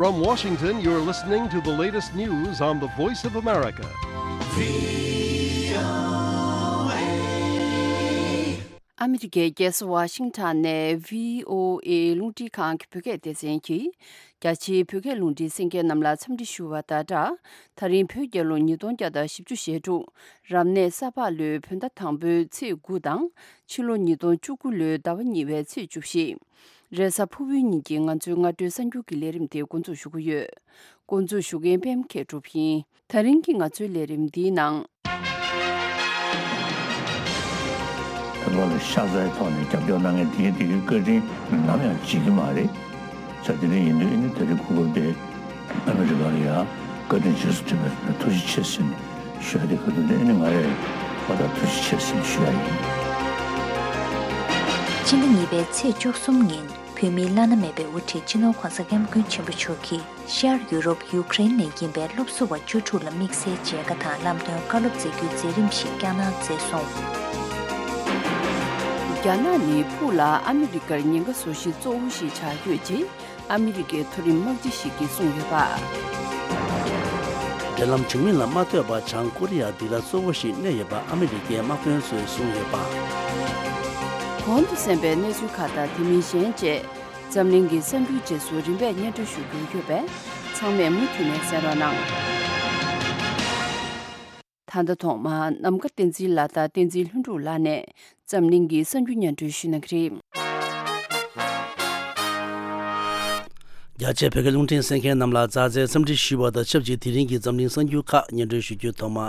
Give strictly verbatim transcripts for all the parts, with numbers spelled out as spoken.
From Washington, you're listening to the latest news on the Voice of America. ཨ་མི་རི་ཀའི་རྒྱལ་ས་ཝ་ཤིང་ཊོན་ནས་བྷི་ཨོ་ཨེ་རླུང་འཕྲིན་ཁང་གི་བོད་སྐད་སྡེ་ཚན་གྱིས། རྒྱ་ཆེའི་བོད་སྐད་རླུང་འཕྲིན་གསན་མཁན་རྣམས་ལ་འཚམས་འདྲི་ཞུ་བ་དང་སྦྲགས། ད་རིང་བོད་རྒྱལ་ལོ་ཉིས་སྟོང་བརྒྱ་དང་བཞི་བཅུ་ཞེ་དྲུག་རབ་གནས་ས་ཕག་ལོའི་བོད་ཟླ་དང་པོའི་ཚེས་དགུ་དང་། ཕྱི་ལོ་ཉིས་སྟོང་བཅུ་དགུ་ལོའི་ཟླ་བ་གཉིས་པའི་ཚེས་བཅུ་བཞི། རེས་གཟའ་ཕུར་བུའི་ཉིན་གྱི་ང་ཚོའི་སྔ་དྲོའི་གསར་འགྱུར་གྱི་ལས་རིམ་དེ་འགོ་འཛུགས་ཞུ་གི་ཡོད། འགོ་འཛུགས་ཞུ་མཁན་པད་མ་མཁས་གྲུབ་ཡིན། ད་རིང་གི་ང་ཚོའི་ལས་རིམ་འདིའི་ནང་། བོད་པ་ལ་ཤ་ཚའི་ཐོག་ནས་རྒྱབ་སྐྱོར་གནང་མཁན་དེ་གའི་དེ་གའི་བཀའ་དྲིན་ནམ་ཡང་བརྗེད་ཀྱི་མ་རེད། ས་དེ་འདྲ་ཡིན་དུས་ཨ་ནི་ད་རེས་གོ་སྐབས་དེ་ཨ་མི་རི་ཀ་ལ་ཡང་བཀའ་དྲིན་རྗེས་སུ་དྲན་པའི་ཐུགས་རྗེ་ཆེ་ཟེར་ནས་ཞུ་ཡ་དེ་ག་དུས་ནས་ཨ་ནི་ང་རས་ཨ་ད་ཐུགས་རྗེ་ཆེ་ཟེར་ནས་ཞུ་ཡ་ཡིན། སྤྱི་ཟླ་གཉིས་པའི་ཚེས་བཅུ་གསུམ་ཉིན་བོད་མིའི་བླ་ན་མེད་པའི་དབུ་ཁྲིད་སྤྱི་ནོར་༧གོང་ས་༧སྐྱབས་མགོན་ཆེན་པོ་མཆོག་གིས། ཤར་ཡུ་རོབ་ཡུ་ཀེ་རེན་ནས་ཡིན་པའི་སློབ་ཟུར་བ་བཅུ་དྲུག་ལ་དམིགས་བསལ་མཇལ་ཁ་དང་ལམ་སྟོན་བཀའ་སློབ་སྩལ་རྒྱུའི་མཛད་རིམ་ཞིག་རྒྱ་ནག་མཛད་སོང་། རྒྱ་ནག་ནི་ཕུགས་ལ་ཨ་མི་རི་ཀར་ཉེན་ཁ་བཟོ་གཞི་གཙོ་བོ་ཞིག་ཆགས་ཡོད་ཅེས་ཨ་མི་རི་ཀའི་མཐོ་རིམ་དམག་སྤྱི་ཞིག་གིས་གསུངས་ཡོད་པ། འབྲེལ་ལམ་བྱུང་མིན་ལ་མ་ལྟོས་པར་བྱང་ཀོ་རི་ཡ་འདི་ལ་གཙོ་བོ་ཞིག་གནས་ཡོད་པ་ཨ་མི་རི་ཀའི་དམག་དཔོན་ཚོས་གསུངས་ཡོད་པ། གོང་དུ་གསན་པའི་གནས་ཚུལ་ཁག་དང་དེ་མིན་གཞན་བཅས། འཛམ་གླིང་གི་གསར་འགྱུར་རྗེས་སུ་རིམ་པས་སྙན་སྒྲོན་ཞུ་རྒྱུ་ཡོད་པས་ཚང་མས་མུ་མཐུད་ནས་གསན་རོགས་གནང་། ད་ལྟ་ཐོག་མར་ནམ་མཁའ་བསྟན་འཛིན་ལགས་དང་བསྟན་འཛིན་ལྷུན་གྲུབ་ལགས་ནས་འཛམ་གླིང་གི་གསར་འགྱུར་སྙན་སྒྲོན་ཞུ་གནང་གི་རེད། རྒྱ་ཆེའི་བོད་སྐད་རླུང་འཕྲིན་གསན་མཁན་རྣམས་ལ་མཛའ་བརྩེའི་འཚམས་འདྲི་ཞུ་བ་དང་ཆབས་ཅིག་དེ་རིང་གི་འཛམ་གླིང་གསར་འགྱུར་ཁག་སྙན་སྒྲོན་ཞུ་རྒྱུའི་ཐོག་མ།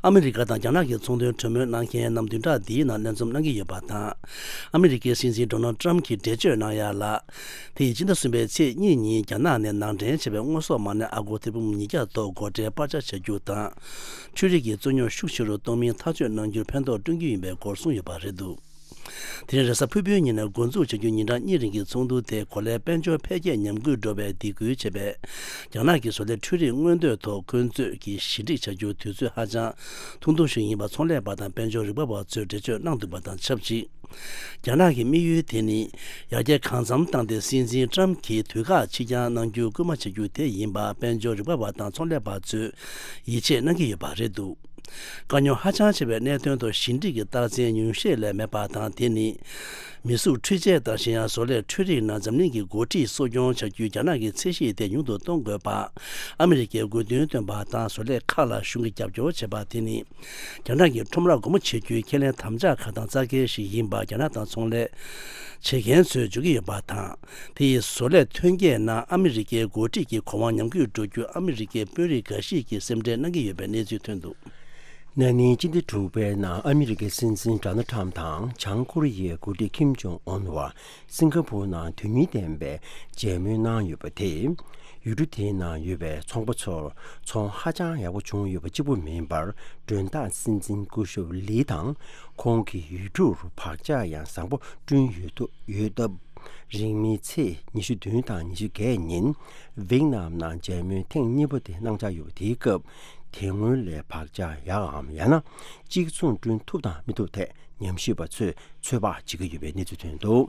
ཨ་མི་རི་ཀ་དང་རྒྱ་ནག་གི་ཚོང་དོན་གྲོས་མོལ་གནང་མཁན་རྣམས་བདུན་ཕྲག་འདིའི་ནང་ལས་འཛོམས་གནང་གི་ཡོད་པ་དང་། ཨ་མི་རི་ཀའི་སྲིད་འཛིན་ཌོ་ནལ་ཊམ་གྱིས་འགྲེལ་བརྗོད་གནང་ཡ་ལ། དེ་ཡིས་སྤྱི་ཟླ་གསུམ་པའི་ཚེས་གཉིས་ཉིན་རྒྱ་ནག་ནས་ནང་འདྲེན་བྱས་པའི་དངོས་ཟོག་མ་ཎི་ཨ་སྒོར་ཐེར་འབུམ་ཉིས་བརྒྱ་ཐོག་སྒོ་ཁྲལ་སྤར་ཆ་བྱ་རྒྱུ་དང་། འཕྲུལ་རིག་གི་རྩོད་རྙོག་ཤུགས་ཆེ་རུ་གཏོང་མིན་ཐག་གཅོད་གནང་རྒྱུར་ཕན་ཐོགས་བསྐྲུན་རྒྱུ་ཡིན་པའི་སྐོར་གསུངས་ཡོད་པ་རེད་འདུག་དེ་རིང་རེས་གཟའ་ཕུར་བུའི་ཉིན་ནས་འགོ་འཛུགས་བྱ་རྒྱུའི་ཉིན་གྲངས་གཉིས་རིང་གི་ཚོགས་འདུ་དེ་གོ་ལའི་དཔལ་འབྱོར་འཕེལ་རྒྱས་ཉམས་རྒུད་འགྲོ་བའི་སྡིགས་སྐུལ་བྱེད་པའི་རྒྱ་ནག་གི་བཟོ་ལས་འཕྲུལ་རིག་སྔོན་གཏོད་ཐོག་འཁོན་རྩོད་ཀྱི་ཞི་འགྲིག་བྱ་རྒྱུ་དུས་ཚོད་ཧ་ཅང་ཐུང་ཐུང་ཞིག་ཡིན་པ་ཚོང་ལས་པ་དང་དཔལ་འབྱོར་རིག་པ་བ་ཚོས་འགྲེལ་བརྗོད་གནང་འདུག་པ་དང་ཆབས་ཅིག་རྒྱ་ནག་གི་དམིགས་ཡུལ་དེ་ནི་ཡར་རྒྱས་གང་འཚམ་བཏང་སྟེ་སྲིད་འཛིན་ཊམ་གྱིས་དུས་བཀག་ཕྱིར་འགྱངས་གནང་རྒྱུ་སྐུལ་མ་བྱ་རྒྱུ་དེ་ཡིན་པ་དཔལ་འབྱོར་རིག་པ་བ་དང་ཚོང་ལས་པ་ཚོས་ཡིད་ཆེས་གནང་གི་ཡོད་པ་རེད་འདུག་དཀའ་རྙོག་ཧ་ཅང་ཆེ་བའི་གནད་དོན་ཐོག་ཞི་འགྲིག་གི་རྟགས་མཚན་ཉུང་ཤས་ལས་མེད་པ་དང་། དེ་ནི་མི་གཟུགས་འཕྲུལ་ཆས་དང་གཞན་ཡང་བཟོ་ལས་འཕྲུལ་རིག་ནང་འཛམ་གླིང་གི་འགོ་ཁྲིད་གསོ་སྐྱོང་བྱ་རྒྱུའི་རྒྱ་ནག་གི་ཚད་གཞི་དེ་ཉུང་དུ་གཏོང་དགོས་པ། ཨ་མི་རི་ཀས་དགོས་འདུན་བཏོན་པ་དང་བཟོ་ལས་ཁག་ལ་གཞུང་གིས་རྒྱབ་སྐྱོར་བྱེད་པ་དེ་ནི་རྒྱ་ནག་གི་ཁྲོམ་ར་སྒོ་མོ་འབྱེད་རྒྱུའི་ཁས་ལེན་དམ་བཅའ་ཁག་དང་རྩ་འགལ་ཞིག་ཡིན་པ་རྒྱ་ནག་དང་ཚོང་ལས་བྱེད་མཁན་ཚོས་བརྗོད་ཀྱི་ཡོད་པ་དང་། དེ་ཡིས་བཟོ་ལས་ཐོན་སྐྱེད་ནང་ཨ་མི་རི་ཀའི་འགོ་ཁྲིད་ཀྱི་གོ་དབང་ཉམས་རྒུད་འགྲོ་རྒྱུ་ཨ་མི་རི་ཀའི་དཔོན་རིགས་འགའ་ཞིག་གིས་སེམས་ཁྲལ་གནང་གི་ཡོད་པའི་གནས་ཚུལ་ཐོན་འདུག་ན་ནིང་སྤྱི་ཟླ་དྲུག་པའི་ནང་ཨ་མི་རི་ཀའི་སྲིད་འཛིན་ཌོ་ནལ་ཊམ་དང་བྱང་ཀོ་རི་ཡའི་འགོ་ཁྲིད་ཁིམ་ཇོང་ཨུན་བར་སིང་ག་པུར་ནང་དོན་སྙིང་ལྡན་པའི་མཇལ་མོལ་གནང་ཡོད་པ་དེས། ཡུལ་གྲུ་དེའི་ནང་ཡོད་པའི་ཚོང་པ་ཚོར་ཚོང་ཧ་ཅང་ཡག་པོ་བྱུང་ཡོད་པ་གཅིག་པུ་མིན་པར། མགྲོན་བདག་སྲིད་འཛིན་སྐུ་ཞབས་ལི་དང་ཁོང་གི་ཡུལ་གྲུར་བག་ཆགས་ཡང་བཟང་པོ་བསྐྲུན་ཡོད་ཐུབ་ཡོད་སྟབས། རིང་མིན་ཚེས་ཉི་ཤུ་བདུན་དང་ཉི་ཤུ་བརྒྱད་ཉིན་ཝེད་ནམ་ནང་མཇལ་མོལ་ཐེངས་གཉིས་པ་དེ་གནང་འཆར་ཡོད་པ་དེའི་སྐབས། དེ་སྔོན་ལས་བག་ཆགས་ཡག་གམ་ཡང་ན་གཅིག་མཚུངས་བསྐྲུན་ཐུབ་དང་མི་ཐུབ་ཐད་ཉམས་ཞིབ་པ་ཚོས་ཚོད་དཔག་བྱེད་ཀྱི་ཡོད་པའི་གནས་ཚུལ་ཐོན་འདུག་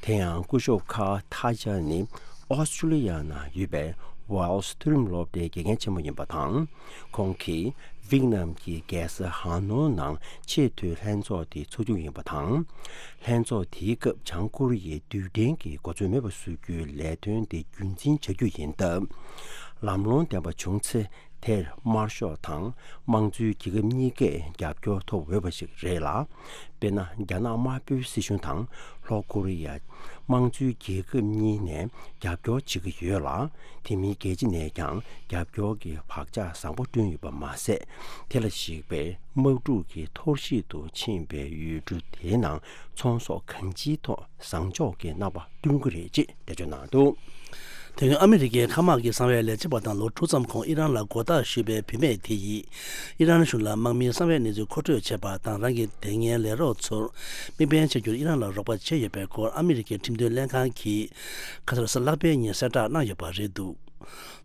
དེ་ཡང་སྐུ་ཞབས་ཁཱ་ཐ་ཇཱ་ནི་ཨོ་སི་ཀྲུ་ལི་ཡ་ནང་ཡོད་པའི་ཝེལ་སི་མཐོ་རིམ་སློབ་གྲྭའི་དགེ་རྒན་ཆེན་མོ་ཡིན་པ་དང་། ཁོང་གིས་ཝེད་ནམ་གྱི་རྒྱལ་ས་ཧ་ནོ་ནང་ཆེས་མཐོའི་ལྷན་ཚོགས་དེ་ཚོགས་རྒྱུ་ཡིན་པ་དང་། ལྷན་ཚོགས་དེའི་སྐབས་བྱང་ཀོ་རི་ཡའི་རྡུལ་ཕྲན་གྱི་གོ་མཛོད་མེད་པ་བཟོ་རྒྱུའི་ལས་དོན་དེ་རྒྱུན་འཛིན་བྱ་རྒྱུ་ཡིན་སྟབས། ལམ་ལྷོང་ལྡན་པ་བྱུང་ཚེ། དེར་དམར་ཤོག་དང་དམངས་གཙོའི་རྒྱལ་ཁབ་གཉིས་ཀས་རྒྱབ་སྐྱོར་ཐོབ་འོས་པ་ཞིག་རེད་ལ། དཔེར་ན། རྒྱ་ནག་དམར་པོའི་སྲིད་གཞུང་དང་ལྷོ་ཀོ་རི་ཡ། དམངས་གཙོའི་རྒྱལ་ཁབ་གཉིས་ནས་རྒྱབ་སྐྱོར་བྱེད་ཀྱི་ཡོད་ལ། དེ་མིན་རྒྱལ་སྤྱི་ནས་ཀྱང་རྒྱབ་སྐྱོར་གྱི་བག་ཆགས་བཟང་པོ་བསྐྲུན་ཡོད་པ་མ་ཟད། དེ་ལ་གཞིགས་པའི་དམག་འཁྲུག་གི་འཐོར་ཞིག་ཏུ་ཕྱིན་པའི་ཡུལ་གྲུ་དེའི་ནང་ཚོང་ཟོག་གང་ཅིའི་ཐོག་བཟང་ཕྱོགས་ཀྱི་རྣམ་པ་བསྐྲུན་གྱི་རེད་ཅེས་འགྲེལ་བརྗོད་གནང་འདུག་དེ་སྔོན་ཨ་མི་རི་ཀའི་མཁའ་དམག་གི་གསང་བའི་ལས་བྱེད་པ་དང་ལོ་དྲུག་ཙམ་གོང་ཨི་རན་ལ་མགོ་བཏགས་ཞུས་པའི་བུད་མེད་དེ་ཡིས་ཨི་རན་གཞུང་ལ་དམག་མིའི་གསང་བའི་གནས་ཚུལ་མཁོ་སྤྲོད་བྱས་པ་དང་། རང་གི་དེ་སྔའི་ལས་རོགས་ཚོར་དམིགས་འབེན་བྱ་རྒྱུར་ཨི་རན་ལ་རོགས་པ་བྱས་ཡོད་པའི་སྐོར་ཨ་མི་རི་ཀའི་ཁྲིམས་དོན་ལྷན་ཁང་གིས་ཁ་སང་རེས་གཟའ་ལྷག་པའི་ཉིན་གསལ་བསྒྲགས་གནང་ཡོད་པ་རེད་འདུག་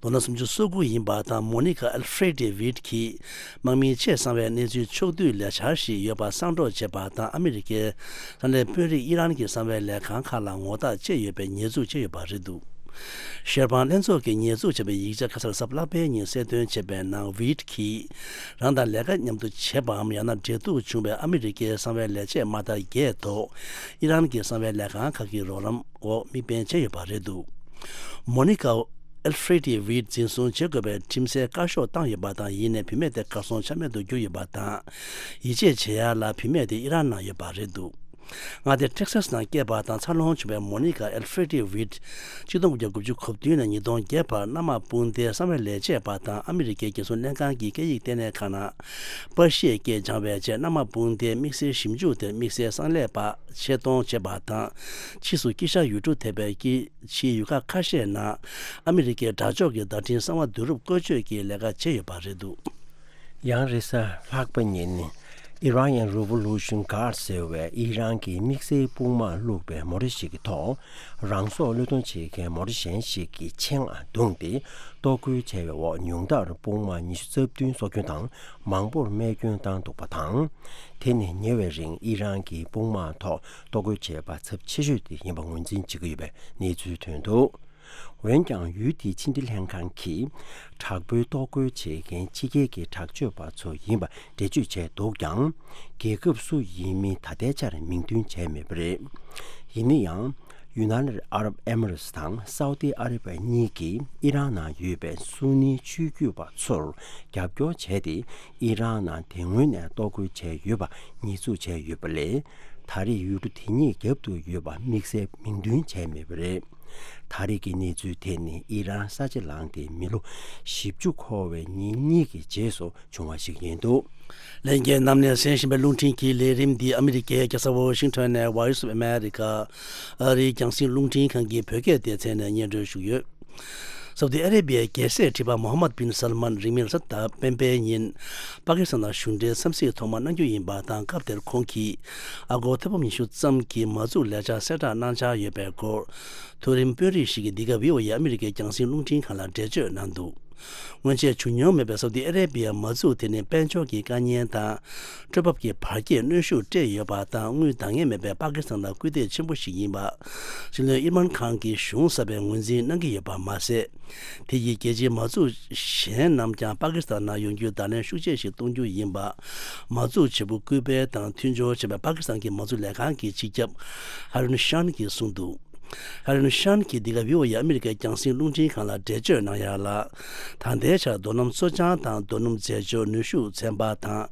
ལོ་ན་སུམ་ཅུ་སོ་དགུ་ཡིན་པ་དང་། མོ་ནི་ཀ་ཨལ་ཧྥེ་རེ་ཏི་ཝིད་ཀྱིས་དམག་མིའི་ཆེས་གསང་བའི་གནས་ཚུལ་ཕྱོགས་བསྡུས་ལས་འཆར་ཞིག་ཡོད་པ་གསང་སྒྲོག་བྱས་པ་དང་། ཨ་མི་རི་ཀའི་ས་གནས་དཔོན་རིགས་ཨི་རན་གྱི་གསང་བའི་ལས་ཁང་ཁག་ལ་ངོ་རྟགས་བཅད་ཡོད་པའི་ཉེས་འཛུགས་བྱས་ཡོད་པ་རེད་འདུག་ཤེར་ཕང་ལྷན་ཚོགས་ཀྱིས་ཉེས་འཛུགས་བྱས་པའི་ཡིག་ཆ་ཁ་སང་གཟའ་ལྷག་པའི་ཉིན་གསལ་སྟོན་བྱས་པའི་ནང་ཝིད་ཀྱིས་རང་དང་ལས་ཀ་མཉམ་དུ་བྱེད་པའམ་ཡང་ན་འབྲེལ་གཏུག་བྱུང་བའི་ཨ་མི་རི་ཀའི་གསང་བའི་ལས་བྱེད་མ་དག་བརྒྱད་ཐོག་ཨི་རན་གྱི་གསང་བའི་ལས་ཁང་ཁག་གི་རོགས་རམ་འོག་དམིགས་འབེན་བྱས་ཡོད་པ་རེད་འདུག་མོ་ནི་ཀ་ཨེལ་ཧྥེ་ཏི་ཝིད་འཛིན་བཟུང་བྱེད་དགོས་པའི་ཁྲིམས་སའི་བཀའ་ཤོག་བཏང་ཡོད་པ་དང་། ཡིན་ནའི་བུད་མེད་དེ་གར་སོང་ཆ་མེད་དུ་གྱུར་ཡོད་པ་དང་། ཡིད་ཆེས་བྱེད་ཡ་ལ་བུད་མེད་དེ་ཨི་རན་ནང་ཡོད་པ་རེད་འདུག་མངའ་སྡེ་ཊེག་སཱས་ནང་སྐྱེས་པ་དང་འཚར་ལོངས་བྱུང་བའི་མོ་ནི་ཀ་ཨེལ་ཧྥེ་ཏི་ཝིད་གཅིག་སྟོང་དགུ་བརྒྱ་དགུ་བཅུ་གོ་བདུན་ནས་ཉིས་སྟོང་བརྒྱད་བར་མནའ་མ་སྤུངས་ཏེ་གསང་བའི་ལས་བྱེད་པ་དང་ཨ་མི་རི་ཀའི་རྒྱལ་སྲུང་ལྷན་ཁང་གི་སྐད་ཡིག་ལྟེ་གནས་ཁང་ནང་པར་ཤིས་སྐད་སྦྱང་བའི་ཆེད་མནའ་མ་སྤུངས་ཏེ་དམིགས་བསལ་ཞིབ་འཇུག་དེར་དམིགས་བསལ་གསང་ལས་པ་ཆེད་གཏོང་བྱས་པ་དང་། ཕྱིས་སུ་དཀྱིལ་ཤར་ཡུལ་གྲུ་ཐེ་བའི་དཀྱིལ་ཕྱིའི་ཡུལ་ཁག་ཁ་ཤས་ནང་ཨ་མི་རི་ཀའི་དྲག་ཕྱོགས་ཀྱི་བརྡ་འཕྲིན་གསང་བ་བསྡུ་རུབ་བཀོལ་སྤྱོད་ཀྱི་ལས་ཀ་བྱས་ཡོད་པ་རེད་འདུག་ཡང་རེས་གཟའ་ལྷག་པ་ཉིན། Iranian Revolution Guard ཟེར་བའི་ཨི་རན་གྱི་དམིགས་བསལ་དཔུང་དམག་བླུགས་པའི་མོ་ཊ་ཞིག་གི་ཐོག་རང་སྲོག་བློས་གཏོང་བྱེད་མཁན་མོ་ཊ་གཞན་ཞིག་གི་ཆེད་མངགས་བརྡུངས་ཏེ། གཏོར་རྒོལ་བྱས་པའི་འོག་ཉུང་མཐར་དཔུང་དམག་ཉི་ཤུ་རྩ་བདུན་སྲོག་སྐྱོན་དང་མང་པོར་རྨས་སྐྱོན་བཏང་འདུག་པ་དང་། དེ་ནི་ཉེ་བའི་རིང་ཨི་རན་གྱི་དཔུང་དམག་ཐོག་གཏོར་རྒོལ་བྱས་པ་ཚབས་ཆེ་ཤོས་དེ་ཡིན་པ་ངོས་འཛིན་བྱེད་ཀྱི་ཡོད་པའི་གནས་ཚུལ་ཐོན་འདུག་འོན་ཀྱང་ཡུལ་དེའི་ཕྱི་འབྲེལ་ལྷན་ཁང་གིས། དྲག་པོའི་གཏོར་རྒོལ་བྱེད་མཁན་ཕྱི་རྒྱལ་གྱི་དྲག་སྤྱོད་པ་ཚོ་ཡིན་པ་འགྲེལ་བརྗོད་བྱས་འདུག་ཀྱང་། རྒྱལ་ཁབ་སུ་ཡིན་མིན་ད་ལྟའི་ཆར་མིང་འདོན་བྱས་མེད་པ་རེད། ཡིན་ན་ཡང་། ཡུ་ནན་ཨ་རབ་ཨེ་མི་རེ་ཊི་དང་སའུ་ཏི་ཨ་རི་བ་གཉིས་ཀྱིས་ཨི་རན་ནང་ཡོད་པའི་སུ་ནི་ཆོས་བརྒྱུད་པ་ཚོར་རྒྱབ་སྐྱོར་བྱས་ཏེ། ཨི་རན་ནང་དེ་སྔོན་ནས་གཏོར་རྒོལ་བྱས་ཡོད་པ་ཉེས་འཛུགས་བྱས་ཡོད་པ་ལས། ད་རེས་ཡུལ་གྲུ་དེ་གཉིས་རྒྱབ་ཏུ་ཡོད་པ་དམིགས་བསལ་མིང་འདོན་བྱས་མེད་པ་རེད། ད་རེས་ཀྱི་གནས་ཚུལ་དེ་ནི་ཨི་རན་ས་ཆ་ལངས་ཏེ་མི་ལོ་བཞི་བཅུ་འཁོར་བའི་ཉིན་གཉིས་ཀྱི་རྗེས་སུ་བྱུང་བ་ཞིག་ཡིན་འདུག་ལྷན་རྒྱས་རྣམས་ནས་གསན་བཞིན་པའི་རླུང་འཕྲིན་གྱི་ལས་རིམ་འདི་ཨ་མི་རི་ཀའི་རྒྱལ་ས་ཝོ་ཤིང་ཊོན་ནས་Voice of America ཨ་རིའི་རྒྱང་སྲིང་རླུང་འཕྲིན་ཁང་གི་བོད་སྐད་སྡེ་ཚན་ནས་སྙན་སྒྲོན་ཞུས་ཡོད། སའུ་ཏི་ཨ་རེ་བྷི་ཡའི་རྒྱལ་སྲས་ཁྲི་པ་མོ་ཧམ་མད་བིན་སལ་མན་རིང་མིན་གཟའ་ཟླ་སྤེན་པའི་ཉིན་པ་ཀི་སི་ཐན་ནང་གཞུང་འབྲེལ་འཚམས་གཟིགས་ཐོག་མ་གནང་རྒྱུ་ཡིན་པ་དང་། སྐབས་དེར་ཁོང་གིས་ཨ་སྒོར་ཐེར་འབུམ་ཉི་ཤུ་ཙམ་གྱི་མ་འཛུགས་ལས་འཆར་གསལ་བསྒྲགས་གནང་འཆར་ཡོད་པའི་སྐོར། མཐོ་རིམ་དཔོན་རིགས་ཤིག་གིས་འདི་ག་བྷི་ཨོ་ཨེ་ཨ་མི་རི་ཀའི་རྒྱང་སྲིང་རླུང་འཕྲིན་ཁང་ལ་འགྲེལ་བརྗོད་གནང་འདུག་སྔོན་ཆད་བྱུང་མྱོང་མེད་པའི་སའུ་ཏི་ཨ་རེ་བྷི་ཡའི་མ་འཛུགས་དེ་ནི་དཔལ་འབྱོར་གྱི་དཀའ་ངལ་དང་། སྤྲོད་འབབ་ཀྱི་བར་ཁྱད་གནོན་ཤུགས་སྤྲད་ཡོད་པ་དང་། དངུལ་འདང་ངེས་མེད་པའི་པ་ཀི་སི་ཐན་ལ་སྐུལ་འདེད་ཆེན་པོ་ཞིག་ཡིན་པ། སྲིད་བློན་ཨིར་མན་ཁཱན་གྱིས་གཞུང་གསར་པའི་ངོས་འཛིན་གནང་གི་ཡོད་པ་མ་ཟད། དེ་ཡིས་རྒྱལ་སྤྱིའི་མ་འཛུགས་གཞན་རྣམས་ཀྱང་པ་ཀི་སི་ཐན་ནང་ཡོང་རྒྱུའི་བརྡ་ལན་ཤུགས་ཆེ་ཞིག་གཏོང་རྒྱུ་ཡིན་པ། མ་འཛུགས་བྱེད་པོ་སྐུལ་སྤེལ་དང་མཐུན་སྦྱོར་བྱས་པའི་པ་ཀི་སི་ཐན་གྱི་མ་འཛུགས་ལས་ཁང་གི་སྤྱི་ཁྱབ་ཧ་རུན་ཤཱན་གྱིས་གསུངས་འདུག་ཧ་རུན་ཤཱན་གྱིས་འདི་ག་བྷི་ཨོ་ཨེ་ཨ་མི་རི་ཀའི་རྒྱང་སྲིང་རླུང་འཕྲིན་ཁང་ལ་འགྲེལ་བརྗོད་གནང་ཡག་ལ། ད་ལྟའི་ཆར་རྡོ་སྣུམ་བཙོ་སྦྱང་དང་རྡོ་སྣུམ་རྫས་སྦྱོར་ནུས་ཤུགས་ཚན་པ་དང་།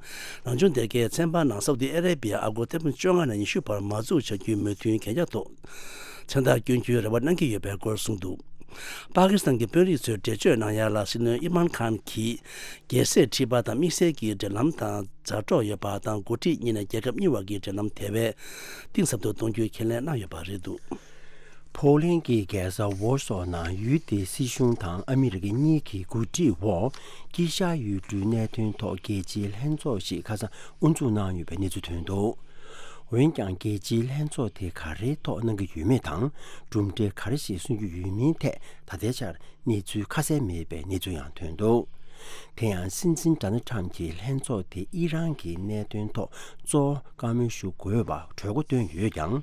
རང་བྱུང་སྡེར་ཁའི་ཚན་པ་ནང་སའུ་ཏི་ཨ་རེ་བྷི་ཡ་ཨ་སྒོར་ཐེར་འབུམ་བཅོ་ལྔ་ནས་ཉི་ཤུ་བར་མ་འཛུགས་བྱ་རྒྱུའི་མོས་མཐུན་གན་རྒྱ་ཐོག་མཚན་རྟགས་བསྐྱོན་རྒྱུའི་རེ་བ་གནང་གི་ཡོད་པའི་སྐོར་གསུངས་འདུག་པ་ཀི་སི་ཐན་གྱི་དཔོན་རིགས་ཚོས་འགྲེལ་བརྗོད་གནང་ཡག་ལ། སྲིད་བློན་ཨིར་མན་ཁཱན་གྱིས་རྒྱལ་སྲས་ཁྲི་པ་དང་དམིགས་བསལ་གྱི་འབྲེལ་ལམ་དང་མཛའ་གྲོགས་ཡོད་པ་དང་། འགོ་ཁྲིད་གཉིས་ནས་རྒྱལ་ཁབ་གཉིས་བར་གྱི་འབྲེལ་ལམ་དེ་བས་གཏིང་ཟབ་ཏུ་གཏོང་རྒྱུའི་ཁས་ལེན་གནང་ཡོད་པ་རེད་འདུག་ཕོ་ལན་གྱི་རྒྱལ་ས་ཝོར་སོ་ནང་ཡུལ་དེའི་སྲིད་གཞུང་དང་ཨ་མི་རི་ཀ་གཉིས་ཀྱི་འགོ་ཁྲིད་འོག་དཀྱིལ་ཤར་ཡུལ་གྲུའི་གནད་དོན་ཐོག་རྒྱལ་སྤྱིའི་ལྷན་ཚོགས་ཤིག་ཁ་སང་དབུ་འཛུགས་གནང་ཡོད་པའི་གནས་ཚུལ་ཐོན་འདུག་འོན་ཀྱང་རྒྱལ་སྤྱིའི་ལྷན་ཚོགས་དེ་ག་རེའི་ཐོག་གནང་གི་ཡོད་མེད་དང་། གྲུབ་འབྲས་ག་རེ་ཞིག་སོན་རྒྱུ་ཡོད་མིན་ཐད་ད་ལྟའི་ཆར་གནས་ཚུལ་ཁ་གསལ་མེད་པའི་གནས་ཚུལ་ཡང་ཐོན་འདུག་དེ་ཡང་སྲིད་འཛིན་ཌོ་ནལ་ཊམ་གྱིས་ལྷན་ཚོགས་དེ་ཨི་རན་གྱི་གནད་དོན་ཐོག་གཙོ་བོ་བཀའ་མོལ་ཞུ་དགོས་པར་གྲོས་འགོ་བཏོན་ཡོད་ཀྱང་།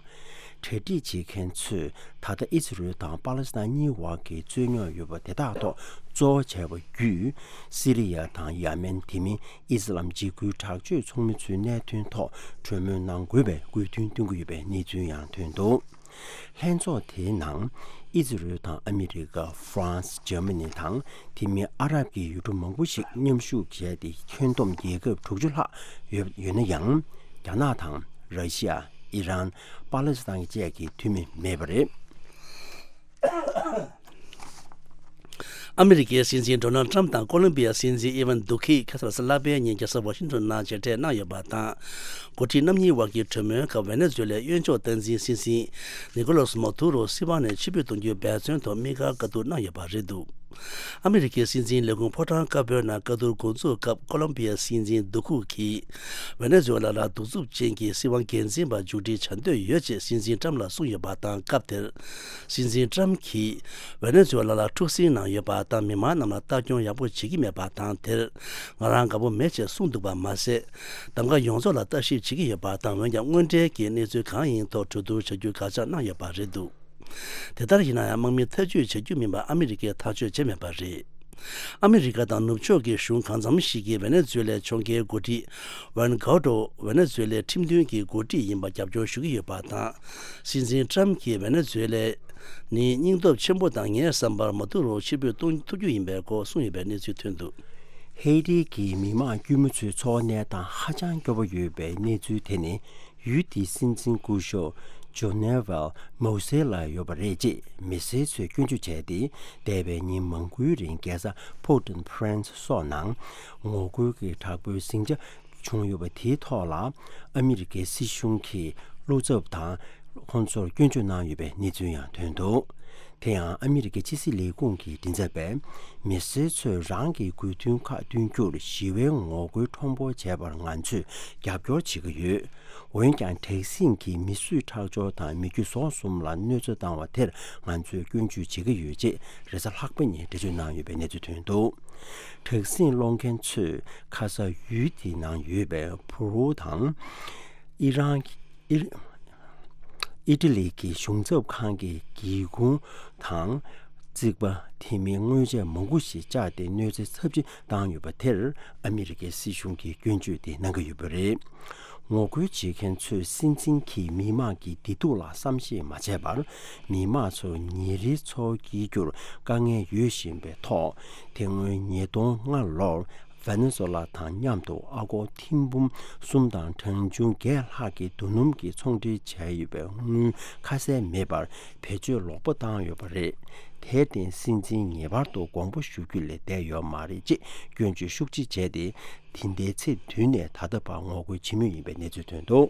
གྲ་སྒྲིག་བྱེད་མཁན་ཚོས་ད་ལྟ་ཨི་ཛི་རལ་དང་པ་ལི་སི་ཐན་གཉིས་བར་གྱི་རྩོད་རྙོག་ཡོད་པ་དེ་དག་ཐོག་གཙོ་བོ་བྱས་པ་བརྒྱུད། སི་རི་ཡ་དང་ཡ་མེན། དེ་མིན་ཨི་སི་ལམ་འཇིགས་སྐུལ་དྲག་སྤྱོད་ཚོགས་མི་ཚོའི་གནད་དོན་ཐོག་གྲོས་མོལ་གནང་དགོས་པའི་དགོས་འདུན་བཏོན་གྱི་ཡོད་པའི་གནས་ཚུལ་ཡང་ཐོན་འདུག་ལྷན་ཚོགས་དེའི་ནང་ཨི་ཛི་རལ་དང་ཨ་མི་རི་ཀ། ཧྥ་རན་སི། འཇར་མ་ནི་དང་དེ་མིན་ཨ་རབ་ཀྱི་ཡུལ་གྲུ་མང་པོ་ཞིག་མཉམ་ཞུགས་བྱས་ཏེ། ཁྱོན་བསྡོམས་རྒྱལ་ཁབ་དྲུག་ཅུ་ལྷག་ཡོད་ཡོད་ན་ཡང་། རྒྱ་ནག་དང་། ར་ཤི་ཡ། ཨི་རན། པ་ལི་སི་ཐན་བཅས་ཀྱི་འཐུས་མི་མེད་པ་རེད། ཨ་མི་རི་ཀའི་སྲིད་འཛིན་ཌོ་ནལ་ཊམ་དང་ཀོ་ལོམ་བི་ཡའི་སྲིད་འཛིན་ཨི་ཝན་དུ་ཁིས་ཁ་སང་གཟའ་ལྷག་པའི་ཉིན་རྒྱལ་ས་ཝ་ཤིང་ཊོན་ནང་མཇལ་འཕྲད་གནང་ཡོད་པ་དང་། འགོ་ཁྲིད་རྣམ་གཉིས་དབར་གྱི་གྲོས་མོལ་སྐབས། ཝེ་ནེ་ཛུ་ཝེ་ལའི་གཡོན་ཕྱོགས་སྟངས་འཛིན་སྲིད་འཛིན་ནི་ཀོ་ལོ་སི་མ་དུ་རོ་སྲིད་དབང་ནས་ཕྱིར་འབུད་གཏོང་རྒྱུའི་འབད་བརྩོན་ཐོག་དམིགས་བཀར་བཀའ་བསྡུར་གནང་ཡོད་པ་རེད་འདུག་ཨ་མི་རི་ཀའི་སྲིད་འཛིན་ལས་ཁུངས་ཕོ་བྲང་དཀར་པོའི་ནང་བཀའ་བསྡུར་འགོ་འཛུགས་སྐབས། ཀོ་ལོམ་བི་ཡའི་སྲིད་འཛིན་དུ་ཁུ་གིས་ཝེ་ནེ་ཛུ་ཝེ་ལ་ལ་གདུག་རྩུབ་ཅན་གྱི་སྲིད་དབང་སྒེར་འཛིན་པ་མཇུག་སྒྲིལ་བྱ་འདོད་ཡོད་ཅེས་སྲིད་འཛིན་ཊམ་ལ་གསུངས་ཡོད་པ་དང་། སྐབས་དེར་སྲིད་འཛིན་ཊམ་གྱིས་ཝེ་ནེ་ཛུ་ཝེ་ལ་ལ་འཁྲུག་ཟིང་ནང་ཡོད་པ་དང་། མི་མང་རྣམས་ལ་ལྟ་སྐྱོང་ཡག་པོ་བྱེད་ཀྱི་མེད་པ་དང་། དེར་ང་རང་དགའ་པོ་མེད་ཅེས་གསུངས་འདུག་པ་མ་ཟད། གདམ་ག་ཡོངས་རྫོགས་ལ་ལྟ་ཞིབ་བྱེད་ཀྱི་ཡོད་པ་དང་། འོན་ཀྱང་དངོས་འབྲེལ་གྱི་གནས་ཚུལ་གང་ཡིན་ཐོག་གྲོས་བསྡུར་བྱ་རྒྱུའི་དགག་བྱ་གནང་ཡོད་པ་རེད་འདུག་དེ་ལྟར་ཡིན་ན་ཡང་དམག་མི་ཐག་གཅོད་བྱ་རྒྱུ་མིན་པ་ཨ་མི་རི་ཀས་ཐག་གཅོད་བྱས་མེད་པ་རེད། ཨ་མི་རི་ཀ་དང་ནུབ་ཕྱོགས་ཀྱི་གཞུང་གང་འཚམ་ཞིག་གིས་ཝེ་ནེ་ཛུ་ཝེ་ལའི་ཕྱོགས་འགལ་འགོ་ཁྲིད་ཝན་གའོ་ཏྲོ་ཝེ་ནེ་ཛུ་ཝེ་ལའི་ཁྲིམས་མཐུན་གྱི་འགོ་ཁྲིད་ཡིན་པར་རྒྱབ་སྐྱོར་ཞུ་གི་ཡོད་པ་དང་། སྲིད་འཛིན་ཊམ་གྱིས་ཝེ་ནེ་ཛུ་ཝེ་ལའི་ནི་སྙིང་སྟོབས་ཆེན་པོ་དང་ངའི་བསམ་པར་མ་ཐུག་རུང་ཕྱིར་འབུད་གཏོང་ཐུབ་རྒྱུ་ཡིན་པའི་སྐོར་གསུངས་ཡོད་པའི་གནས་ཚུལ་ཐོན་འདུག། ཧེ་ཏི་གི་མི་དམངས་དཀྱུས་མ་ཚོའི་འཚོ་བ་གནས་སྟངས་ཧ་ཅང་སྐྱོ་པོ་ཡོད་པའི་གནས་ཚུལ་དེ་ནི། ཡུལ་དེའི་སྲིད་འཛིན་སྐུ་ཞབས་ཇོ་ནེ་ཝལ་མོ་སེ་ལ་ཡོད་པ་རེད་ཅེས་མི་སེར་ཚོས་སྐྱོན་བརྗོད་བྱས་ཏེ། འདས་པའི་ཉིན་མང་པོའི་རིང་རྒྱལ་ས་པོར་ཊོ་ཕ་རན་སི་སོགས་ནང་ངོ་རྒོལ་གྱི་དྲག་པོའི་ཟིང་ཆ་བྱུང་ཡོད་པ་དེའི་ཐོག་ལ་ཨ་མི་རི་ཀའི་སྲིད་གཞུང་གིས་བློ་འཚབ་དང་ཁོང་ཚོར་སྐྱོན་བརྗོད་གནང་ཡོད་པའི་གནས་ཚུལ་ཡང་ཐོན་འདུག། དེ་ཡང་ཨ་མི་རི་ཀའི་ཕྱི་སྲིད་ལས་ཁུངས་ཀྱི་མགྲིན་ཚབ་པས། མི་སེར་ཚོས་རང་གི་དགོས་འདུན་ཁག་བསྐྲུན་རྒྱུར་ཞི་བའི་ངོ་རྒོལ་ཁྲོམ་སྐོར་བྱས་པར་ང་ཚོས་རྒྱབ་སྐྱོར་བྱེད་ཀྱི་ཡོད། འོན་ཀྱང་། དྲག་ཟིང་གིས་མི་གསོད་ཁྲག་སྦྱོར་དང་མི་རྒྱུ་ཟོག་གསུམ་ལ་གནོད་འཚེ་བཏང་བ་དེར་ང་ཚོས་སྐྱོན་བརྗོད་བྱེད་ཀྱི་ཡོད་ཅེས་རེས་གཟའ་ལྷག་པ་ཉིན་འགྲེལ་བརྗོད་གནང་ཡོད་པའི་གནས་ཚུལ་ཐོན་འདུག། དྲག་ཟིང་སློང་མཁན་ཚོས་ཁ་ས་ཡུལ་དེའི་ནང་ཡོད་པའི་ཕུ་རུ་དང་ཨི་རན་ཨི་ཨི་ཊ་ལི་གི་གཞུང་ཚབ་ཁང་གི་སྒེའུ་ཁུང་དང་རྩིག་པ། དེ་མིན་དངོས་ཆས་མང་པོ་ཞིག་བཅག་སྟེ་གནོད་འཚེ་ཚབས་ཆེ་བཏང་ཡོད་པ་དེར་ཨ་མི་རི་ཀའི་སྲིད་གཞུང་གིས་སྐྱོན་བརྗོད་དེ་གནང་གི་ཡོད་པ་རེད། ངོ་རྒོལ་བྱེད་མཁན་ཚོས་སྲིད་འཛིན་གྱིས་མི་དམངས་ཀྱི་བདེ་སྡུག་ལ་བསམ་ཤེས་མ་བྱས་པར། མི་དམངས་ཚོར་ཉིན་རེའི་འཚོ་བ་སྐྱེལ་རྒྱུར་དཀའ་ངལ་ཡོད་བཞིན་པའི་ཐོག། དེ་སྔོན་ཉིས་སྟོང་ལྔ་ལོར་ཝེ་ནེ་ཛུ་ཝེ་ལ་དང་མཉམ་དུ་ཨ་སྒོར་ཐེར་འབུམ་གསུམ་དང་གྲངས་ཆུང་བརྒྱད་ལྷག་གི་རྡོ་སྣུམ་གྱི་ཚོང་འབྲེལ་བྱས་ཡོད་པའི་དངུལ་ཁ་གསལ་མེད་པར་བེད་སྤྱོད་ལོག་པ་བཏང་ཡོད་པ་རེད། དེར་བརྟེན་སྲིད་འཛིན་ངེས་པར་དུ་དགོངས་པ་ཞུ་རྒྱུ་ལས་བསྡད་ཡོད་མ་རེད་ཅེས་སྐྱོན་བརྗོད་ཤུགས་ཆེ་བྱས་ཏེ། དེ་ཟླའི་ཚེས་བདུན་ནས་ད་ལྟ་བར་ངོ་རྒོལ་བྱེད་མུས་ཡིན་པའི་གནས་ཚུལ་ཐོན་འདུག།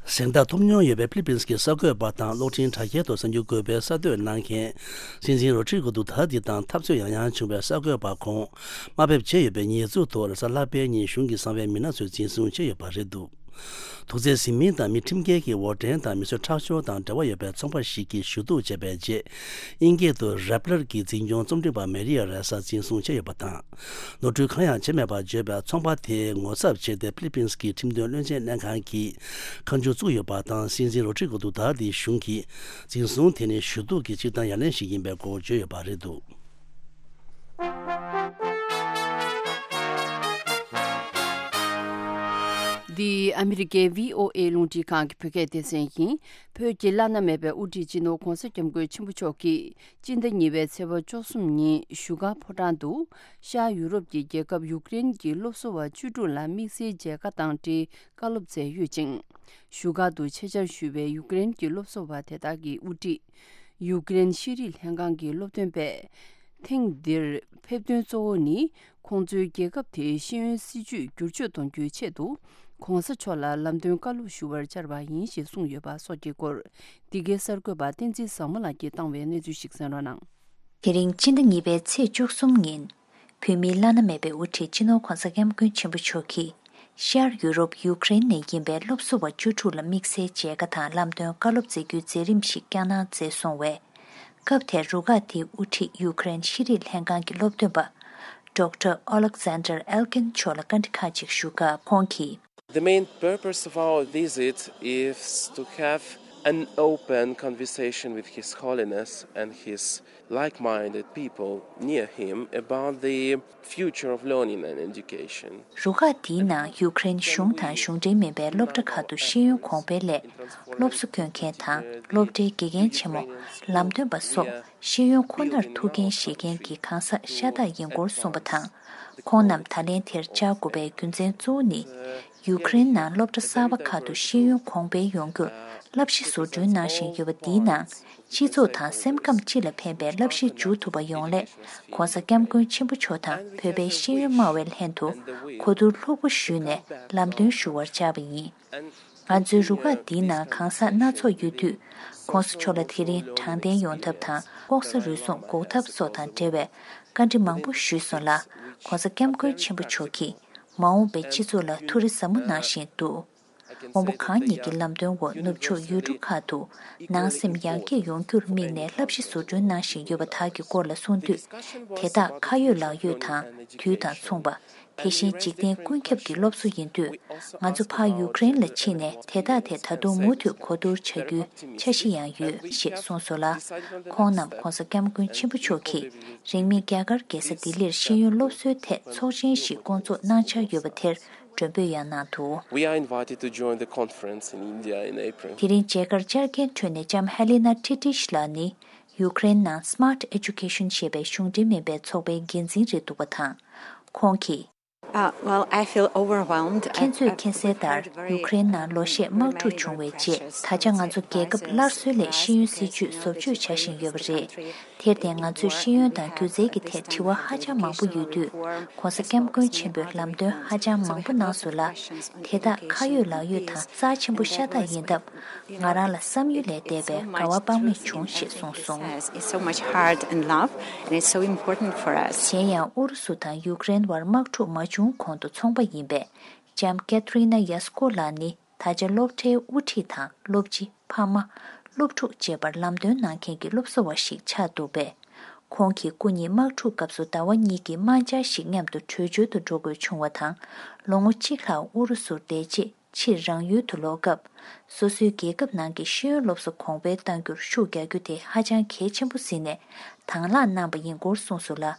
གཟེངས་རྟགས་ཐོབ་མྱོང་ཡོད་པའི་ཧྥི་ལི་པིན་གྱི་གསར་འགོད་པ་དང་གློག་འཕྲིན་དྲ་རྒྱའི་ཐོག་གསར་འགྱུར་འགོད་པའི་གསར་གཏོད་གནང་མཁན་སྲིད་འཛིན་རོ་ཌི་རི་གོ་ཌུ་ཐར་ཏེ་དང་འཐབ་རྩོད་ཡང་ཡང་བྱུང་བའི་གསར་འགོད་པ་ཁོང་དམའ་འབེབས་བྱས་ཡོད་པའི་ཉེས་འཛུགས་ཐོག་རེས་གཟའ་ལྷག་པའི་ཉིན་གཞུང་གི་གསང་བའི་མི་སྣ་ཚོས་འཛིན་བཟུང་བྱས་ཡོད་པ་རེད་འདུག། དུག་རྫས་ཟིན་མིན་དང་མི་ཁྲིམས་འགལ་གྱི་འོར་འདྲེན་དང་མི་གསོད་ཁྲག་སྦྱོར་དང་འབྲེལ་བ་ཡོད་པའི་ཚོང་པ་ཞིག་གིས་ཞུ་གཏུག་བྱས་པའི་རྗེས། དབྱིན་སྐད་དུ་རེབ་ལར་གྱི་འཛིན་སྐྱོང་རྩོམ་སྒྲིག་པ་མེ་རི་ཡ་རེ་ས་འཛིན་བཟུང་བྱས་ཡོད་པ་དང་། ནོར་འཁྲུལ་གང་ཡང་བྱས་མེད་པར་བརྗོད་པའི་ཚོང་པ་དེའི་ངོ་ཚབ་བྱས་ཏེ་ཧྥི་ལི་པིན་གྱི་ཁྲིམས་དོན་བློན་ཆེན་ལྷན་ཁང་གིས་ཁ་མཆུ་བཙུགས་ཡོད་པ་དང་། སྲིད་འཛིན་རོ་ཌི་རི་གོ་ཌུ་ཐར་ཏེའི་གཞུང་གིས་འཛིན་བཟུང་དེ་ནི་ཞུ་གཏུག་གི་སྤྱིར་བཏང་ཡ་ལན་ཞིག་ཡིན་པའི་སྐོར་བརྗོད་ཡོད་པ་རེད་འདུག། འདི་ཨ་མི་རི་ཀའི་བྷི་ཨོ་ཨེ་རླུང་འཕྲིན་ཁང་གི་བོད་སྐད་སྡེ་ཚན་ཡིན། བོད་ཀྱི་བླ་ན་མེད་པའི་དབུ་ཁྲིད་སྤྱི་ནོར་༧གོང་ས་༧སྐྱབས་མགོན་ཆེན་པོ་མཆོག་གིས་སྤྱི་ཟླ་གཉིས་པའི་ཚེས་པ་བཅུ་གསུམ་ཉིན་བཞུགས་སྒར་ཕོ་བྲང་དུ་ཤར་ཡུ་རོབ་ཀྱི་རྒྱལ་ཁབ་ཡུཀ་རེན་གྱི་སློབ་གསོ་བ་བཅུ་དྲུག་ལ་དམིགས་བསལ་མཇལ་ཁ་དང་འབྲེལ་བཀའ་སློབ་སྩལ་ཡོད་ཅིང་། བཞུགས་སྒར་དུ་ཆེད་བཅར་ཞུས་པའི་ཡུཀ་རེན་གྱི་སློབ་གསོ་བ་དེ་དག་གི་དབུ་ཁྲིད་ཡུཀ་རེན་ཤེས་རིག་ལྷན་ཁང་གི་སློབ་སྟོན་པས། ཐེངས་འདིར་ཕེབས་དོན་གཙོ་བོ་ནི། ཁོང་ཚོའི་རྒྱལ་ཁབ་དེའི་ཤེས་ཡོན་སྲིད་བྱུས་བསྒྱུར་བཅོས་གཏོང་རྒྱུའི་ཆེད་དུ། ༧གོང་ས་མཆོག་ལ་ལམ་སྟོན་བཀའ་སློབ་ཞུ་བར་བཅར་བ་ཡིན་ཞེས་གསུངས་ཡོད་པ་སོགས་ཀྱི་སྐོར། འདི་གའི་གསར་འགོད་པ་བསྟན་འཛིན་བཟང་མོ་ལགས་ཀྱིས་བཏང་བའི་གནས་ཚུལ་ཞིག་གསན་རོགས་གནང་། དེ་རིང་སྤྱི་ཟླ་གཉིས་པའི་ཚེས་བཅུ་གསུམ་ཉིན། བོད་མིའི་བླ་ན་མེད་པའི་དབུ་ཁྲིད་སྤྱི་ནོར་༧གོང་ས་༧སྐྱབས་མགོན་ཆེན་པོ་མཆོག་གིས། ཤར་ཡུ་རོབ་ཡུཀ་རེན་ནས་ཡིན་པའི་སློབ་གསོ་བ་བཅུ་དྲུག་ལ་དམིགས་བསལ་མཇལ་ཁ་དང་ལམ་སྟོན་བཀའ་སློབ་སྩལ་རྒྱུའི་མཛད་རིམ་ཞིག་བསྐྱངས་གནང་མཛད་སོང་བས། སྐབས་དེར་རུ་ཁག་དེའི་དབུ་ཁྲིད་ཡུཀ་རེན་ཤེས་རིག་ལྷན་ཁང་གི་སློབ་སྟོན་པ། ཌོག་ཊར་ཨོ་ལེག་ཛན་ཌར་ཨེལ་ཀིན་མཆོག་ལ་བཀའ་འདྲི་ཁག་ཅིག་ཞུ་སྐབས་ཁོང་གིས། The main purpose of our visit is to have an open conversation with His Holiness and his like-minded people near him about the future of learning and education. རུ་ཁག་འདིའི་ནང་ཡུཀ་རེན་གཞུང་དང་གཞུང་འབྲེལ་མིན་པའི་སློབ་གྲྭ་ཁག་ཏུ་ཤེས་ཡོན་གོང་འཕེལ་སླད། སློབ་གསོ་སྐྱོན་མཁན་དང་སློབ་གྲྭའི་དགེ་རྒན་ཆེན་མོ། ལམ་སྟོན་པ་སོགས་ཤེས་ཡོན་ཁོ་ནར་ཐུགས་འགན་བཞེས་མཁན་གྱི་གང་ཟག་ཤ་སྟག་ཡིན་སྐོར་གསུངས་པ་དང་། ཁོང་རྣམས་ད་ལན་དེར་བཅར་དགོས་པའི་རྒྱུ་མཚན་གཙོ་བོ་ནི། ཡུཀ་རེན་ནང་སློབ་གྲྭ་གསར་པ་ཁག་ཏུ་ཤེས་ཡོན་གོང་འཕེལ་ཡོང་རྒྱུར་བསླབ་གཞི་བཟོ་སྐྲུན་གནང་བཞིན་ཡོད་པ་འདིའི་ནང་། སྤྱི་ཚོགས་དང་སེམས་ཁམས་སྤྱི་ལ་ཕན་པའི་བསླབ་གཞི་འཇུག་ཐུབ་པ་ཡོང་སླད། ༧གོང་ས་༧སྐྱབས་མགོན་ཆེན་པོ་མཆོག་དང་བོད་པའི་ཤེས་ཡོན་སྨྲ་བའི་ལྷན་དུ་གོ་བསྡུར་ལྷུག་པོ་ཞུས་ནས་ལམ་སྟོན་ཞུ་བར་བཅར་བ་ཡིན། ང་ཚོའི་རུ་ཁག་འདིའི་ནང་གང་ཟག་སྣ་ཚོགས་ཡོད་དུས། ༧གོང་ས་མཆོག་ལ་དེ་རིང་དྲང་བདེན་ཡོང་ཐབས་དང་ལྐོག་ཟ་རུལ་སུངས་འགོག་ཐབས་སོགས་དང་འབྲེལ་བའི་བཀའ་འདྲི་མང་པོ་ཞུས་སོང་ལ། ༧གོང་ས་༧སྐྱབས་མགོན་ཆེན་པོ་མཆོག་གིས་མ་འོངས་པའི་སྤྱི་ཚོགས་ལ་ཐུགས་རེ་ཟབ་མོ་གནང་བཞིན་འདུག། དབང་པོ་གང་ཉིད་ཀྱི་ལམ་སྟོན་འོག་ནུབ་ཕྱོགས་ཡུལ་གྲུ་ཁག་ཏུ་ནང་སེམས་ཡར་རྒྱས་ཡོང་རྒྱུར་དམིགས་ནས་བསླབ་གཞི་བཟོ་སྐྲུན་གནང་བཞིན་ཡོད་པ་དག་གི་སྐོར་ལ་གསུངས་དུས། དེ་དག་ཁ་ཡོད་ལག་ཡོད་དང་དུས་དང་མཚུངས་པ། དེ་བཞིན་འཇིག་རྟེན་ཀུན་ཁྱབ་ཀྱི་སློབ་གསོ་ཡིན་དུས། ང་ཚོ་ཕར་ཡུ་ཀེ་རེན་ལ་ཕྱིན་ནས་དེ་དག་དེ་ད་དུང་མུ་མཐུད་གོ་བསྡུར་བྱ་རྒྱུའི་འཆར་གཞི་ཡང་ཡོད་ཞེས་གསུངས་སོང་ལ། ཁོང་རྣམས་༸གོང་ས་༸སྐྱབས་མགོན་ཆེན་པོ་མཆོག་གིས་རིང་མིན་རྒྱ་གར་རྒྱལ་ས་ལྡི་ལིར་ཤེས་ཡོན་སློབ་གསོའི་ཐད་ཚོགས་ཆེན་ཞིག་བསྐོང་ཚོགས་གནང་འཆར་ཡོད་པ་དེར་མགྲོན་འབོད་ཡང་གནང་འདུག We are invited to join the conference in India in April. དེ་རིང་མཇལ་ཁར་བཅར་མཁན་ཁྲོད་ནས་ལྕམ་ཧེ་ལི་ན་ཁྲི་ཏིཤ་ལགས་ནི། ཡུ་ཀེ་རེན་ནང་Smart Education ཞེས་པའི་གཞུང་འབྲེལ་མིན་པའི་ཚོགས་པའི་འགན་འཛིན་རེད་འདུག་པ་དང་། ཁོང་གིས། Uh, well, I feel overwhelmed. ཁྱེད་ཚོས་མཁྱེན་གསལ་ལྟར། ཡུ་ཀེ་རེན་ནང་ལོ་ཤས་དམག་འཁྲུག་བྱུང་བའི་རྗེས། ད་ཆ་ང་ཚོ་རྒྱལ་ཁབ་སླར་གསོའི་སླད་ཤེས་ཡོན་སྲིད་ཇུས་བཟོ་བཅོས་བྱ་བཞིན་ཡོད་པ་རེད། དེར་བརྟེན། ང་ཚོས་ཤེས་ཡོན་དང་སྒྱུ་རྩལ་གྱི་ཐད་དྲི་བ་ཧ་ཅང་མང་པོ་ཡོད་དུས། ༸གོང་ས་༸སྐྱབས་མགོན་ཆེན་པོས་ལམ་སྟོན་ཧ་ཅང་མང་པོ་གནང་སོང་ལ། དེ་དག་ཁ་ཡོད་ལག་ཡོད་དང་རྩ་ཆེན་པོ་ཤ་སྟག་ཡིན་སྟབས། ང་རང་ལ་བསམ་ཡུལ་ལས་འདས་པའི་དགའ་བ་དཔག་མེད་བྱུང་ཞེས་གསུངས་སོང་། It's so much heart and love, and it's so important for us. གཞན་ཡང་། ཨུ་རུ་སུ་དང་ཡུ་ཀེ་རེན་བར་དམག་འཁྲུག་མ་བྱུང་གོང་དུ་ཚོང་པ་ཡིན་པའི་ལྕམ་ཀེ་ཐི་རི་ན་ཡ་སི་ཀོ་ལགས་ནི། ད་ཆ་སློབ་གྲྭའི་དབུ་ཁྲིད་དང་སློབ་སྤྱི། ཕ་མ། སློབ་ཕྲུག་བཅས་པར་ལམ་སྟོན་གནང་མཁན་གྱི་སློབ་གསོ་བ་ཞིག་ཆགས་འདུག་པས། ཁོང་གིས་སྐུ་ཉིད་དམག་འཁྲུག་སྐབས་སུ་ཟླ་བ་གཉིས་ཀྱི་དམག་འཆར་ཞིག་མཉམ་དུ་བྲོས་བྱོལ་དུ་འགྲོ་དགོས་བྱུང་བ་དང་། ལོ་ངོ་གཅིག་ལྷག་ཨུ་རུ་སུར་བསྡད་རྗེས། ཕྱིར་རང་ཡུལ་དུ་ལོག་སྐབས། སོ་སོའི་རྒྱལ་ཁབ་ནང་གི་ཤེས་ཡོན་སློབ་གསོ་གོང་འཕེལ་གཏང་རྒྱུར་ཤུགས་རྒྱག་རྒྱུ་དེ་ཧ་ཅང་གལ་ཆེན་པོ་གཟིགས་ནས་དང་བླངས་གནང་པ་ཡིན་སྐོར་གསུངས་སོང་ལ།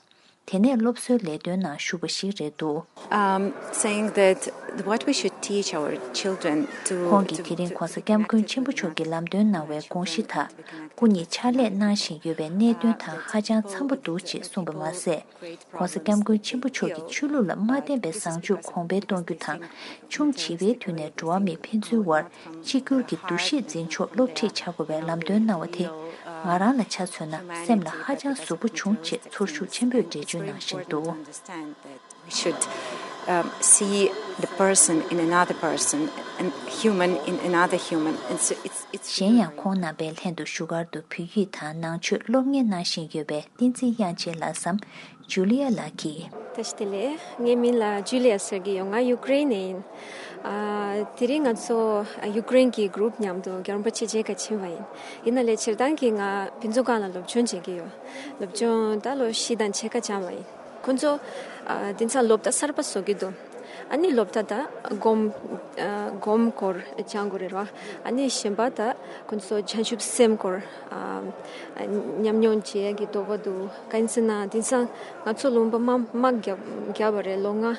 དེ་ནས་སློབ་གསོའི་ལས་དོན་ནང་ཞུགས་པ་ཞིག་རེད་འདུག Um, saying that what we should teach our children to ཁོང་གིས། དེ་རིང་༸གོང་ས་༸སྐྱབས་མགོན་ཆེན་པོ་མཆོག་གིས་ལམ་སྟོན་གནང་བའི་དགོངས་གཞི་དག་སྐུ་ཉིད་ཕྱག་ལས་གནང་བཞིན་ཡོད་པའི་གནད་དོན་དང་ཧ་ཅང་འཚམ་པོ་འདུག་ཅེས་གསུངས་པ་མ་ཟད། ༸གོང་ས་༸སྐྱབས་མགོན་ཆེན་པོ་མཆོག་གིས་ཆོས་ལུགས་ལ་མ་བརྟེན་པའི་བཟང་སྤྱོད་གོང་འཕེལ་གཏོང་རྒྱུ་དང་། ཆུང་བྱིས་པའི་དུས་ནས་འགྲོ་བ་མིའི་ཕན་ཚུན་དབར་གཅིག་གྱུར་གྱི་འདུ་ཤེས་འཛིན་ཕྱོགས་སློབ་ཁྲིད་བྱ་དགོས་པའི་ལམ་སྟོན་གནང་བ་དེ། ང་རང་ལ་ཆ་མཚོན་ན་སེམས་ལ་ཧ་ཅང་ཟུག་པོ་བྱུང་ཅེས་ཚོར་ཤུགས་ཆེན་པོས་འགྲེལ་བརྗོད་གནང་བཞིན་འདུག We should, um, see the person in another person and human in another human. And so it's, it's གཞན་ཡང་ཁོང་རྣམ་པའི་ལྷན་དུ་བཞུགས་སྒར་དུ་བོད་ཡིག་དང་ནང་ཆོས་སློབ་གཉེར་གནང་བཞིན་ཡོད་པའི་བསྟན་འཛིན་དབྱངས་ཅན་ལགས་སམ། ཇུ་ལི་ཡ་ལགས་ཀྱིས། བཀྲ་ཤིས་བདེ་ལེགས། ངའི་མིང་ལ་ཇུ་ལི་ཡ་ཟེར་གྱི་ཡོད། ང་ཡུ་ཀེ་རེན་ནས་ཡིན། ཨ། དེ་རིང་ང་ཚོ་ཡུ་ཀེ་རེན་གྱི་གུ་རུབ་མཉམ་དུ་རྒྱལ་བ་རིན་པོ་ཆེ་མཇལ་ཁ་ཕྱིན་པ་ཡིན། ཡིན་ན་ལས་སྤྱིར་བཏང་གི་ང་ཕུན་ཚོགས་སྒང་ལ་སློབ་སྦྱོང་བྱེད་ཀྱི་ཡོད། སློབ་སྦྱོང་ད་ལོ་བཞི་དང་ཕྱེད་ཀ་སྦྱངས་པ་ཡིན། ཁོང་ཚོ་ཨ། དེང་སང་སློབ་གྲྭ་གསར་པ་བཟོ་གི་འདུག་ཨ་ནི་སློབ་གྲྭ་ད་སྒོམ། ཨ། སྒོམ་སྐོར་སྦྱང་དགོས་རེད་ར། ཨ་ནི་གཞན་པ་ད་ཁོང་ཚོ་བྱང་ཆུབ་སེམས་སྐོར། ཨ། ཉམས་མྱོང་བྱེད་ཡག་གི་དོགས་པ་འདུག་གང་ཡིན་ཟེར་ན་དེང་སང་ང་ཚོ་ལུང་པ་དམག་དམག་བརྒྱབ་བརྒྱབ་པ་རེད། ལོ་ལྔ་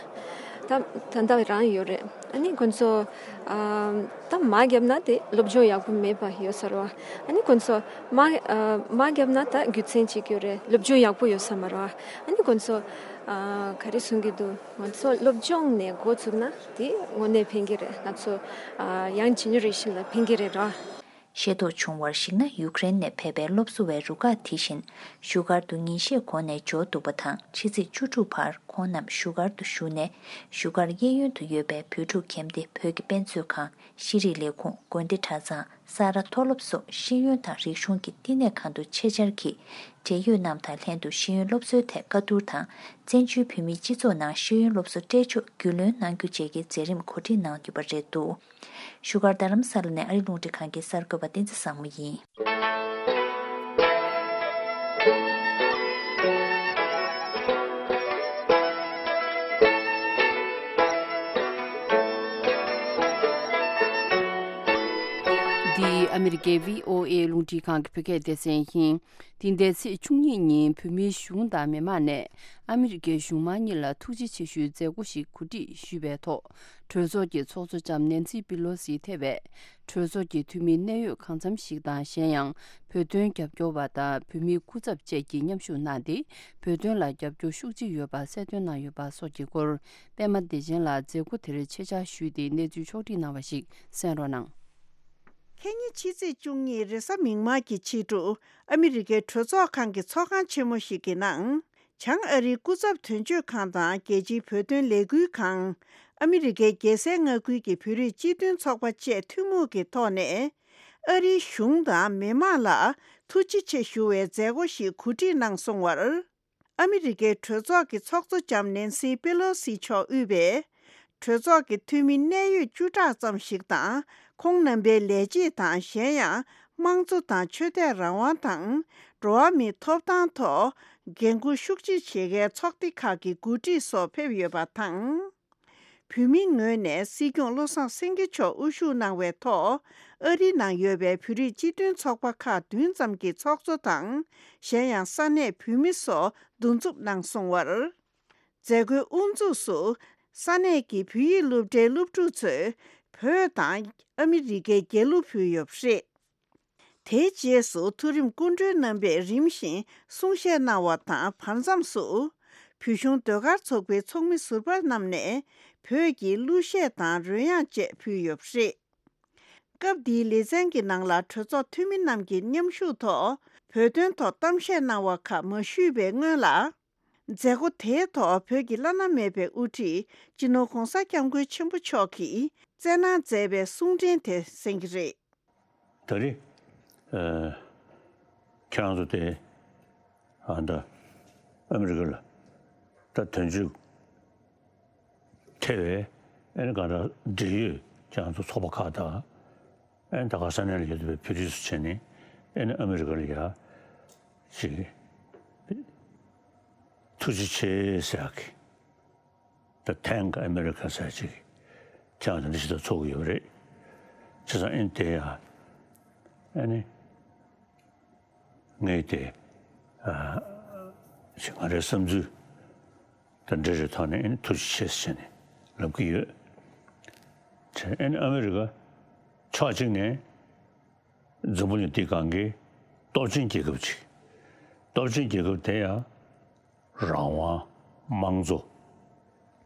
ད་ད་ལྟ་རང་ཡོད་རེད། ཨ་ནི་ཁོང་ཚོ་ཨ། ད་དམག་བརྒྱབ་ན་དེ་སློབ་སྦྱོང་ཡག་པོ་མེད་པ་ཡོད་ས་རེད་བ། ཨ་ནི་ཁོང་ཚོ་དམག་ཨ། དམག་བརྒྱབ་ན་ད་རྒྱུ་མཚན་གཅིག་ཡོད་རེད། སློབ་སྦྱོང་ཡག་པོ་ཡོད་ས་མ་རེད་བ། ཨ་ནི་ཁོང་ཚོ་ཨ། ག་རེ་གསུང་གི་འདུག་ང་ཚོ་སློབ་སྦྱོང་ནས་འགོ་བཙུགས་ན་དེ་དངོས་གནས་ཕན་གྱི་རེད། ང་ཚོ་ཨ། ཡང་ཇེ་ནེ་རེ་ཤན་ལ་ཕན་གྱི་རེད་ར། ཤེས་རྟོགས་བྱུང་བར་གཞིགས་ན། ཡུ་ཀེ་རེན་ནས་ཕེབས་པའི་སློབ་གསོ་བའི་རུ་ཁག་དེ་བཞིན་བཞུགས་སྒར་དུ་ཉིན་ཤས་གོང་ནས་འབྱོར་འདུག་པ་དང་། ཕྱི་ཚེས་བཅུ་དྲུག་བར་ཁོང་རྣམས་བཞུགས་སྒར་དུ་བཞུགས་ནས། བཞུགས་སྒར་གཡས་གཡོན་དུ་ཡོད་པའི་བོད་ཕྲུག་ཁྱིམ་སྡེ་བོད་ཀྱི་དཔེ་མཛོད་ཁང་། ཤེས་རིག་ལས་ཁུངས། དགོན་སྡེ་གྲྭ་ཚང་། ས་རཱ་མཐོ་སློབ་སོགས་ཤེས་ཡོན་དང་རིག་གཞུང་གི་བསྟི་གནས་ཁང་དུ་ཆེད་བཅར་གྱིས། འབྲེལ་ཡོད་རྣམས་དང་ལྷན་དུ་ཤེས་ཡོན་སློབ་གསོའི་ཐད་བཀའ་བསྡུར་དང་། བཙན་བྱོལ་བོད་མིའི་སྤྱི་ཚོགས་ནང་ཤེས་ཡོན་སློབ་གསོ་སྤྲད་ཕྱོགས་རྒྱུས་ལོན་གནང་རྒྱུ་བཅས་ཀྱི་མཛད་རིམ་གོ་སྒྲིག་གནང་ཡོད་པ་རེད་འདུག་བཞུགས་སྒར་རྡ་རམ་ས་ལ་ནས་ཨ་རི་རླུང་འཕྲིན་ཁང་གི་གསར་འགོད་པ་བསྟན་འཛིན་བཟང་མོ་ཡིན། འདི་ཨ་མི་རི་ཀའི་བྷི་ཨོ་ཨེ་རླུང་འཕྲིན་ཁང་གི་བོད་སྐད་སྡེ་ཚན་ཡིན། འདི་ཟླའི་ཚེས་བཅུ་གཉིས་ཉིན་བོད་མིའི་གཞུང་དང་མི་མང་ནས་ཨ་མི་རི་ཀའི་གཞུང་མང་གཉིས་ལ་ཐུགས་རྗེ་ཆེ་ཞུའི་མཛད་སྒོ་ཞིག་གོ་སྒྲིག་ཞུས་པའི་ཐོག་གྲོས་ཚོགས་ཀྱི་ཚོགས་གཙོ་ལྕམ་ནེན་སི་པི་ལོ་སི་ཐེ་བས། གྲོས་ཚོགས་ཀྱི་འཐུས་མི་གནད་ཡོད་གང་འཚམ་ཞིག་དང་། གཞན་ཡང་བོད་དོན་རྒྱབ་སྐྱོར་བ་དང་བོད་མིའི་སྐུ་ཚབ་བཅས་ཀྱིས་མཉམ་ཞུགས་གནང་སྟེ། བོད་དོན་ལ་རྒྱབ་སྐྱོར་ཤུགས་ཆེ་ཡོད་པ་གསལ་སྟོན་གནང་ཡོད་པ་སོགས་ཀྱི་སྐོར། པད་མ་བདེ་ཆེན་ལགས་མཛད་སྒོ་དེར་ཆེད་བཅར་ཞུས་ཏེ་གནས་ཚུལ་ཕྱོགས་སྒྲིག་གནང་བ་ཞིག་གསན་རོགས་གནང་། ཁ་ཉིན་ཕྱི་ཚེས་བཅུ་གཉིས་རེས་གཟའ་མིག་དམར་གྱི་ཕྱི་དྲོ། ཨ་མི་རི་ཀའི་གྲོས་ཚོགས་ཁང་གི་ཚོགས་ཁང་ཆེན་མོ་ཞིག་གི་ནང་། བྱང་ཨ་རིའི་སྐུ་ཚབ་དོན་གཅོད་ཁང་དང་རྒྱལ་སྤྱིའི་བོད་དོན་ལས་འགུལ་ཁང་། ཨ་མི་རི་ཀའི་རྒྱལ་སའི་མངའ་ཁུལ་གྱི་བོད་རིགས་སྤྱི་མཐུན་ཚོགས་པ་བཅས་ཐུན་མོང་གི་ཐོག་ནས། ཨ་རིའི་གཞུང་དང་མི་མང་ལ་ཐུགས་རྗེ་ཆེ་ཞུ་བའི་མཛད་སྒོ་ཞིག་གོ་སྒྲིག་གནང་སོང་བར། ཨ་མི་རི་ཀའི་གྲོས་ཚོགས་ཀྱི་ཚོགས་གཙོ་ལྕམ་ནེན་སི་པེ་ལོ་སི་མཆོག་དབུས་པའི་ གྲོས་ཚོགས་ཀྱི་འཐུས་མི་གནད་ཡོད་བཅུ་ཕྲག་ཙམ་ཞིག་དང་། ཁོང་རྣམ་པའི་ལས་བྱེད་དང་། གཞན་ཡང་། དམངས་གཙོ་དང་ཆོས་དད་རང་དབང་དང་། འགྲོ་བ་མིའི་ཐོབ་ཐང་ཐོག་འགན་འཁུར་ཤུགས་ཆེ་བྱེད་མཁན་ཚོགས་སྡེ་ཁག་གི་འགོ་ཁྲིད་སོགས་ཕེབས་ཡོད་པ་དང་། བོད་མིའི་ངོས་ནས་སྲིད་སྐྱོང་བློ་བཟང་སེང་གེ་མཆོག་དབུ་བཞུགས་གནང་བའི་ཐོག་ཨ་རིའི་ནང་ཡོད་པའི་བོད་རིགས་སྤྱི་མཐུན་ཚོགས་པ་ཁག་བདུན་ཙམ་གྱི་ཚོགས་གཙོ་དང་། གཞན་ཡང་ས་གནས་བོད་མི་སོགས་འདུ་འཛོམས་གནང་སོང་བར། མཛད་སྒོའི་དབུ་འཛུགས་སུ། ས་གནས་ཀྱི་བོད་ཡིག་སློབ་གྲྭའི་སློབ་ཕྲུག་ཚོས་བོད་དང་ཨ་མི་རི་ཀའི་རྒྱལ་གླུ་ཕུལ་ཡོད་པ་རེད། དེའི་རྗེས་སུ་མཐོ་རིམ་སྐུ་མགྲོན་རྣམ་པས་རིམ་བཞིན་གསུང་བཤད་གནང་བ་དང་། བར་མཚམས་སུ། བོད་གཞུང་ཟློས་གར་ཚོགས་པའི་ཚོགས་མི་ཟུར་པ་རྣམས་ནས་བོད་ཀྱི་གླུ་གཞས་དང་རོལ་དབྱངས་བཅས་ཕུལ་ཡོད་པ་རེད། སྐབས་འདིའི་ལེ་ཚན་གྱི་ནང་ལ་གྲོས་ཚོགས་འཐུས་མི་རྣམས་ཀྱི་མཉམ་ཞུགས་ཐོག་བོད་དོན་ཐོག་གཏམ་བཤད་གནང་བ་ཁག་མ་ཞུས་པའི་སྔོན་ལ། མཛད་སྒོ་དེའི་ཐོག་བོད་ཀྱི་བླ་ན་མེད་པའི་དབུ་ཁྲིད་སྤྱི་ནོར་༧གོང་ས་༧སྐྱབས་མགོན་ཆེན་པོ་མཆོག་གིས་བསྩལ་གནང་མཛད་པའི་གསུང་འཕྲིན་དེ་གསན་གྱི་རེད། ད་རེས། ཨ། ཁྱེད་རང་ཚོ་དེ། ཨ། ད་ཨ་མི་རི་ཀ་ལ་ད་དོན་གཅོད་ཐེ་བའི་ཨ་ནི་གང་ལྟར་འབྲེལ་ཡོད་ཁྱེད་རང་ཚོ་ཚོགས་པ་ཁག་དང་། ཨ་ནི་ད་ག་ས་གནས་ལ་ཡོད་པའི་བོད་རིགས་ཚོ་བྱས་ནས་ཨ་ནི་ཨ་མི་རི་ཀ་ལ་ཡ་ཅིག་ཐུགས་རྗེ་ཆེ་ཟེར་ཡག་གི། ད་Thank America ཟེར་ཅིག་ཁྱེད་རང་དེ་འདྲ་ཞིག་ད་ཚོགས་ཀྱི་ཡོད་རེད། བྱས་ཙང་ཨ་ནི་དེ་ཡ་ཨ་ནི་ངས་དེ་ཨ་ཞིག་ང་རའི་བསམ་ཚུལ་དང་འབྲེལ་བའི་ཐོག་ནས་ཨ་ནི་ཐུགས་རྗེ་ཆེ་ཟེར་ནས་ལབ་ཀྱི་ཡོད། བྱས་ཨ་ནི་ཨ་མི་རི་ཀ་ཕྱོགས་གཅིག་ནས་འཛམ་བུ་གླིང་འདི་སྒང་གི་སྟོབས་ཆེན་རྒྱལ་ཁབ་ཅིག་སྟོབས་ཆེན་རྒྱལ་ཁབ་དེ་ཡང་། རང་དབང་། དམངས་གཙོ།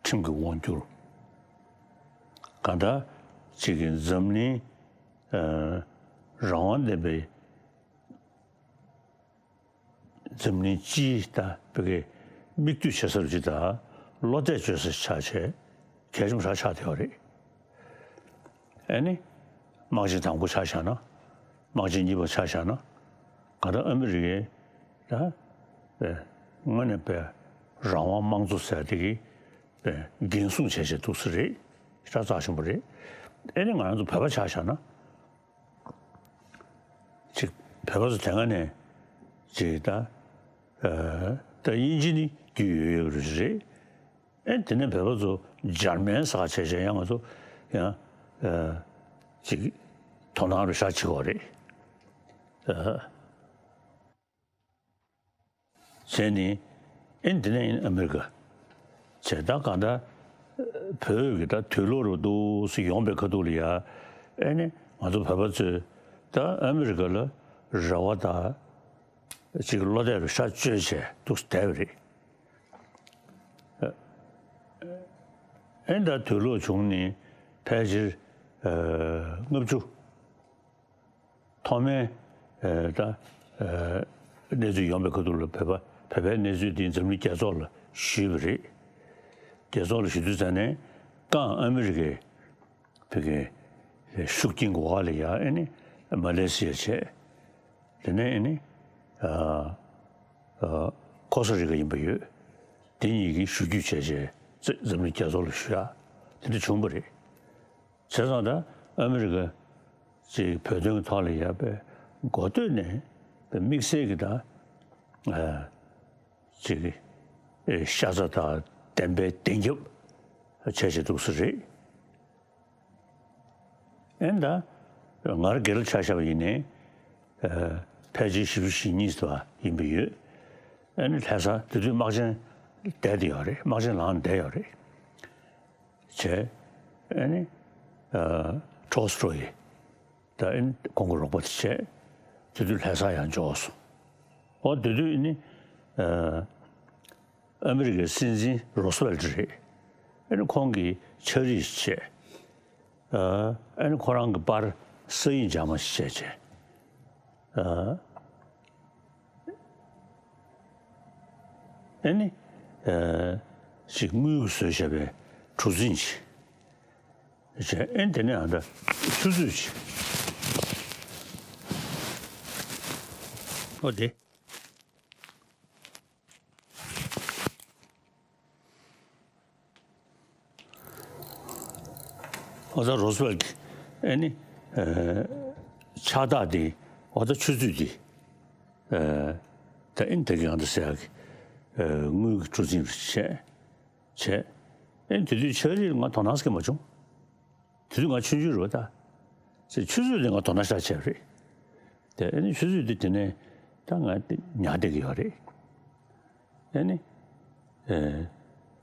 ཁྲིམས་ཀྱི་དབང་སྒྱུར། གང་ལྟར་གཅིག་གི་འཛམ་གླིང་ཨ་རང་དབང་ལྡན་པའི་འཛམ་གླིང་སྤྱིའི་ད་བོད་ཀྱི་མིག་ལྟོས་བྱེད་ས་རུ་ཅིག་དང་བློ་གཏད་བཅོལ་ས་ཆགས་བྱས་གལ་ཆེན་པོ་ཞིག་ཆགས་བསྡད་ཡོད་རེད། ཨ་ནི། དམག་ཆེན་དང་པོ་ཆ་བཞག་ན། དམག་ཆེན་གཉིས་པ་ཆ་བཞག་ན། གང་ལྟར་ཨ་མི་རི་ཀས་ད། དངོས་གནས་པའི་རང་དབང་དམངས་གཙོ་ཟེར་དེ་གི་པའི་འགན་སྲུང་བྱས་བྱས་འདུག་ས་རེད། ཤ་ཚ་ཆེན་པོ་རེད། ཨ་ནི་ང་རང་ཚོ་བོད་པ་ཆ་བཞག་ན། ཅིག་བོད་པ་ཚོ་དེ་སྔ་ནས་ཅིག་ད། ད་དབྱིན་ཇི་ནི་རྒྱུས་ཡོད་ཡོད་རེད། ཨེ་དེ་ནས་བོད་པ་ཚོ་འཇར་མན་ཟ་བྱས་བྱས་ཡང་ང་ཚོ་ཡང་ཅིག་དོ་སྣང་རུ་ཤ་ཆེ་བ་རེད། བྱས་ནས་ཨེ་འདི་ནས་ཨ་མི་རི་ཀ་བྱས་ད་གང་ལྟར་བོད་ཀྱི་ད་དུས་ལོག་རུ་འདུག་སེ་ཡོང་པའི་ཁ་ཐུག་ལ་ཡ་ཨེ་ནི་ང་ཚོ་བོད་པ་ཚོས་ད་ཨ་མི་རི་ཀ་ལ་རེ་བ་ད། ཅིག་བློ་གཏད་རུ་ཤ་བཅོས་བྱས་འདུག་བསྡད་པ་རེད། ཨེ་ད་དུས་ལོག་བྱུང་ནས་ཕལ་ཆེར་ལྔ་བཅུ་ཐོག་མའི་ད་གནས་ཚུལ་ཡོང་པའི་ཁ་ཐུག་ལ་བོད་པ་བོད་པའི་གནས་ཚུལ་འདི་འཛམ་གླིང་རྒྱལ་ཚོགས་ལ་ཞུས་པ་རེད། རྒྱལ་ཚོགས་ལ་ཞུ་དུས་ཙང་ནས་ཀང་ཨ་མི་རི་ཀའི་བོད་ཀྱི་ཤུགས་རྐྱེན་གྱི་འོག་ལ་ཡ་ཨེ་ནི་མ་ལེ་ཤི་ཡ་བྱས། དེ་ནས་ཨེ་ནི་ཨ་ཨ་ཁོ་སྟ་རི་ཀ་ཡིན་པ་ཡོད། དེ་གཉིས་ཀྱིས་ཞུ་རྒྱུ་བྱས་བྱས་འཛམ་གླིང་རྒྱལ་ཚོགས་ལ་ཞུ་ཡ་དེ་འདྲ་བྱུང་བ་རེད། བྱས་ཙང་ད་ཨ་མི་རི་ཀ་ཅིག་བོད་དོན་གྱི་ཐོག་ལ་ཡ་པའི་འགོ་སྟོད་ནས་པའི་དམིགས་བསལ་གྱི་ད་ཨ། ཅིག་ཨེ་ཤ་ཚ་དང་བདེན་པའི་བདེན་རྒྱབ་བྱས་བྱས་འདུག་ས་རེད། ཨེ་ད་ང་རང་དགེ་ལགས་ཆ་བཞག་པ་ཡིན་ནའི་ཨེ་ཕལ་ཆེར་བཞི་བཅུ་ཞེ་གཉིས་ཙམ་ཡིན་པ་ཡོད། ཨེ་ནི་ལྷ་ས་དེ་དུས་དམག་ཆེན་བསྡད་དེ་ཡོད་རེད། དམག་ཆེན་ལངས་བསྡད་ཡོད་རེད། བྱས། ཨ་ནི། ཨ། ཊོལ་སི་ཊོ་ཡི། ད་ཨ་ནི་ཁོང་གི་རོགས་པ་དེ་བྱས། དེ་དུས་ལྷ་ས་ཡང་འབྱོར་སོང་། འོ་དེ་དུས་ཨ་ནི། ཨ། ཨ་མི་རི་ཀའི་སྲིད་འཛིན་རོ་སི་ཝེལ་ཊི་རེད། ཨ་ནི་ཁོང་གི་ཕྱག་བྲིས་བྱས། ཨ། ཨ་ནི་ཁོ་རང་གི་པར་ས་ཡིག་འཇག་མ་ཞིག་བྱས་བྱས། ཨ། ཨེ་ནི། ཨ། ཞིག་དངུལ་གྱིས་བཟོས་བཞག་པའི་གྲུ་གཟིངས་ཤིག་བྱས། ཨེ་ནི་དེ་ནས་ཨ་ད་ཆུ་ཚོད་ཅིག་ཨོ་དེ། ཨོ་ད་རོ་སི་ཝེལ་གྱི་ཨེ་ནི་ཕྱག་རྟགས་དེ་ཨོ་ད་ཆུ་ཚོད་དེ་ད་ཨེ་ནི་དེ་གི་ཡང་ད་ཟེར་ཡག་གི་དངུལ་གྱི་གྲུ་གཟིངས་རེ་བྱས་བྱས། ཨེ་ནི་དེ་དུས་ཆ་རིག་ང་དོ་སྣང་སྐྱེ་མ་བྱུང་། དེ་དུས་ང་ཆུང་ཆུང་རེད་པ་ད། ཚེ་ཆུ་ཚོད་དེ་ང་དོ་སྣང་ཤར་བྱས་པ་རེད། དེ་ཨེ་ནི་ཆུ་ཚོད་དེ་དེ་ནས་ད་ང་དེ་ཉར་བསྡད་ཀྱི་ཡོད་རེད། ཨེ་ནི། ཨེ།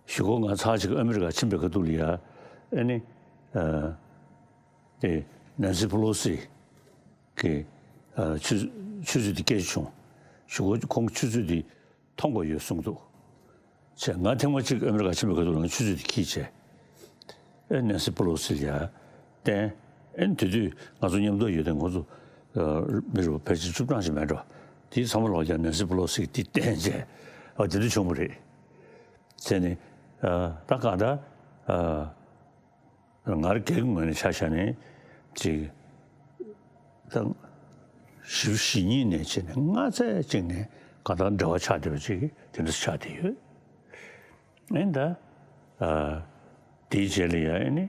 གཞུག་གུ་ང་ཚར་ཅིག་ཨ་མི་རི་ཀ་ཕྱིན་པའི་ཁ་ཐུག་ལ་ཡ། ཨེ་ནི། ཨ། དེ་ནན་སི་པེ་ལོ་སི་གི་ཨ་ཆུ་ཆུ་ཚོད་དེ་སྐད་ཆ་བྱུང་། གཞུག་གུ་ཁོང་གི་ཆུ་ཚོད་དེ་མཐོང་དགོས་ཡོད་གསུངས་འདུག་བྱས་ང་ཐེངས་མ་གཅིག་ཨ་མི་རི་ཀ་ཕྱིན་པའི་སྐབས་དུ་ང་ཆུ་ཚོད་དེ་འཁྱེར་བྱས། ཨེ་ནན་སི་པེ་ལོ་སི་ལ་ཡ་བསྟན། ཨེ་དེ་དུས་ང་ཚོ་མཉམ་དུ་ཡོད་དེ་ང་ཚོ་མི་རུ་ཕལ་ཆེར་བཅུ་གྲངས་ཤིག་མེད་འགྲོ། དེའི་ཚང་མ་ལོག་ཀྱང་ནན་སི་པེ་ལོ་སི་གིས་དེ་བསྟན་བྱས། ཨ་དེ་དུས་བྱུང་བ་རེད། བྱས་ནས་ད་གང་ལྟར། ང་རང་སྒེར་གྱི་ངོས་ནས་ཆ་བཞག་ནས་ཅིག་ད་བཞི་བཅུ་ཞེ་གཉིས་ནས་བྱས་ནས་སྔ་ཚད་ཅིག་ནས་གང་ལྟར་འབྲེལ་བ་ཆགས་བསྡད་པ་ཅིག་དེ་འདྲ་ཆགས་བསྡད་ཡོད། ཨེ་ད་དེའི་རྗེས་ལ་ཡ་ཨེ་ནི་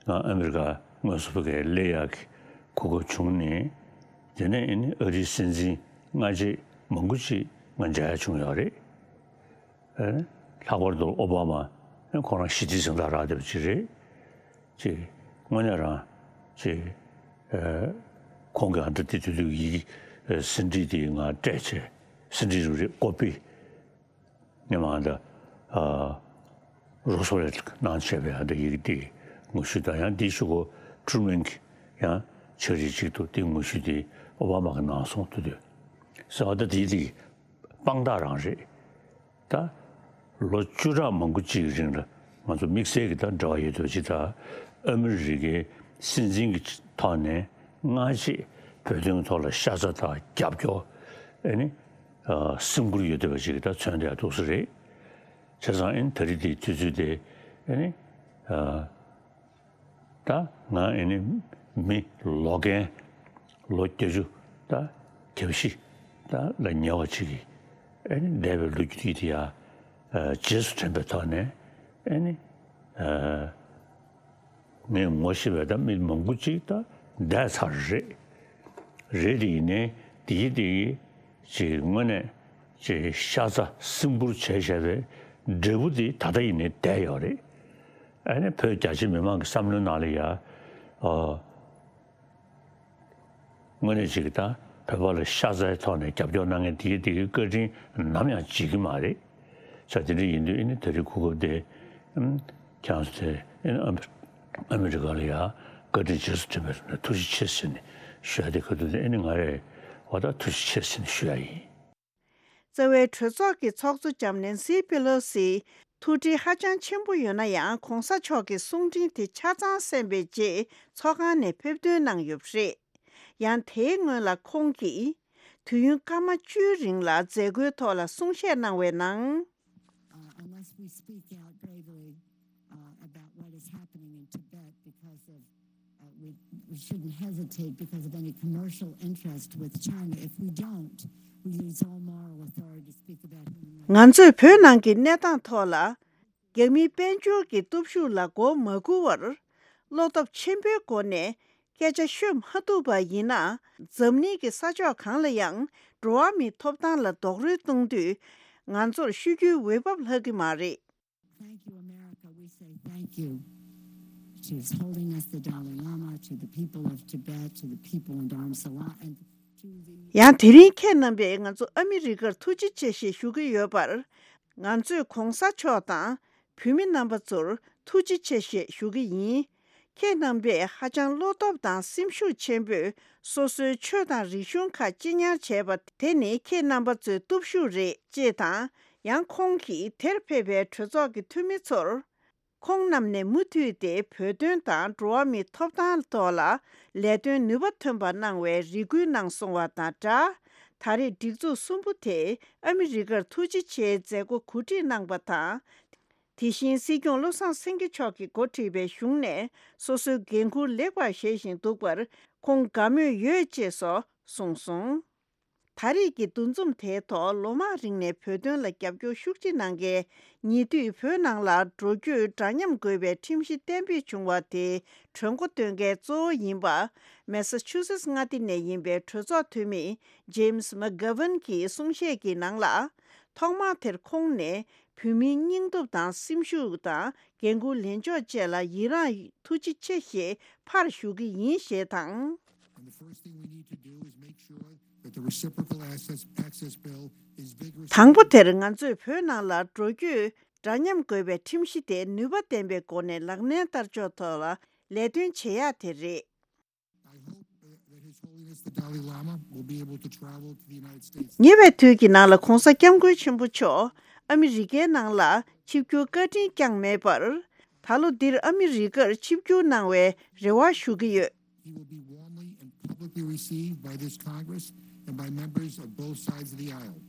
ང་ཨ་མི་རི་ཀ་དངོས་སུ་ཕ་གིར་སླེབས་ཡག་གི་གོ་སྐབས་བྱུང་ནས། དེ་ནས་ཨེ་ནི་ཨ་རིའི་སྲིད་འཛིན་སྔ་རྗེས་མང་པོ་ཅིག་ང་མཇལ་ཡག་བྱུང་ཡོད་རེད། ལྷག་པར་དུ་ཨོ་བྷ་མ་ཁོང་རང་ཞི་བདེའི་གཟེངས་རྟགས་རག་བསྡད་པ་ཅིག་རེད། ཅིག་དངོས་གནས་རང་ཅིག་ཁོང་གི་ཨ་འདྲ་དེ་དུས་དུས་ཡི་གེ་ཟིན་བྲིས་དེ་ང་སྤྲད་བྱས། ཟིན་བྲིས་རུ་རེད་ཀོ་པི། ངས་མ་འདི་རོ་སོ་ལེ་གནང་བྱས་པའི་ཨ་འདྲ་ཡི་གེ་དེ་ངོ་བཤུས་དང་ཡང་དེའི་གཞུག་གུ་ཀྲུ་མན་གྱི་ཡང་ཕྱག་བྲིས་ཅིག་འདུག་དེ་ངོ་བཤུས་དེ་ཨོ་བྷ་མ་གིས་གནང་སོང་དུས་དུས་ཟེར་བ་ད་དེ་དེ་དཔང་རྟགས་རང་རེད། ད་ལོ་བཅུ་ཕྲག་མང་པོ་ཅིག་རིང་ལ་ང་ཚོ་དམིགས་བསལ་གྱི་ད་འབྲེལ་བ་ཡོད་དུས་ཅི་ད་ཨ་མི་རི་ཀའི་སྲིད་འཛིན་གྱི་ཐོག་ནས་སྔ་རྗེས་བོད་དོན་ཐོག་ལ་ཤ་ཚ་དང་རྒྱབ་སྐྱོར་ཨེ་ནི་སེམས་ཁུར་ཡོད་བསྡད་པ་ཅིག་ད་མཚོན་བསྡད་ཡག་འདུག་ས་རེད། བྱས་ཙང་ཨེ་ནི་ད་རེས་དེའི་དུས་ཚོད་དེ་ཨེ་ནི། ད་ང་ཨེ་ནི་མི་ལོ་རྒན་ལོ་བརྒྱད་ཅུ་ད་གྱ་བཞི་ད་ལ་ཉེ་བ་ཅིག་གིས་ཨེ་ནི་འདས་པའི་ལོ་རྒྱུས་དེ་ཡ་རྗེས་སུ་དྲན་པའི་ཐོག་ནས་ཨེ་ནི་ངས་ངོ་ཤེས་པའི་ད་མི་མང་པོ་ཅིག་ད་འདས་ཚར་རེད། རེད་དེ་ཡིན་ནའི་དེ་ཡི་དེ་ཡི་ཅིག་དངོས་གནས་ཅིག་ཤ་ཚ་སེམས་ཁུར་བྱས་བཞག་པའི་འབྲས་བུ་དེ་ད་ལྟ་ཡིན་ནའི་བསྡད་ཡོད་རེད། ཨ་ནི་བོད་རྒྱ་ཆེ་མི་མང་གི་བསམ་བློའི་ནང་ལ་ཡ། ཨོ། དངོས་གནས་ཅིག་ད་བོད་པ་ལ་ཤ་ཚའི་ཐོག་ནས་རྒྱབ་སྐྱོར་གནང་མཁན་དེ་གི་དེ་གི་བཀའ་དྲིན་ནམ་ཡང་བརྗེད་ཀྱི་མ་རེད། ས་དེ་འདྲ་ཡིན་དུས་ཨ་ནི་ད་རེས་གོ་སྐབས་དེ་ཨམ་ཁྱེད་རང་ཚོ་དེ་ཨ་ནི་ཨ་མི་རི་ཀ་ལ་ཡ་བཀའ་དྲིན་རྗེས་སུ་དྲན་པའི་ཐུགས་རྗེ་ཆེ་ཟེར་ནས་ཞུ་ཡ་དེ་ག་དུས་དེ་ཨ་ནི་ང་རེད་བ། ད་ཐུགས་རྗེ་ཆེ་ཟེར་ནས་ཞུ་ཡ་ཡིན། རྩ་བའི་གྲོས་ཚོགས་ཀྱི་ཚོགས་གཙོ་ལྕམ་ནེན་སི་པེ་ལོ་སི་ཐུགས་འདྲིས་ཧ་ཅང་ཆེན་པོ་ཡོད་ན་ཡང་། གོང་ས་མཆོག་གི་གསུང་འཕྲིན་དེ་ཆ་ཚང་གསན་པའི་རྗེས་ཚོགས་ཁང་ནས་ཕེབས་ཐོན་གནང་ཡོད་པ་རེད། ཡང་དེའི་སྔོན་ལ་ཁོང་གིས་དུས་ཡུན་སྐར་མ་བཅུའི་རིང་ལ་མཛད་སྒོའི་ཐོག་ལ་གསུང་བཤད་གནང་བའི་ནང་། Uh, unless we speak out bravely, uh, about what is happening in Tibet because of, uh, we, we shouldn't hesitate because of any commercial interest with China. If we don't, we lose all moral authority to speak about human rights. ང་ཚོས་བོད་ནང་གི་གནས་སྟངས་ཐོག་ལ་རྒྱ་མིའི་དཔལ་འབྱོར་གྱི་སྟོབས་ཤུགས་ལ་མགོ་མ་སྒུར་བར། བློ་སྟོབས་ཆེན་པོའི་སྒོ་ནས་སྐད་ཆ་ཤོད་མ་ཐུབ་པ་ཡིན་ན། འཛམ་གླིང་གི་ས་ཕྱོགས་གང་ལ་ཡང་འགྲོ་བ་མིའི་ཐོབ་ཐང་ལ་རྡོག་རོལ་གཏོང་དུས། ང་ཚོར་ཤོད་རྒྱུའི་འོས་བབ་ལྷག་གི་མ་རེད། Thank you, America. We say thank you to holding us, the Dalai Lama, to the people of Tibet, to the people in Dharamsala, and to the ཡང་དེ་རིང་ཁྱེད་རྣམ་པས་ང་ཚོ་ཨ་མི་རི་ཀར་ཐུགས་རྗེ་ཆེ་ཞེས་ཞུ་གི་ཡོད་པར། ང་ཚོས་གོང་ས་མཆོག་དང་བོད་མི་རྣམ་པ་ཚོར་ཐུགས་རྗེ་ཆེ་ཞེས་ཞུ་གི་ཡིན། ཁྱེད་རྣམ་པས་ཧ་ཅང་བློ་སྟོབས་དང་སེམས་ཤུགས་ཆེན་པོས་སོ་སོའི་ཆོས་དང་རིག་གཞུང་ཁག་གཅེས་ཉར་བྱས་པ་དེ་ནི་ཁྱེད་རྣམ་པ་ཚོའི་སྟོབས་ཤུགས་རེད། ཅེས་དང་། ཡང་ཁོང་གིས་དེར་ཕེབས་པའི་གྲོས་ཚོགས་ཀྱི་འཐུས་མི་ཚོར། ཁོང་རྣམས་ནས་མུ་མཐུད་དེ་བོད་དོན་དང་འགྲོ་བ་མིའི་ཐོབ་ཐང་ཐོག་ལ་ལས་དོན་ནུས་པ་ཐོན་པ་གནང་བའི་རེ་སྐུལ་གནང་སོང་བ་དང་སྦྲགས། ད་རེས་སྒྲིག་འཛུགས་གསུམ་པོ་དེས་ཨ་མི་རི་ཀར་ཐུགས་རྗེ་ཆེའི་མཛད་སྒོ་གོ་སྒྲིག་གནང་པ་དང་། དེ་བཞིན་སྲིད་སྐྱོང་བློ་བཟང་སེང་གེ་མཆོག་གིས་འགོ་ཁྲིད་པའི་གཞུང་ནས་སོ་སོའི་འགན་འཁུར་ལེགས་པར་བཞེས་བཞིན་འདུག་པར་ཁོང་དགའ་མོས་ཡོད་ཅེས་སོགས་གསུངས་སོང་། ད་རེས་ཀྱི་འདུ་འཛོམས་དེའི་ཐོག་ལོ་མང་རིང་ནས་བོད་དོན་ལ་རྒྱབ་སྐྱོར་ཤུགས་ཆེ་གནང་མཁན། ཉེ་དུས་བོད་ནང་ལ་འགྲོ་སྐྱོད་འདྲ་མཉམ་དགོས་པའི་ཁྲིམས་གཞི་གཏན་འབེབས་བྱུང་བ་དེའི་གྲོས་འགོ་འདོན་མཁན་གཙོ་བོ་ཡིན་པ། མེ་སཱ་ཆུ་སེ་ཊི་མངའ་སྡེ་ནས་ཡིན་པའི་གྲོས་ཚོགས་འཐུས་མི་ཇེམ་སི་མག་གྷ་ཝན་གྱི་གསུང་བཤད་ཀྱི་ནང་ལ། ཐོག་མར་དེར་ཁོང་ནས་བོད་མིའི་སྙིང་སྟོབས་དང་སེམས་ཤུགས་དང་། འགན་འཁུར་ལེན་ཕྱོགས་བཅས་ལ་ཡི་རངས་ཐུགས་རྗེ་ཆེ་ཞེས་ཕར་ཞུ་གི་ཡིན་ཞེས་དང་། And the first thing we need to do is make sure that the reciprocal access, access bill is vigorously དང་པོ་དེར་ང་ཚོས་བོད་ནང་ལ་འགྲོ་སྐྱོད་འདྲ་མཉམ་དགོས་པའི་ཁྲིམས་གཞི་དེ་ནུས་པ་ལྡན་པའི་སྒོ་ནས་ལག་ལེན་བསྟར་ཕྱོགས་ཐོག་ལ་ལས་དོན་བྱེད་ཡག་དེ་རེད། I hope that His Holiness the Dalai Lama will be able to travel to the United States. ཉེ་བའི་དུས་ཀྱི་ནང་ལ་༧གོང་ས་༧སྐྱབས་མགོན་ཆེན་པོ་མཆོག་ཨ་མི་རི་ཀའི་ནང་ལ་ཆིབས་བསྒྱུར་བཀའ་དྲིན་བསྐྱངས་མེད་པར། ད་ལོ་འདིར་ཨ་མི་རི་ཀར་ཆིབས་བསྒྱུར་གནང་བའི་རེ་བ་ཞུ་གི་ཡོད། He will be warmly and publicly received by this Congress and by members of both sides of the aisle.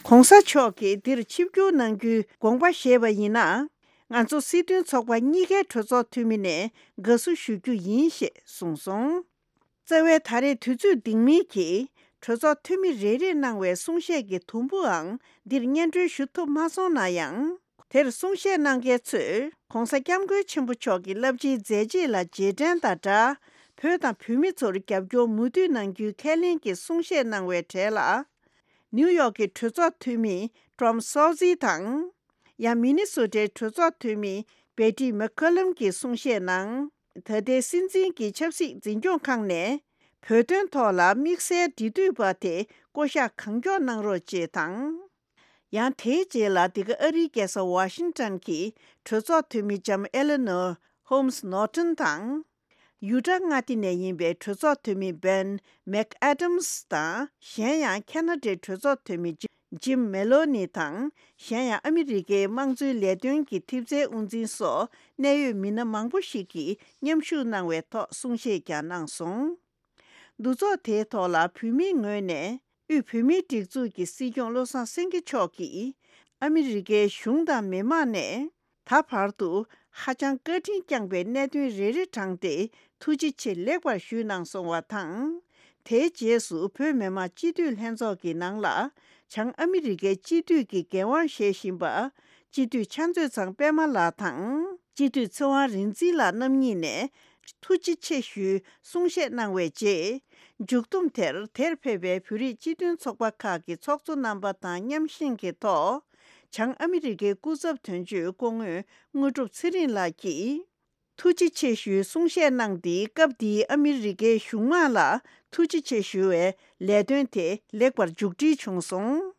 ༧གོང་ས་མཆོག་གིས་འདིར་ཆིབས་བསྒྱུར་གནང་རྒྱུའི་དགོངས་པ་བཞེས་པ་ཡིན་ན། ང་ཚོ་སྲིད་དོན་ཚོགས་པ་གཉིས་ཀའི་གྲོས་ཚོགས་འཐུས་མི་ནས་དགའ་བསུ་ཞུ་རྒྱུ་ཡིན་ཞེས་གསུངས་སོང་། རྩ་བའི་ད་རེས་དུས་ཚོད་འདིང་མིན་གྱིས་གྲོས་ཚོགས་འཐུས་མི་རེ་རེས་གནང་བའི་གསུང་བཤད་ཀྱི་དུམ་བུའང་འདིར་སྙན་སྒྲོན་ཞུ་ཐུབ་མ་སོང་ན་ཡང་། དེར་གསུང་བཤད་གནང་མཁན་ཚོས་༧གོང་ས་༧སྐྱབས་མགོན་ཆེན་པོ་མཆོག་གི་རླབས་ཆེའི་མཛད་རྗེས་ལ་རྗེས་དྲན་དང་སྦྲགས། བོད་དང་བོད་མི་ཚོར་རྒྱབ་སྐྱོར་མུ་མཐུད་གནང་རྒྱུའི་ཁས་ལེན་གྱི་གསུང་བཤད་གནང་བའི་གྲས་ལ། ནིའུ་ཡོག་གི་གྲོས་ཚོགས་འཐུས་མི་ཀྲོམ་སོ་ཛི་དང་། ཡང་མི་ནི་སོ་ཊའི་གྲོས་ཚོགས་འཐུས་མི་བེ་ཏི་མེག་ཁོ་ལམ་གྱིས་གསུང་བཤད་ནང་། ད་ལྟའི་སྲིད་འཛིན་གྱི་ཆབ་སྲིད་འཛིན་སྐྱོང་ཁང་ནས་བོད་དོན་ཐོག་ལ་དམིགས་བསལ་འབྲེལ་མཐུད་པ་དེ་བསྐོ་གཞག་གང་མགྱོགས་གནང་རོགས་ཅེས་དང་། ཡང་དེའི་རྗེས་ལ་འདི་ག་ཨ་རིའི་རྒྱལ་ས་ཝ་ཤིང་ཊོན་གྱི་གྲོས་ཚོགས་འཐུས་མི་ལྕམ་ཨེ་ལེ་ནོར་ཧོམ་སི་ནོར་ཊོན་དང་། ཡུ་ཊ་མངའ་སྡེ་ནས་ཡིན་པའི་གྲོས་ཚོགས་འཐུས་མི་བེན་མེག་ཨེ་ཌམ་སི་དང་། གཞན་ཡང་ཁེ་ན་ཌའི་གྲོས་ཚོགས་འཐུས་མི་ཇི་ཇིམ་མེ་ལོ་ནི་དང་། གཞན་ཡང་ཨ་མི་རི་ཀའི་དམངས་གཙོའི་ལས་དོན་གྱི་ཐེབས་རྩའི་དབུ་འཛིན་སོགས་གནད་ཡོད་མི་སྣ་མང་པོ་ཞིག་གིས་མཉམ་ཞུགས་གནང་བའི་ཐོག་གསུང་བཤད་ཀྱང་གནང་སོང་། འདུ་ཚོགས་དེའི་ཐོག་ལ་བོད་མིའི་ངོས་ནས་དབུས་བོད་མིའི་སྒྲིག་འཛུགས་ཀྱི་སྲིད་སྐྱོང་བློ་བཟང་སེང་གེ་མཆོག་གིས་ཨ་མི་རི་ཀའི་གཞུང་དང་མི་མང་ནས། ད་བར་དུ་ཧ་ཅང་བཀའ་དྲིན་བསྐྱངས་པའི་གནད་དོན་རེ་རེ་དྲངས་ཏེ་ཐུགས་རྗེ་ཆེ་ལེགས་པར་ཞུས་གནང་སོང་བ་དང་། དེའི་རྗེས་སུ་བོད་མི་མང་སྤྱི་འཐུས་ལྷན་ཚོགས་ཀྱི་ནང་ལ་བྱང་ཨ་མི་རི་ཀའི་སྤྱི་འཐུས་ཀྱི་འགན་དབང་བཞེས་བཞིན་པ་སྤྱི་འཐུས་ཕྱག་མཛོད་ཚང་པད་མ་ལགས་དང་སྤྱི་འཐུས་ཚེ་དབང་རིག་འཛིན་ལགས་རྣམ་གཉིས་ནས་ཐུགས་རྗེ་ཆེ་ཞུའི་གསུང་བཤད་གནང་བའི་རྗེས། མཇུག་བསྡོམས་དེར་དེར་ཕེབས་པའི་བོད་རིགས་སྤྱི་མཐུན་ཚོགས་པ་ཁག་གི་ཚོགས་གཙོ་རྣམ་པ་དང་མཉམ་བཞེངས་ཀྱི་ཐོག་བྱང་ཨ་མི་རི་ཀའི་སྐུ་ཚབ་དོན་གཅོད་སྐུ་ངོ་དངོས་གྲུབ་ཚེ་རིང་ལགས་ཀྱིས། ཐུགས་རྗེ་ཆེ་ཞུའི་གསུང་བཤད་གནང་སྟེ། སྐབས་དེའི་ཨ་མི་རི་ཀའི་གཞུང་མང་ལ་ཐུགས་རྗེ་ཆེ་ཞུ་བའི་ལས་དོན་དེ་ལེགས་པར་མཇུག་སྒྲིལ་བྱུང་སོང་།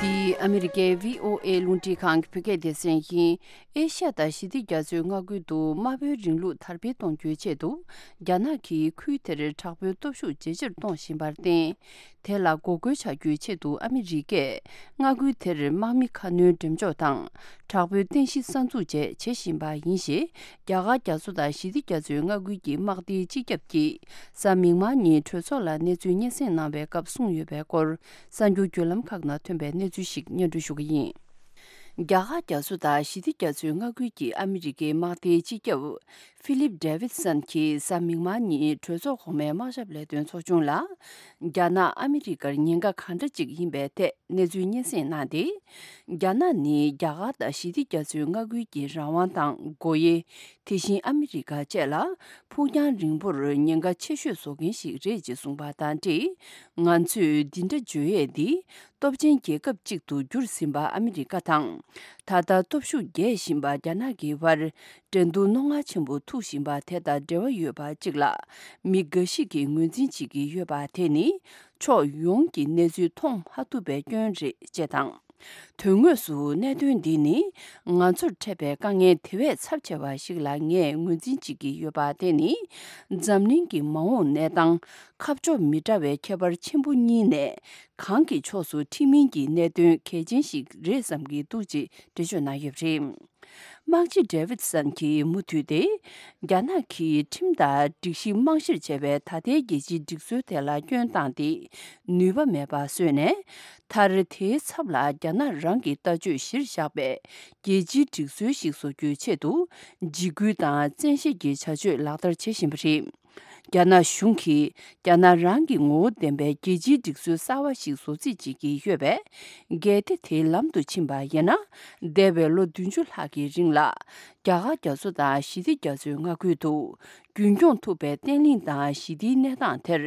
འདི་ཨ་མི་རི་ཀའི་བྷི་ཨོ་ཨེ་རླུང་འཕྲིན་ཁང་གི་བོད་སྐད་སྡེ་ཚན་ཡིན། ཨེ་ཤ་ཡ་དང་ཞི་བདེ་རྒྱ་མཚོའི་མངའ་ཁུལ་དུ་དམར་པོའི་རིང་ལུགས་དར་སྤེལ་གཏོང་རྒྱུའི་ཆེད་དུ། རྒྱ་ནག་གིས་ཁུལ་དེར་དྲག་པོའི་སྟོབས་ཤུགས་ཇེ་ཆེར་གཏོང་བཞིན་པར་བརྟེན། དེ་ལ་འགོག་རྒོལ་བྱ་རྒྱུའི་ཆེད་དུ་ཨ་མི་རི་ཀས་མངའ་ཁུལ་དེར་དམག་མི་ཁ་སྣོན་འགྲེམས་འཇོག་དང་། དྲག་པོའི་རྟེན་གཞི་གསར་འཛུགས་བཅས་བྱེད་བཞིན་པ་ཡིན་ཞེས། རྒྱ་གར་རྒྱ་མཚོ་དང་ཞི་བདེ་རྒྱ་མཚོའི་མངའ་ཁུལ་གྱི་དམག་སྡེའི་སྤྱི་ཁྱབ་ཀྱིས་གཟའ་མིག་དམར་ཉིན་གྲོས་ཚོགས་ལ་གནས་ཚུལ་སྙན་སེང་གནང་བའི་སྐབས་གསུངས་ཡོད་པའི་སྐོར། གསར་འགྱུར་བརྒྱུད་ལམ་ཁག་ནང་ཐོན་པའི་གནས་ཚུལ་ཞིག་སྙན་སྒྲོན་ཞུ་གི་ཡིན། རྒྱ་གར་རྒྱ་མཚོ་དང་ཞི་བདེ་རྒྱ་མཚོའི་མངའ་ཁུལ་གྱི་ཨ་མི་རི་ཀའི་དམག་སྡེའི་སྤྱི་ཁྱབ་ཧྥི་ལིབ་ཌེ་ཝིད་སན་གྱིས་གཟའ་མིག་དམར་ཉིན་གྲོས་ཚོགས་གོང་མའི་དམག་ཞབས་ལས་དོན་ཚོགས་ཆུང་ལ། རྒྱ་ནག་ཨ་མི་རི་ཀར་ཉེན་ཁ་ག་འདྲ་ཅིག་ཡིན་པའི་ཐད་གནས་ཚུལ་སྙན་སེང་གནང་སྟེ། རྒྱ་ནག་ནི་རྒྱ་གར་དང་ཞི་བདེ་རྒྱ་མཚོའི་མངའ་ཁུལ་གྱི་རང་དབང་དང་སྒོ་དབྱེ། དེ་བཞིན་ཨ་མི་རི་ཀ་བཅས་ལ་ཕུགས་རྒྱང་རིང་པོར་ཉེན་ཁ་ཆེ་ཤོས་བཟོ་མཁན་ཞིག་རེད་ཅེས་གསུངས་པ་དང་འབྲེལ། ང་ཚོས་འདི་འདྲ་བརྗོད་ཡས་འདི་སྟོབས་ཆེན་རྒྱལ་ཁབ་ཅིག་ཏུ་གྱུར་ཟིན་པ་ཨ་མི་རི་ཀ་དང་། ད་ལྟ་སྟོབས་ཤུགས་རྒྱས་བཞིན་པ་རྒྱ་ནག་གི་བར་འགྲན་བསྡུར་རྣོ་ངར་ཆེན་པོ་ཐུག་བཞིན་པ་དེ་དང་འབྲེལ་བ་ཡོད་པ་ཅིག་ལ་མི་འགའ་ཞིག་གིས་ངོས་འཛིན་བྱེད་ཀྱི་ཡོད་པ་དེ་ནི་ཕྱོགས་ཡོངས་ཀྱི་གནས་ཚུལ་མཐོང་མ་ཐུབ་པའི་སྐྱོན་རེད་ཅེས་དང་། དོན་དངོས་སུ་གནད་དོན་འདི་ནི་ང་ཚོར་འཕྲད་པའི་དཀའ་ངལ་དེ་བས་ཚབས་ཆེ་བ་ཞིག་ལ་ངས་ངོས་འཛིན་བྱེད་ཀྱི་ཡོད་པ་དེ་ནི། འཛམ་གླིང་གི་མ་འོངས་གནས་སྟངས་ཁ་ཕྱོགས་མི་འདྲ་བའི་ཁྱད་པར་ཆེན་པོ་གཉིས་ནས་གང་གི་ཕྱོགས་སུ་འཁྲིད་མིན་གྱི་གནད་དོན་གལ་ཆེན་ཞིག་རེད་བསམ་གྱི་འདུག་ཅེས་འགྲེལ་བརྗོད་གནང་ཡོད་པ་རེད། དམག་སྤྱི་ཌེ་ཝིད་སན་གྱིས་མུ་མཐུད་དེ། རྒྱ་ནག་གིས་ཁྲིམས་ལྟར་སྒྲིག་གཞི་རྨང་གཞིར་བྱས་པའི་ད་ལྟའི་རྒྱལ་སྤྱིའི་སྒྲིག་སྲོལ་དེ་ལ་སྐྱོན་བཏང་སྟེ། ནུས་པ་མེད་པ་བཟོས་ནས། མཐར་དེའི་ཚབ་ལ་རྒྱ་ནག་རང་གི་ལྟ་སྤྱོད་གཞིར་བཞག་པའི་རྒྱལ་སྤྱིའི་སྒྲིག་སྲོལ་ཞིག་བཟོ་རྒྱུའི་ཆེད་དུ། འཇིགས་སྐུལ་དང་བཙན་ཤེད་ཀྱི་བྱ་སྤྱོད་ལག་བསྟར་བྱེད་བཞིན་པ་རེད། རྒྱ་ནག་གཞུང་གིས་རྒྱ་ནག་རང་གི་ངོ་བོ་ལྡན་པའི་རྒྱལ་སྤྱིའི་སྒྲིག་སྲོལ་གསར་བ་ཞིག་བཟོ་རྩིས་བྱེད་ཀྱི་ཡོད་པས། གལ་ཏེ་དེའི་ལམ་དུ་ཕྱིན་པ་ཡིན་ན། འདས་པའི་ལོ་བདུན་ཅུ་ལྷག་གི་རིང་ལ། རྒྱ་གར་རྒྱ་མཚོ་དང་ཞི་བདེ་རྒྱ་མཚོའི་མངའ་ཁུལ་དུ། རྒྱུན་སྐྱོང་ཐུབ་པའི་བརྟན་ལྷིང་དང་ཞི་བདེའི་གནས་སྟངས་དེར་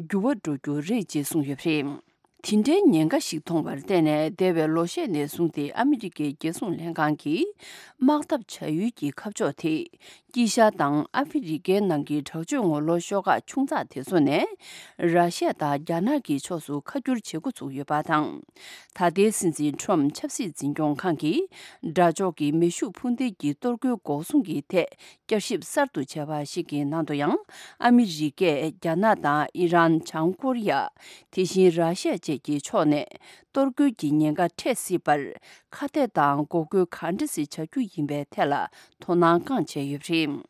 འགྱུར་བ་འགྲོ་རྒྱུ་རེད་ཅེས་གསུངས་ཡོད་པ་རེད། དེ་འདྲའི་ཉེན་ཁ་ཞིག་མཐོང་བར་བརྟེན་ནས། འདས་པའི་ལོ་ཤས་ནས་བཟུང་སྟེ་ཨ་མི་རི་ཀའི་རྒྱལ་སྲུང་ལྷན་ཁང་གིས་དམག་འཐབ་བྱ་ཡུལ་གྱི་ཁ་ཕྱོགས་དེ། དཀྱིལ་ཤར་དང་ཨ་ཧྥེ་རི་ཀའི་ནང་གི་དྲག་སྤྱོད་ངོ་ལོག་ཤོག་ཁག་ཆུང་ཙག་དེ་ཚོ་ནས། ར་ཤི་ཡ་དང་རྒྱ་ནག་གི་ཕྱོགས་སུ་ཁ་བསྒྱུར་བྱེད་འགོ་ཚུགས་ཡོད་པ་དང་། ད་ལྟའི་སྲིད་འཛིན་ཁྲོམ་ཆབ་སྲིད་འཛིན་སྐྱོང་ཁང་གིས། དགྲ་ཕྱོགས་ཀྱི་མེ་ཤུགས་འཕུར་མདེལ་གྱི་གཏོར་རྒོལ་འགོག་སྲུང་གི་ཐད། བསྐྱར་ཞིབ་གསར་དུ་བྱས་པ་ཞིག་གི་ནང་དུ་ཡང་། ཨ་མི་རི་ཀས་རྒྱ་ནག་དང་ཨི་རན། བྱང་ཀོ་རི་ཡ། དེ་བཞིན་ར་ཤི་ཡ་བཅས་ཀྱི་ཕྱོགས་ནས་གཏོར་རྒོལ་གྱི་ཉེན་ཁ་འཕྲད་སྲིད་པར། ཁ་གཏད་དང་འགོག་རྒོལ་ག་འདྲ་ཞིག་བྱ་རྒྱུ་ཡིན་པའི་ཐད་ལ་དོ་སྣང་བསྐངས་བྱས་ཡོད་པ་རེད།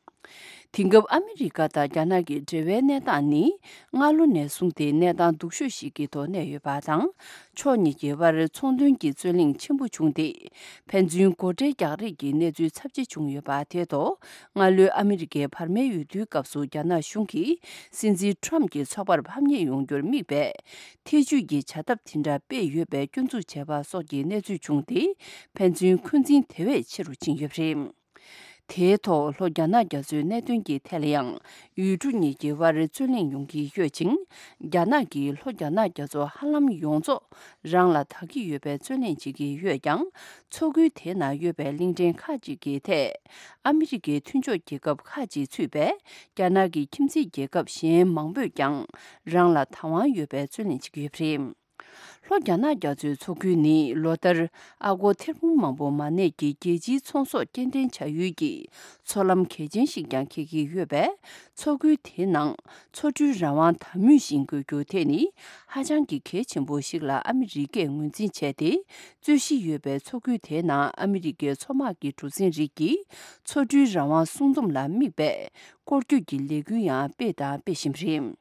དེང་སྐབས་ཨ་མི་རི་ཀ་དང་རྒྱ་ནག་གི་འབྲེལ་བའི་གནས་སྟངས་ནི། སྔ་ལོ་ནས་བཟུང་སྟེ་གནས་སྟངས་སྡུག་ཤོས་ཤིག་གི་ཐོག་གནས་ཡོད་པ་དང་། ཕྱོགས་གཉིས་ཀྱི་དབར་ཚོང་དོན་གྱི་རྩོད་གླེང་ཆེན་པོ་བྱུང་སྟེ། ཕན་ཚུན་སྒོ་ཁྲལ་རྒྱག་རེས་ཀྱི་གནས་ཚུལ་ཚབས་ཆེ་བྱུང་ཡོད་པ་དེ་ཐོག་སྔ་ལོའི་ཨ་མི་རི་ཀའི་བར་མའི་འོས་བསྡུའི་སྐབས་སུ་རྒྱ་ནག་གཞུང་གིས་སྲིད་འཛིན་ཁྲོམ་གྱི་ཚོགས་པར་ཕམ་ཉེས་ཡོང་རྒྱུར་དམིགས་པའི་ཐེ་ཇུས་ཀྱི་བྱ་ཐབས་དེ་འདྲ་སྤེལ་ཡོད་པའི་སྐྱོན་འཛུགས་བྱས་པ་སོགས་ཀྱི་གནས་ཚུལ་བྱུང་སྟེ། ཕན་ཚུན་འཁོན་འཛིན་དེ་བས་ཆེ་རུ་ཕྱིན་ཡོད་པ་རེད། དེའི་ཐོག་ལྷོ་རྒྱ་ནག་རྒྱ་མཚོའི་གནད་དོན་གྱི་ཐད་ལ་ཡང་། ཡུལ་གྲུ་གཉིས་ཀྱི་དབར་རྩོད་གླེང་ཡོང་གི་ཡོད་ཅིང་། རྒྱ་ནག་གིས་ལྷོ་རྒྱ་ནག་རྒྱ་མཚོ་ཧ་ལམ་ཡོངས་རྫོགས་རང་ལ་ད་གི་ཡོད་པའི་རྩོད་གླེང་བྱེད་ཀྱི་ཡོད་ཀྱང་། མཚོ་ཁུལ་དེའི་ནང་ཡོད་པའི་གླིང་ཕྲན་ཁག་ཅིག་གི་ཐད། ཨ་མི་རི་ཀའི་མཐུན་ཕྱོགས་རྒྱལ་ཁབ་ཁག་ཅིག་ཚུད་པའི་རྒྱ་ནག་གི་ཁྱིམ་མཚེས་རྒྱལ་ཁབ་གཞན་མང་པོས་ཀྱང་རང་ལ་བདག་དབང་ཡོད་པའི་རྩོད་གླེང་བྱེད་ཀྱི་ཡོད་པ་རེད། ལྷོ་རྒྱ་ནག་རྒྱ་མཚོའི་མཚོ་ཁུལ་ནི་ལོ་ལྟར་ཨ་སྒོར་ཐེར་འབུམ་མང་པོ་མ་གནས་ཀྱི་རྒྱལ་སྤྱིའི་ཚོང་ཟོག་སྐྱེལ་འདྲེན་བྱ་ཡུལ་གྱི་མཚོ་ལམ་གལ་ཆེན་ཞིག་ཀྱང་འཁེལ་གྱི་ཡོད་པས། མཚོ་ཁུལ་དེའི་ནང་མཚོ་གྲུའི་རང་དབང་དམ་མུས་བཞིན་དགོས་རྒྱུ་དེ་ནི་ཧ་ཅང་གི་གལ་ཆེན་པོ་ཞིག་ལ་ཨ་མི་རི་ཀས་ངོས་འཛིན་བྱས་ཏེ། རྩོད་གཞི་ཡོད་པའི་མཚོ་ཁུལ་དེའི་ནང་ཨ་མི་རི་ཀའི་མཚོ་དམག་གི་གྲུ་གཟིངས་རིགས་ཀྱིས་མཚོ་གྲུའི་རང་དབང་སྲུང་འཛོམས་ལ་དམིགས་པའི་སྐོར་སྐྱོད་ཀྱི་ལས་འགུལ་ཡང་སྤེལ་དང་སྤེལ་བཞིན་པ་རེད།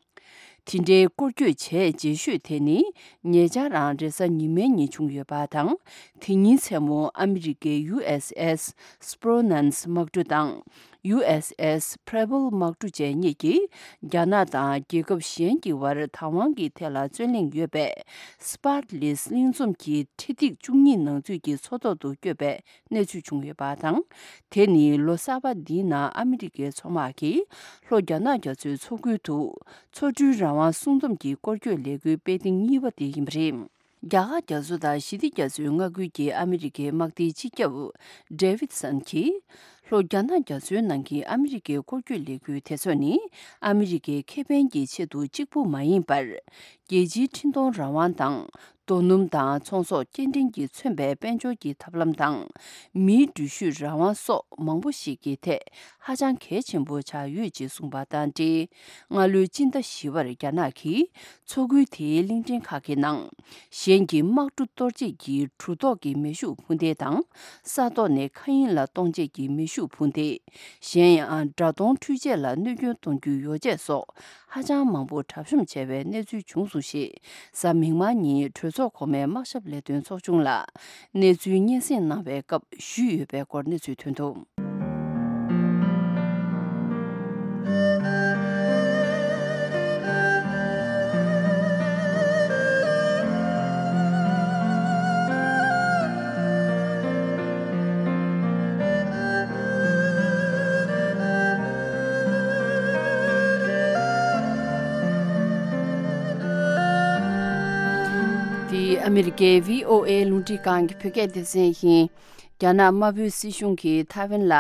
དེ་འདྲའི་སྐོར་སྐྱོད་བྱས་རྗེས་ཤོས་དེ་ནི་ཉེ་ཆར་རང་རེས་གཟའ་ཉི་མའི་ཉིན་བྱུང་ཡོད་པ་དང་། དེ་ཉིན་མཚན་མོ་ཨ་མི་རི་ཀའི་ཡུ་ཨེས་ཨེས་སྤྲོ་ནན་སི་དམག་གྲུ་དང་། ཡུ་ཨེས་ཨེས་པི་རེ་བྷལ་དམག་གྲུ་བཅས་གཉིས་ཀྱིས་རྒྱ་ནག་དང་རྒྱལ་ཁབ་གཞན་གྱི་བར་བདག་དབང་གི་ཐད་ལ་རྩོད་གླེང་ཡོད་པའི་སི་པར་ལིས་གླིང་ཚོམ་གྱི་འཕྲེད་ཐིག་བཅུ་གཉིས་ནང་ཚུད་ཀྱི་མཚོ་ཐོག་ཏུ་བསྐྱོད་པའི་གནས་ཚུལ་བྱུང་ཡོད་པ་དང་། དེ་ནི་ལོ་གསར་པ་འདིའི་ནང་ཨ་མི་རི་ཀའི་མཚོ་དམག་གིས་ལྷོ་རྒྱ་ནག་རྒྱ་མཚོའི་མཚོ་ཁུལ་དུ་མཚོ་གྲུའི་རང་དབང་སྲུང་འཛོམས་ཀྱི་སྐོར་སྐྱོད་ལས་འགུལ་སྤེལ་ཐེངས་གཉིས་པ་དེ་ཡིན་པ་རེད། རྒྱ་གར་རྒྱ་མཚོ་དང་ཞི་བདེ་རྒྱ་མཚོའི་མངའ་ཁུལ་གྱི་ཨ་མི་རི་ཀའི་དམག་སྡེའི་སྤྱི་ཁྱབ་ཌེ་ཝིད་སན་གྱིས། ལྷོ་རྒྱ་ནག་རྒྱ་མཚོའི་ནང་གི་ཨ་མི་རི་ཀའི་སྐོར་སྐྱོད་ལས་འགུལ་དེ་ཚོ་ནི་ཨ་མི་རི་ཀའི་ཁེ་ཕན་གྱི་ཆེད་དུ་གཅིག་པུ་མ་ཡིན་པར། རྒྱལ་སྤྱིའི་འཕྲིན་གཏོང་རང་དབང་དང་། རྡོ་སྣུམ་དང་ཚོང་ཟོག་སྐྱེལ་འདྲེན་གྱིས་མཚོན་པའི་དཔལ་འབྱོར་གྱི་ཐབས་ལམ་དང་། མིའི་འགྲུལ་བཞུད་རང་དབང་སོགས་མང་པོ་ཞིག་གི་ཐད་ཧ་ཅང་གལ་ཆེན་པོ་ཆགས་ཡོད་ཅེས་གསུངས་པ་དང་འབྲེལ། སྔ་ལོའི་སྤྱི་ཟླ་བཞི་པར་རྒྱ་ནག་གིས་མཚོ་ཁུལ་དེའི་གླིང་ཕྲན་ཁག་གི་ནང་གཞན་གྱི་དམག་གྲུ་གཏོར་བྱེད་ཀྱི་གྲུ་ཐོག་གི་མེ་ཤུགས་འཕུར་མདེལ་དང་། ས་ཐོག་ནས་མཁའ་དབྱིངས་ལ་གཏོང་བྱེད་ཀྱི་མེ་ཤུགས་འཕུར་མདེལ། གཞན་ཡང་། དགྲ་གདོང་འཕྲུལ་ཆས་ལ་གནོད་སྐྱོན་གཏོང་རྒྱུའི་ཡོ་བྱད་སོགས་ཧ་ཅང་མང་པོ་གྲབས་གཤོམ་བྱས་པའི་གནས་ཚུལ་བྱུང་སོང་ཞེས། གཟའ་མིག་དམར་ཉིན་གྲོས་ཚོགས་གོང་མའི་དམག་ཞབས་ལས་དོན་ཚོགས་ཆུང་ལ་གནས་ཚུལ་སྙན་སེང་གནང་བའི་སྐབས་ཞུས་ཡོད་པའི་སྐོར་གནས་ཚུལ་ཐོན་འདུག། འདི་ཨ་མི་རི་ཀའི་བྷི་ཨོ་ཨེ་རླུང་འཕྲིན་ཁང་གི་བོད་སྐད་སྡེ་ཚན་ཡིན། རྒྱ་ནག་དམར་པོའི་སྲིད་གཞུང་གིས་ཐའེ་ཝན་ལ།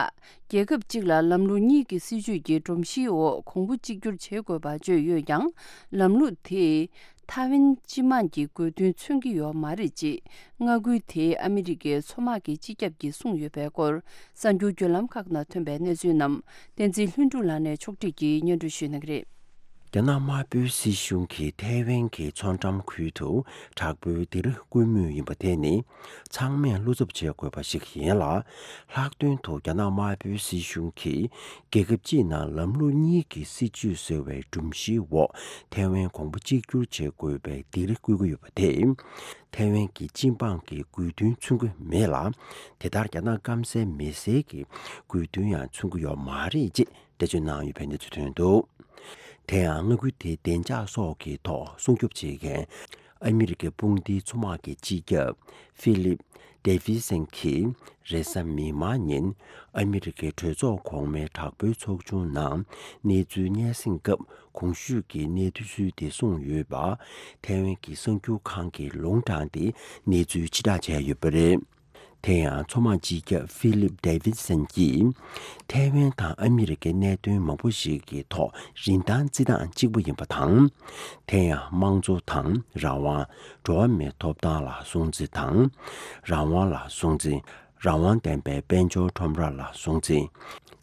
རྒྱལ་ཁབ་གཅིག་ལ་ལམ་ལུགས་གཉིས་ཀྱི་སྲིད་བྱུས་ཀྱི་སྒྲོམ་གཞིའི་འོག་གོང་བུ་གཅིག་གྱུར་བྱེད་དགོས་པ་བརྗོད་ཡོད་ཀྱང་། ལམ་ལུགས་དེས་ཐའེ་ཝན་སྤྱི་དམངས་ཀྱི་དགོས་འདུན་མཚོན་གྱི་ཡོད་མ་རེད་ཅེས། མངའ་ཁུལ་དེའི་ཨ་མི་རི་ཀའི་མཚོ་དམག་གི་སྤྱི་ཁྱབ་ཀྱིས་གསུངས་ཡོད་པའི་སྐོར། གསར་འགྱུར་བརྒྱུད་ལམ་ཁག་ནང་ཐོན་པའི་གནས་ཚུལ་རྣམས་བསྟན་འཛིན་ལྷུན་གྲུབ་ལགས་ནས་ཕྱོགས་སྒྲིག་གིས་སྙན་སྒྲོན་ཞུ་གནང་གི་རེད། རྒྱ་ནག་དམར་པོའི་སྲིད་གཞུང་གིས་ཐའེ་ཝན་གྱི་མཚོ་འགྲམ་ཁུལ་དུ་དྲག་པོའི་སྡེ་ར་བསྐོན་མུས་ཡིན་པ་དེ་ནི་ཚང་མས་བློ་འཚབ་བྱེད་དགོས་པ་ཞིག་ཡིན་ལ། ལྷག་དོན་དུ་རྒྱ་ནག་དམར་པོའི་སྲིད་གཞུང་གིས་རྒྱལ་ཁབ་གཅིག་ནང་ལམ་ལུགས་གཉིས་ཀྱི་སྲིད་བྱུས་ཟེར་བའི་སྒྲོམ་གཞིའི་འོག་ཐའེ་ཝན་གོང་བུ་གཅིག་གྱུར་བྱེད་དགོས་པའི་སྡེ་ར་བསྐོན་གྱི་ཡོད་པ་དེས། ཐའེ་ཝན་གྱི་སྤྱི་འབངས་ཀྱི་དགོས་འདུན་མཚོན་གྱི་མེད་ལ། དེ་ལྟར་རྒྱ་ནག་སྐམ་སའི་མི་སེར་གྱི་དགོས་འདུན་ཡང་མཚོན་གྱི་ཡོད་མ་རེད་ཅེས་འགྲེལ་བརྗོད་གནང་ཡོད་པའི་གནས་ཚུལ་ཐོན་འདུག། དེ་ཡང་མངའ་ཁུལ་དེའི་བདེ་འཇགས་སོགས་ཀྱི་ཐོག་སྲུང་སྐྱོབ་བྱེད་མཁན་ཨ་མི་རི་ཀའི་དཔུང་སྡེའི་མཚོ་དམག་གི་སྤྱི་ཁྱབ་ཧྥི་ལིབ་ཌེ་ཝི་སན་གྱིས་རེས་གཟའ་མིག་དམར་ཉིན་ཨ་མི་རི་ཀའི་གྲོས་ཚོགས་གོང་མའི་དྲག་པོའི་ཚོགས་ཆུང་ནང་གནས་ཚུལ་སྙན་སེང་སྐབས་གོང་ཞུས་ཀྱི་གནས་ཚུལ་དེ་གསུངས་ཡོད་པ། ཐའེ་ཝན་གྱི་གསར་འགྱུར་ཁང་གིས་ལུང་དྲངས་ཏེ་གནས་ཚུལ་ཕྱིར་བསྒྲགས་བྱས་ཡོད་པ་རེད། དེ་ཡང་མཚོ་དམག་སྤྱི་ཁྱབ་ཧྥི་ལིབ་ཌེ་ཝིད་སན་གྱིས་ཐའེ་ཝན་དང་ཨ་མི་རི་ཀའི་གནད་དོན་མང་པོ་ཞིག་གི་ཐོག་རིན་ཐང་རྩི་སྟངས་གཅིག་པ་ཡིན་པ་དང་། དེ་ཡང་དམངས་གཙོ་དང་རང་དབང་། འགྲོ་བ་མིའི་ཐོབ་ཐང་ལ་སྲུང་བརྩི་དང་། རང་དབང་ལ་སྲུང་བརྩི། རང་དབང་ལྡན་པའི་དཔལ་འབྱོར་ཁྲོམ་ར་ལ་སྲུང་བརྩི།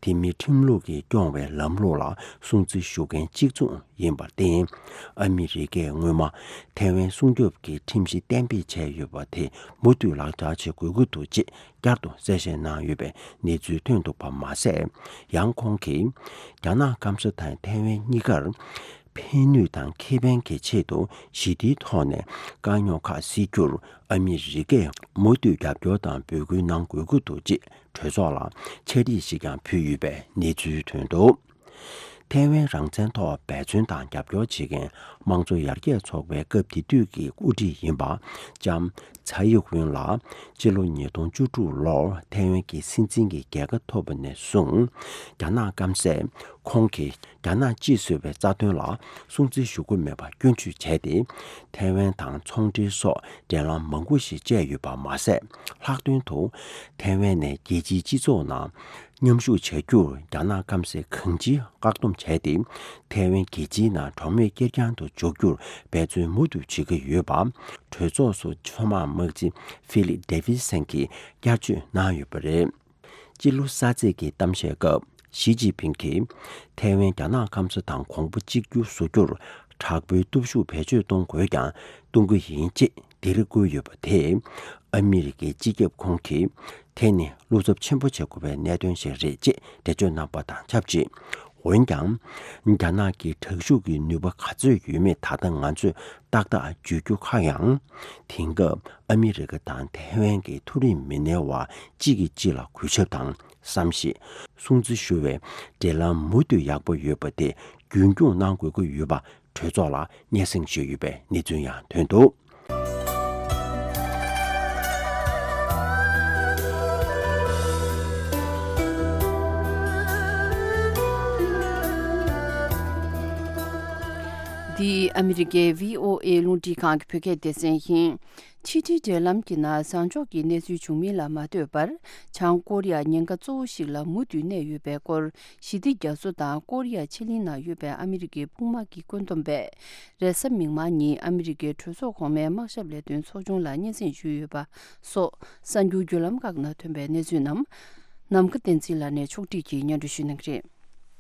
དེ་མིན་ཁྲིམས་ལུགས་ཀྱིས་སྐྱོང་བའི་ལམ་ལུགས་ལ་སྲུང་བརྩི་ཞུ་མཁན་གཅིག་མཚུངས་ཡིན་པར་བརྟེན། ཨ་མི་རི་ཀས་སྔོན་མ་ཐའེ་ཝན་སྲུང་སྐྱོབ་ཀྱི་ཁྲིམས་གཞི་གཏན་འབེབས་བྱས་ཡོད་པ་དེ་མུ་མཐུད་ལག་བསྟར་བྱེད་དགོས་ཀྱི་འདུག་ཅེས་བསྐྱར་དུ་གསལ་བཤད་གནང་ཡོད་པའི་གནས་ཚུལ་ཐོན་འདུག་པ་མ་ཟད། ཡང་ཁོང་གིས་རྒྱ་ནག་སྐམ་ས་དང་ཐའེ་ཝན་གཉིས་ཀར་ཕན་ནུས་དང་ཁེ་ཕན་གྱི་ཆེད་དུ་ཞི་བདེའི་ཐོག་ནས་དཀའ་རྙོག་ཁག་སེལ་རྒྱུར་ཨ་མི་རི་ཀས་མུ་མཐུད་རྒྱབ་སྐྱོར་དང་འབོད་སྐུལ་གནང་དགོས་ཀྱི་འདུག་ཅེས་གྲོས་ཚོགས་ལ་ཕྱག་བྲིས་ཤིག་ཀྱང་ཕུལ་ཡོད་པའི་གནས་ཚུལ་ཐོན་འདུག། ཐའེ་ཝན་རང་བཙན་ཐོག་འབད་བརྩོན་དང་རྒྱབ་སྐྱོར་བྱེད་མཁན་དམངས་གཙོ་ཡར་རྒྱས་ཚོགས་པའི་སྐབས་དེ་དུས་ཀྱི་དབུ་ཁྲིད་ཡིན་པ་ལྕམ་ཚའེ་ཝེན་ལགས་སྤྱི་ལོ་ཉིས་སྟོང་བཅུ་དྲུག་ལོར་ཐའེ་ཝན་གྱི་སྲིད་འཛིན་གྱི་རྒྱལ་ཁ་ཐོབ་པ་ནས་བཟུང་། རྒྱ་ནག་སྐམ་སས་ཁོང་གིས་རྒྱ་ནག་གཅིག་བཟོ་བའི་རྩ་དོན་ལ་སྲུང་བརྩི་ཞུ་དགོས་མེད་པ་སྐྱོན་བརྗོད་བྱས་ཏེ། ཐའེ་ཝན་དང་ཚོང་འབྲེལ་སོགས་འབྲེལ་ལམ་མང་པོ་ཞིག་བཅད་ཡོད་པ་མ་ཟད། ལྷག་དོན་དུ་ཐའེ་ཝན་ནས་རྒྱལ་སྤྱིའི་སྤྱི་ཚོགས་ནང་མཉམ་ཞུགས་བྱ་རྒྱུར་རྒྱ་ནག་སྐམ་སས་གང་ཅིའི་བཀག་སྡོམ་བྱས་ཏེ། ཐའེ་ཝན་རྒྱལ་སྤྱིའི་ནང་གྲོགས་མེད་ཁེར་རྐྱང་དུ་འཇོག་རྒྱུར་འབད་བརྩོན་མུ་མཐུད་བྱེད་ཀྱི་ཡོད་པ། གྲོས་ཚོགས་སུ་མཚོ་དམག་དམག་སྤྱི་ཧྥི་ལིབ་ཌེ་ཝི་སན་གྱིས་བསྐྱར་བརྗོད་གནང་ཡོད་པ་རེད། སྤྱི་ལོ་གསར་ཚེས་ཀྱི་གཏམ་བཤད་སྐབས་ཞི་ཅིན་ཕིང་གིས་ཐའེ་ཝན་རྒྱ་ནག་སྐམ་ས་དང་གོང་བུ་གཅིག་གྱུར་བཟོ་རྒྱུར་དྲག་པོའི་སྟོབས་ཤུགས་བེད་སྤྱོད་གཏོང་དགོས་ཀྱང་གཏོང་གི་ཡིན་ཅེས་སྡིགས་ར་བསྐུལ་ཡོད་པ་དེས། ཨ་མི་རི་ཀའི་སྤྱི་ཁྱབ་ཁོང་གིས་དེ་ནི་བློ་འཚབ་ཆེན་པོ་བྱེད་དགོས་པའི་གནད་དོན་ཞིག་རེད་ཅེས་འགྲེལ་བརྗོད་གནང་པ་དང་ཆབས་ཅིག། འོན་ཀྱང་། རྒྱ་ནག་གི་དྲག་ཤུགས་ཀྱི་ནུས་པ་ག་ཚོད་ཡོད་མེད་ད་ལྟ་ང་ཚོས་ཏག་ཏག་བརྗོད་རྒྱུ་ཁག་ཡང་། དེང་སྐབས་ཨ་མི་རི་ཀ་དང་ཐའེ་ཝན་གྱི་མཐོ་རིམ་མི་སྣའི་བར་གཅིག་གིས་གཅིག་ལ་གུས་ཞབས་དང་བསམ་ཤེས། སྲུང་བརྩི་ཞུ་བའི་འབྲེལ་ལམ་མུ་མཐུད་ཡག་པོ་ཡོད་པ་དེ་རྒྱུན་འཁྱོངས་གནང་དགོས་ཀྱི་ཡོད་པ་གྲོས་ཚོགས་ལ་སྙན་སེང་ཞུས་ཡོད་པའི་གནས་ཚུལ་ཡང་ཐོན་འདུག། འདི་ཨ་མི་རི་ཀའི་བྷི་ཨོ་ཨེ་རླུང་འཕྲིན་ཁང་གི་བོད་སྐད་སྡེ་ཚན་ཡིན། ཕྱི་འབྲེལ་འབྲེལ་ལམ་གྱི་ནང་བཟང་ཕྱོགས་ཀྱི་གནས་ཚུལ་བྱུང་མིན་ལ་མ་ལྟོས་པར། བྱང་ཀོ་རི་ཡ་ཉེན་ཁ་གཙོ་བོ་ཞིག་ལ་མུ་མཐུད་གནས་ཡོད་པའི་སྐོར། ཞི་བདེ་རྒྱ་མཚོ་དང་ཀོ་རི་ཡ་ཕྱེད་གླིང་ནང་ཡོད་པའི་ཨ་མི་རི་ཀའི་དཔུང་དམག་གི་བཀོད་འདོམས་པས། རེས་གཟའ་མིག་དམར་ཉིན་ཨ་མི་རི་ཀའི་གྲོས་ཚོགས་གོང་མའི་དམག་ཞབས་ལས་དོན་ཚོགས་ཆུང་ལ་སྙན་སེང་ཞུས་ཡོད་པ་སོགས་གསར་འགྱུར་བརྒྱུད་ལམ་ཁག་ནང་ཐོན་པའི་གནས་ཚུལ་རྣམས། ནམ་མཁའ་བསྟན་འཛིན་ལགས་ནས་ཕྱོགས་སྒྲིག་གིས་སྙན་སྒྲོན་ཞུ་གནང་གི་རེད།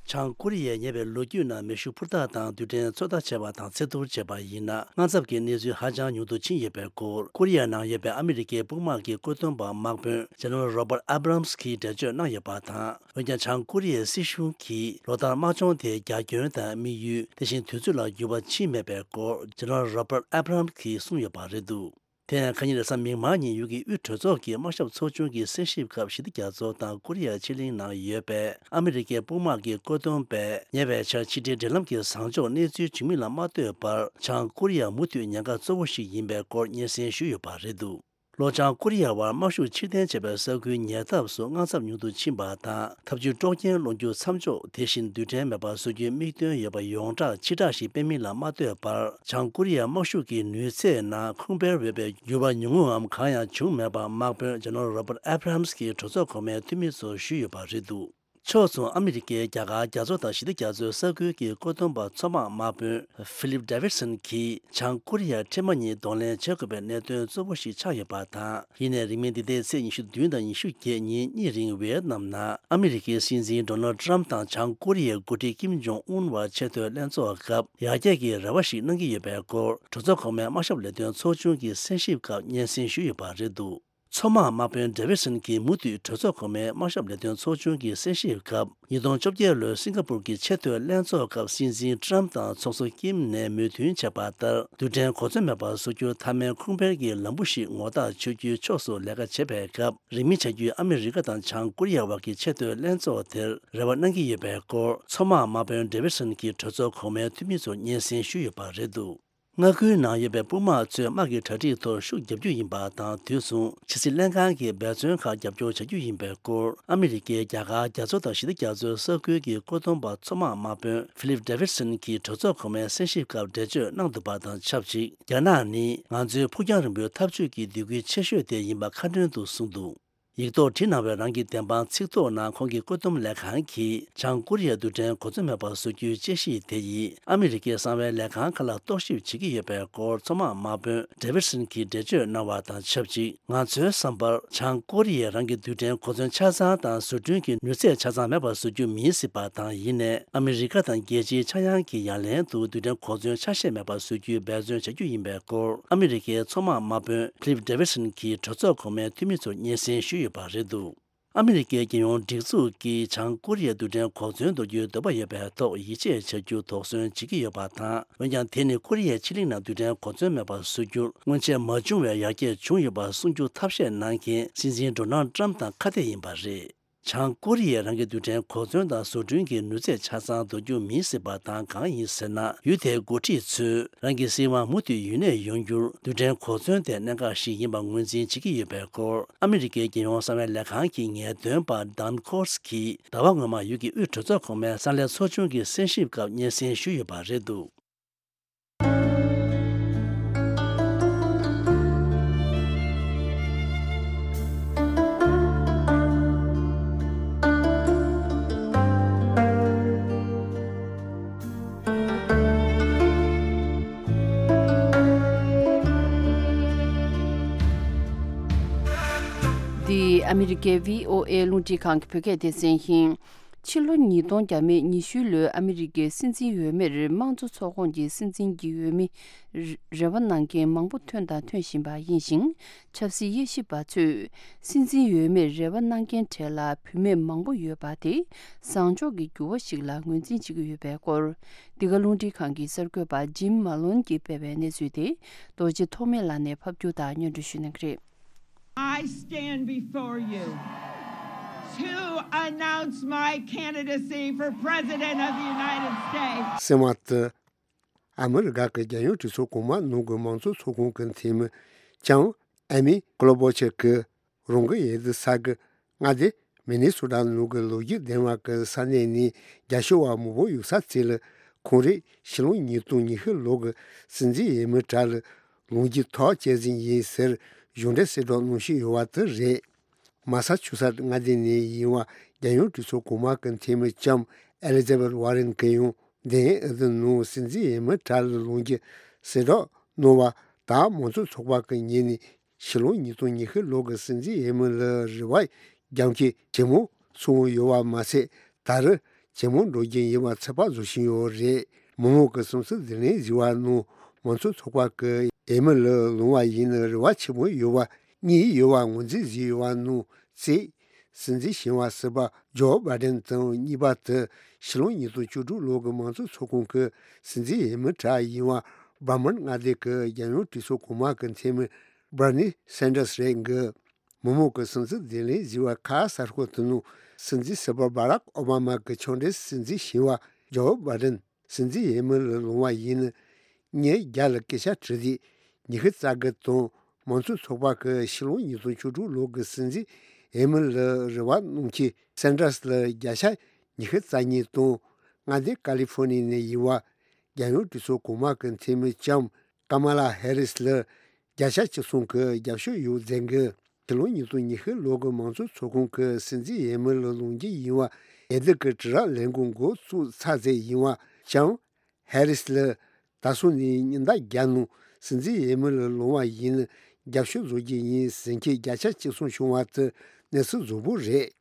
བྱང་ཀོ་རི་ཡས་ཉེ་བའི་ལོ་རྒྱུས་ནང་མེ་ཤུགས་འཕུར་མདའ་དང་རྡུལ་ཕྲན་ཚོད་ལྟ་བྱས་པ་དང་ཚད་ཐུར་བྱས་པ་ཡིན་ན། དངངས་འཚབ་ཀྱི་གནས་ཚུལ་ཧ་ཅང་ཉུང་དུ་ཕྱིན་ཡོད་པའི་སྐོར། ཀོ་རི་ཡ་ནང་ཡོད་པའི་ཨ་མི་རི་ཀའི་དཔུང་དམག་གི་བཀོད་འདོམས་པ་དམག་དཔོན་ཇེ་ནེ་རལ་Robert Abrams་གིས་འགྲེལ་བརྗོད་གནང་ཡོད་པ་དང་། འོན་ཀྱང་། བྱང་ཀོ་རི་ཡའི་སྲིད་གཞུང་གིས་ལོ་ལྟར་དམག་སྦྱོང་དེའི་རྒྱ་ཁྱོན་དང་དམིགས་ཡུལ། དེ་བཞིན་དུས་ཚོད་ལ་འགྱུར་བ་ཕྱིན་མེད་པའི་སྐོར། ཇེ་ནེ་རལ་Robert Abrams་གིས་གསུངས་ཡོད་པ་རེད་འདུག། དེ་ཡང་ཁ་ཉིན་རེས་གཟའ་མིག་དམར་ཉིན་ཡུལ་གྱི་དབུས་གྲོས་ཚོགས་ཀྱི་དམག་ཞབས་ཚོགས་ཆུང་གི་གསན་ཞིབ་སྐབས་ཞི་བདེ་རྒྱ་མཚོ་དང་ཀོ་རི་ཡ་ཕྱེད་གླིང་ནང་ཡོད་པའི་ཨ་མི་རི་ཀའི་དཔུང་དམག་གི་བཀོད་འདོམས་པས། ཉེ་བའི་ཆར་ཕྱི་འབྲེལ་འབྲེལ་ལམ་གྱི་བཟང་ཕྱོགས་གནས་ཚུལ་བྱུང་མིན་ལ་མ་ལྟོས་པར། བྱང་ཀོ་རི་ཡ་མུ་མཐུད་ཉེན་ཁ་གཙོ་བོ་ཞིག་ཡིན་པའི་སྐོར་སྙན་སེང་ཞུས་ཡོད་པ་རེད་འདུག། ལྷོ་བྱང་ཀོ་རི་ཡ་བར་དམག་ཤུགས་ཕྱིར་འཐེན་བྱས་པའི་ས་ཁུལ་ཉེ་འདབས་སུ་དངངས་འཚབ་ཉུང་དུ་ཕྱིན་པ་དང་། འཐབ་ཇུས་དཀྲོག་རྐྱེན་སློང་རྒྱུ་མཚམས་འཇོག། དེ་བཞིན་རྡུལ་ཕྲན་མེད་པ་བཟོ་རྒྱུའི་དམིགས་དོན་ཡོད་པ་ཡོངས་གྲགས་ཕྱིར་བསྒྲགས་ཤིག་སྤེལ་མིན་ལ་མ་ལྟོས་པར། བྱང་ཀོ་རི་ཡའི་དམག་ཤུགས་ཀྱི་ནུས་ཚད་ནང་ཁུངས་སྤེལ་འོས་པའི་འགྱུར་བ་ཉུང་ངུའམ་གང་ཡང་བྱུང་མེད་པ་དམག་དཔོན་ཇེ་ནེ་རལ་Robert Abrams་གིས་གྲོས་ཚོགས་གོང་མའི་འཐུས་མི་ཚོར་ཞུས་ཡོད་པ་རེད་འདུག། ཕྱོགས་མཚུངས་ཨ་མི་རི་ཀའི་རྒྱ་གར་རྒྱ་མཚོ་དང་ཞི་བདེ་རྒྱ་མཚོའི་ས་ཁུལ་གྱི་བཀོད་འདོམས་པ་མཚོ་དམག་དམག་དཔོན་ཧྥི་ལིབ་ཌེ་ཝིད་སན་གྱིས་བྱང་ཀོ་རི་ཡ་འཕྲལ་མ་གཉིས་གདོང་ལེན་བྱེད་དགོས་པའི་གནད་དོན་གཙོ་བོ་ཞིག་ཆགས་ཡོད་པ་དང་། ཡིན་ནའི་རིང་མིན་འདི་ཟླའི་ཚེས་ཉི་ཤུ་བདུན་དང་ཉི་ཤུ་བརྒྱད་ཉིན་གཉིས་རིང་ཝེ་ཡེད་ནམ་ནང་ཨ་མི་རི་ཀའི་སྲིད་འཛིན་ཌོ་ནལ་ཌི་ཊརམ་དང་བྱང་ཀོ་རི་ཡའི་འགོ་ཁྲིད་ཀིམ་ཇོང་ཨུན་བར་ཆེས་མཐོའི་ལྷན་ཚོགས་སྐབས། ཡར་རྒྱས་ཀྱི་རེ་བ་ཞིག་གནང་གི་ཡོད་པའི་སྐོར་གྲོས་ཚོགས་གོང་མའི་དམག་ཞབས་ལས་དོན་ཚོགས་ཆུང་གི་གསན་ཞིབ་སྐབས་སྙན་སེང་ཞུས་ཡོད་པ་རེད་འདུག་མཚོ་དམག་དམག་དཔོན་ཌེ་ཝིད་སན་གྱིས་མུ་མཐུད་གྲོས་ཚོགས་གོང་མའི་དམག་ཞབས་ལས་དོན་ཚོགས་ཆུང་གི་གསན་ཞིབ་སྐབས། ཉིས་སྟོང་བཅོ་བརྒྱད་ལོའི་སིང་ག་པུར་གྱི་ཆེས་མཐོའི་ལྷན་ཚོགས་སྐབས་སྲིད་འཛིན་ཊརམ་དང་ཚོགས་གཙོ་ཀིམ་ནས་མོས་མཐུན་བྱས་པ་ལྟར། རྡུལ་ཕྲན་གོ་མཚོན་མེད་པར་བཟོ་རྒྱུ་མཐའ་མའི་ཁུངས་སྤེལ་གྱི་ལམ་བུ་ཞིག་ངོ་རྟགས་ཆོད་རྒྱུའི་ཕྱོགས་སུ་ལས་ཀ་བྱེད་པའི་སྐབས། རིང་མིན་བྱ་རྒྱུའི་ཨ་མི་རི་ཀ་དང་བྱང་ཀོ་རི་ཡ་བར་གྱི་ཆེས་མཐོའི་ལྷན་ཚོགས་དེར་རེ་བ་གནང་གི་ཡོད་པའི་སྐོར། མཚོ་དམག་དམག་དཔོན་ཌེ་ཝིད་སན་གྱིས་གྲོས་ཚོགས་གོང་མའི་འཐུས་མི་ཚོར་སྙན་སེང་ཞུས་ཡོད་པ་རེད་འདུག་མངའ་ཁུལ་ནང་ཡོད་པའི་དཔུང་དམག་ཚོས་དམག་གི་གྲ་སྒྲིག་ཐོག་ཤུགས་རྒྱག་རྒྱུ་ཡིན་པ་དང་། དུས་མཚུངས་ཕྱི་སྲིད་ལྷན་ཁང་གི་འབད་བརྩོན་ཁག་རྒྱབ་སྐྱོར་བྱ་རྒྱུ་ཡིན་པའི་སྐོར། ཨ་མི་རི་ཀའི་རྒྱ་གར་རྒྱ་མཚོ་དང་ཞི་བདེ་རྒྱ་མཚོའི་ས་ཁུལ་གྱི་བཀོད་འདོམས་པ་མཚོ་དམག་དམག་དཔོན་ཧྥི་ལིབ་ཌེ་ཝིད་སན་གྱིས་གྲོས་ཚོགས་གོང་མའི་གསན་ཞིབ་སྐབས་འགྲེལ་བརྗོད་གནང་འདུག་པ་དང་ཆབས་ཅིག་རྒྱ་ནག་ནི་ང་ཚོའི་ཕུགས་རྒྱང་རིང་པོའི་འཐབ་ཇུས་ཀྱི་སྡོད་ཁུལ་ཆེ་ཤོས་དེ་ཡིན་པ་ཁ་སྣོན་དུ་གསུངས་འདུག་ཡིག་ཐོག་བྲིས་གནང་བའི་རང་གི་བདེན་དཔང་ཚིག་ཐོ་ནང་ཁོང་གི་བཀོད་འདོམས་ལས་ཁང་གིས་བྱང་ཀོ་རི་ཡའི་རྡུལ་ཕྲན་གོ་མཚོན་མེད་པར་བཟོ་རྒྱུའི་དཔྱད་གཞི་དེ་ཡིས་ཨ་མི་རི་ཀའི་གསང་བའི་ལས་ཁང་ཁག་ལ་རྟོག་ཞིབ་བྱེད་ཀྱི་ཡོད་པའི་སྐོར་མཚོ་དམག་དམག་དཔོན་ཌེ་ཝིད་སན་གྱིས་འགྲེལ་བརྗོད་གནང་བ་དང་ཆབས་ཅིག་ང་ཚོའི་བསམ་པར་བྱང་ཀོ་རི་ཡས་རང་གི་རྡུལ་ཕྲན་གོ་མཚོན་ཆ་ཚང་དང་བཟོ་སྐྲུན་གྱི་ནུས་ཚད་ཆ་ཚང་མེད་པར་བཟོ་རྒྱུ་མིན་སྲིད་པ་དང་། ཡིན་ནའི་ཨ་མི་རི་ཀ་དང་རྒྱལ་སྤྱིའི་ཆག་ཡང་གི་ཡ་ལན་དུ་རྡུལ་ཕྲན་གོ་མཚོན་ཆ་ཤས་མེད་པར་བཟོ་རྒྱུའི་འབད་བརྩོན་བྱ་རྒྱུ་ཡིན་པའི་སྐོར་ཨ་མི་རི་ཀའི་མཚོ་དམག་དམག་དཔོན་ཕི་ལིབ་ཌེ་ཝིད་སན་གྱིས་གྲོས་ཚོགས་གོང་མའི་འཐུས་མི་ཚོར་སྙན་སེང་ཞུས་ཡོད་པ་རེད་འདུག་ཨ་མི་རི་ཀའི་རྒྱལ་ཡོངས་སྒྲིག་འཛུགས་ཀྱིས་བྱང་ཀོ་རི་ཡའི་རྡུལ་ཕྲན་གོ་མཚོན་འདོར་རྒྱུའི་འདོད་པ་ཡོད་པའི་ཐོག་ཡིད་ཆེས་བྱ་རྒྱུ་དོགས་ཟོན་བྱེད་ཀྱི་ཡོད་པ་དང་། འོན་ཀྱང་དེ་ནི་ཀོ་རི་ཡའི་ཕྱེད་གླིང་ནང་རྡུལ་ཕྲན་གོ་མཚོན་མེད་པར་བཟོ་རྒྱུར་སྔོན་ཆད་མ་བྱུང་བའི་ཡར་རྒྱས་བྱུང་ཡོད་པ་གསུང་རྒྱུ་ཐབས་ཤེས་གནང་མཁན་སྲིད་འཛིན་ཌོ་ནལ་ཌི་ཊརམ་དང་ཁ་གཏད་ཡིན་པ་རེད། བྱང་ཀོ་རི་ཡས་རང་གི་རྡུལ་ཕྲན་གོ་མཚོན་དང་བཟོ་སྐྲུན་གྱི་ནུས་ཚད་ཆ་ཚང་འདོར་རྒྱུ་མིན་སྲིད་པ་དང་། གང་ཡིན་ཟེར་ན། ཡུལ་དེའི་འགོ་ཁྲིད་ཚོས་རང་གི་སྲིད་དབང་མུ་མཐུད་ཡུན་གནས་ཡོང་རྒྱུར་རྡུལ་ཕྲན་གོ་མཚོན་དེ་གནད་འགག་ཞིག་ཡིན་པ་ངོས་འཛིན་བྱེད་ཀྱི་ཡོད་པའི་སྐོར། ཨ་མི་རི་ཀའི་རྒྱལ་ཡོངས་གསང་བའི་ལས་ཁང་གི་ངེས་སྟོན་པ་ཌཱན་ཁོར་སི་གིས་ཟླ་བ་སྔོན་མ་ཡུལ་གྱི་དབུས་གྲོས་ཚོགས་གོང་མའི་གསང་ལས་ཚོགས་ཆུང་གི་གསན་ཞིབ་སྐབས་སྙན་སེང་ཞུས་ཡོད་པ་རེད་འདུག་འདི་ཨ་མི་རི་ཀའི་བྷི་ཨོ་ཨེ་རླུང་འཕྲིན་ཁང་གི་བོད་སྐད་སྡེ་ཚན་ཡིན། ཕྱི་ལོ་ཉིས་སྟོང་བརྒྱ་མེད་ཉི་ཤུ་ལོའི་ཨ་མི་རི་ཀའི་སྲིད་འཛིན་འོས་མིར་དམངས་གཙོ་ཚོགས་ཁོངས་ཀྱི་སྲིད་འཛིན་གྱི་འོས་མི་རེ་བ་གནང་མཁན་མང་པོ་ཐོན་དང་ཐོན་བཞིན་པ་ཡིན་ཞིང་། ཆབ་སྲིད་དབྱེ་ཞིབ་པ་ཚོས་སྲིད་འཛིན་འོས་མིར་རེ་བ་གནང་མཁན་གྲས་ལ་བུད་མེད་མང་པོ་ཡོད་པ་དེ་བཟང་ཕྱོགས་ཀྱི་འགྱུར་བ་ཞིག་ལ་ངོས་འཛིན་བྱེད་ཀྱི་ཡོད་པའི་སྐོར། འདི་ག་རླུང་འཕྲིན་ཁང་གི་གསར་འགོད་པ་ཇིམ་མ་ལོན་གྱིས་སྤེལ་བའི་གནས་ཚུལ་དེ་རྡོ་རྗེ་ཐོགས་མེད་ལགས་ནས་ཕབ་སྒྱུར་དང་སྙན་སྒྲོན་ཞུ་གནང་གི་རེད། I stand before you to announce my candidacy for President of the United States. སེམས་དུ། ཨ་མི་རི་ཀ་གི་རྒྱལ་ཡོངས་གྲོས་ཚོགས་གོང་མ་ནང་གི་མང་གཙོ་ཚོགས་ཁང་གི་འཐུས་མི་ལྕམ་ཨེ་མི་ཀོ་ལོ་བྷོ་ཆེ་གིས་རང་གི་ཡུལ་དུ་ས་གི་མངའ་སྡེ་མི་ནི་སོ་ཊ་ནང་གི་ལོ་རྒྱུས་ལྡན་བ་གི་ས་གནས་ནས་རྒྱ་ཤོད་བ་མང་པོ་ཡོད་ས་དེ་ལ་ཁོང་རེ་ཕྱི་ལོ་ཉིས་སྟོང་ཉི་ཤུ་ལོ་གི་སྲིད་འཛིན་འོས་མི་གྲས་ལ་ལངས་རྒྱུའི་ཐག་བཅད་ཟིན་ཡིན་ཟེར་གཞུང་འབྲེལ་གསལ་བསྒྲགས་གནང་བཞིན་ཡོད་པ་དེ་རེད། མ་ས་ཆུ་སེ་ཊི་མངའ་སྡེ་ནས་ཡིན་པ་རྒྱལ་ཡོངས་གྲོས་ཚོགས་གོང་མ་གི་འཐུས་མི་ལྕམ་ཨེ་ལི་ཛ་བེད་ཝར་རེན་གྱིས་ཡང་འདི་ཨ་དུ་ནང་སྲིད་འཛིན་འོས་མི་གྲས་ལ་ལངས་རྒྱུ་གསལ་བསྒྲགས་གནང་བ་དང་། མང་གཙོ་ཚོགས་པ་གི་ངོས་ནས་ཕྱི་ལོ་ཉིས་སྟོང་ཉི་ཤུ་ལོ་གི་སྲིད་འཛིན་འོས་མི་ལ་རེ་བ་རྒྱབ་མཁན་ཇེ་མང་སོང་ཡོད་པ་མ་ཟད། ད་རེས་ཇེ་མང་འགྲོ་རྒྱུ་ཡིན་པ་ཚོད་དཔག་བཟོ་བཞིན་ཡོད་རེད། མི་མང་གི་སེམས་གསོ་བདེ་ལེགས་ཟེར་བ་ནང་མང་གཙོ་ཚོགས་པ་གི་འོས་མི་ལ་ལངས་པ་ཡིན་ན་རེ་བ་ཆེན་པོ་ཡོད་པ་གཉིས་ཡོད་པ་ངོས་འཛིན་བཟོས་ཡོད་པ་ནང་གསེས། སྲིད་འཛིན་ཞིང་བ་སྲིད་པ་ཇོ་བྷའི་ཌེན་དང་གཉིས་པ་དེ་ཕྱི་ལོ་ཉིས་སྟོང་བཅུ་དྲུག་ལོ་གི་མང་གཙོ་ཚོགས་ཁང་གི་སྲིད་འཛིན་འོས་མི་གྲས་ཡིན་པ་བར་མོན་མངའ་སྡེ་གི་རྒྱལ་ཡོངས་གྲོས་ཚོགས་གོང་མ་གི་འཐུས་མི་བྷར་ནི་སན་ཌར་སི་རེད་འགི། མི་མང་གི་སེམས་གསོ་བདེ་ལེགས་ཟེར་བ་ཁ་གསར་ཤོག་དེ་ནང་སྲིད་འཛིན་སྲིད་པ་བྷ་རག་ཨོ་བྷ་མ་གི་ཕྱོགས་འགྲེལ་སྲིད་འཛིན་ཞིང་བ་ཇོ་བྷའི་ཌེན་སྲིད་འཛིན་འོས་མི་ལ་ལངས་པ་ཡིན་ན། ཉིན་བརྒྱ་ལ་སྐད་ཆ་དྲིས་ཏེ་ཉི་ཤུ་རྩ་དགུ་དང་། མང་གཙོ་ཚོགས་པ་གི་ཕྱི་ལོ་ཉིས་སྟོང་བཅུ་དྲུག་ལོ་གི་སྲིད་འཛིན་འོས་མི་ལ་རེ་བ་གནང་མཁན་སན་ཌར་སི་ལ་བརྒྱ་ཆ་ཉི་ཤུ་རྩ་གཉིས་དང་། མངའ་སྡེ་ཀ་ལི་ཧྥོ་ནི་ཡ་ནས་ཡིན་པ་རྒྱལ་ཡོངས་གྲོས་ཚོགས་གོང་མ་གི་འཐུས་མི་ལྕམ་ཀ་མ་ལ་ཧེ་རི་སི་ལ་བརྒྱ་ཆ་བཅུ་གསུམ་གི་རྒྱབ་སྐྱོར་ཡོད་ཟེར་གི། ཕྱི་ལོ་ཉིས་སྟོང་ཉི་ཤུ་ལོ་གི་མང་གཙོ་ཚོགས་ཁང་གི་སྲིད་འཛིན་འོས་མི་ལ་ལངས་རྒྱུ་ཡིན་པ་ འོས་བསྡུ་གི་དྲིལ་བསྒྲགས་ལས་འགུལ་འགོ་བཙུགས་ཚར་ཚར་ཡིན་པ་བྱས། ཧེ་རིས་ལ་ད་སོང་ནས་ཉིན་ཟླ་བརྒྱ་ནང་སྲིད་འཛིན་འོས་མི་ལ་ལངས་པ་ཡིན་ན་རྒྱབ་སྐྱོར་བཟོ་རྒྱུ་ཡིན་ཟེར་མཁན་བརྒྱ་ཆ་གཅིག་གསུམ་བྱུང་བ་དེ་གནས་ཚུལ་རྫོགས་པོ་རེད།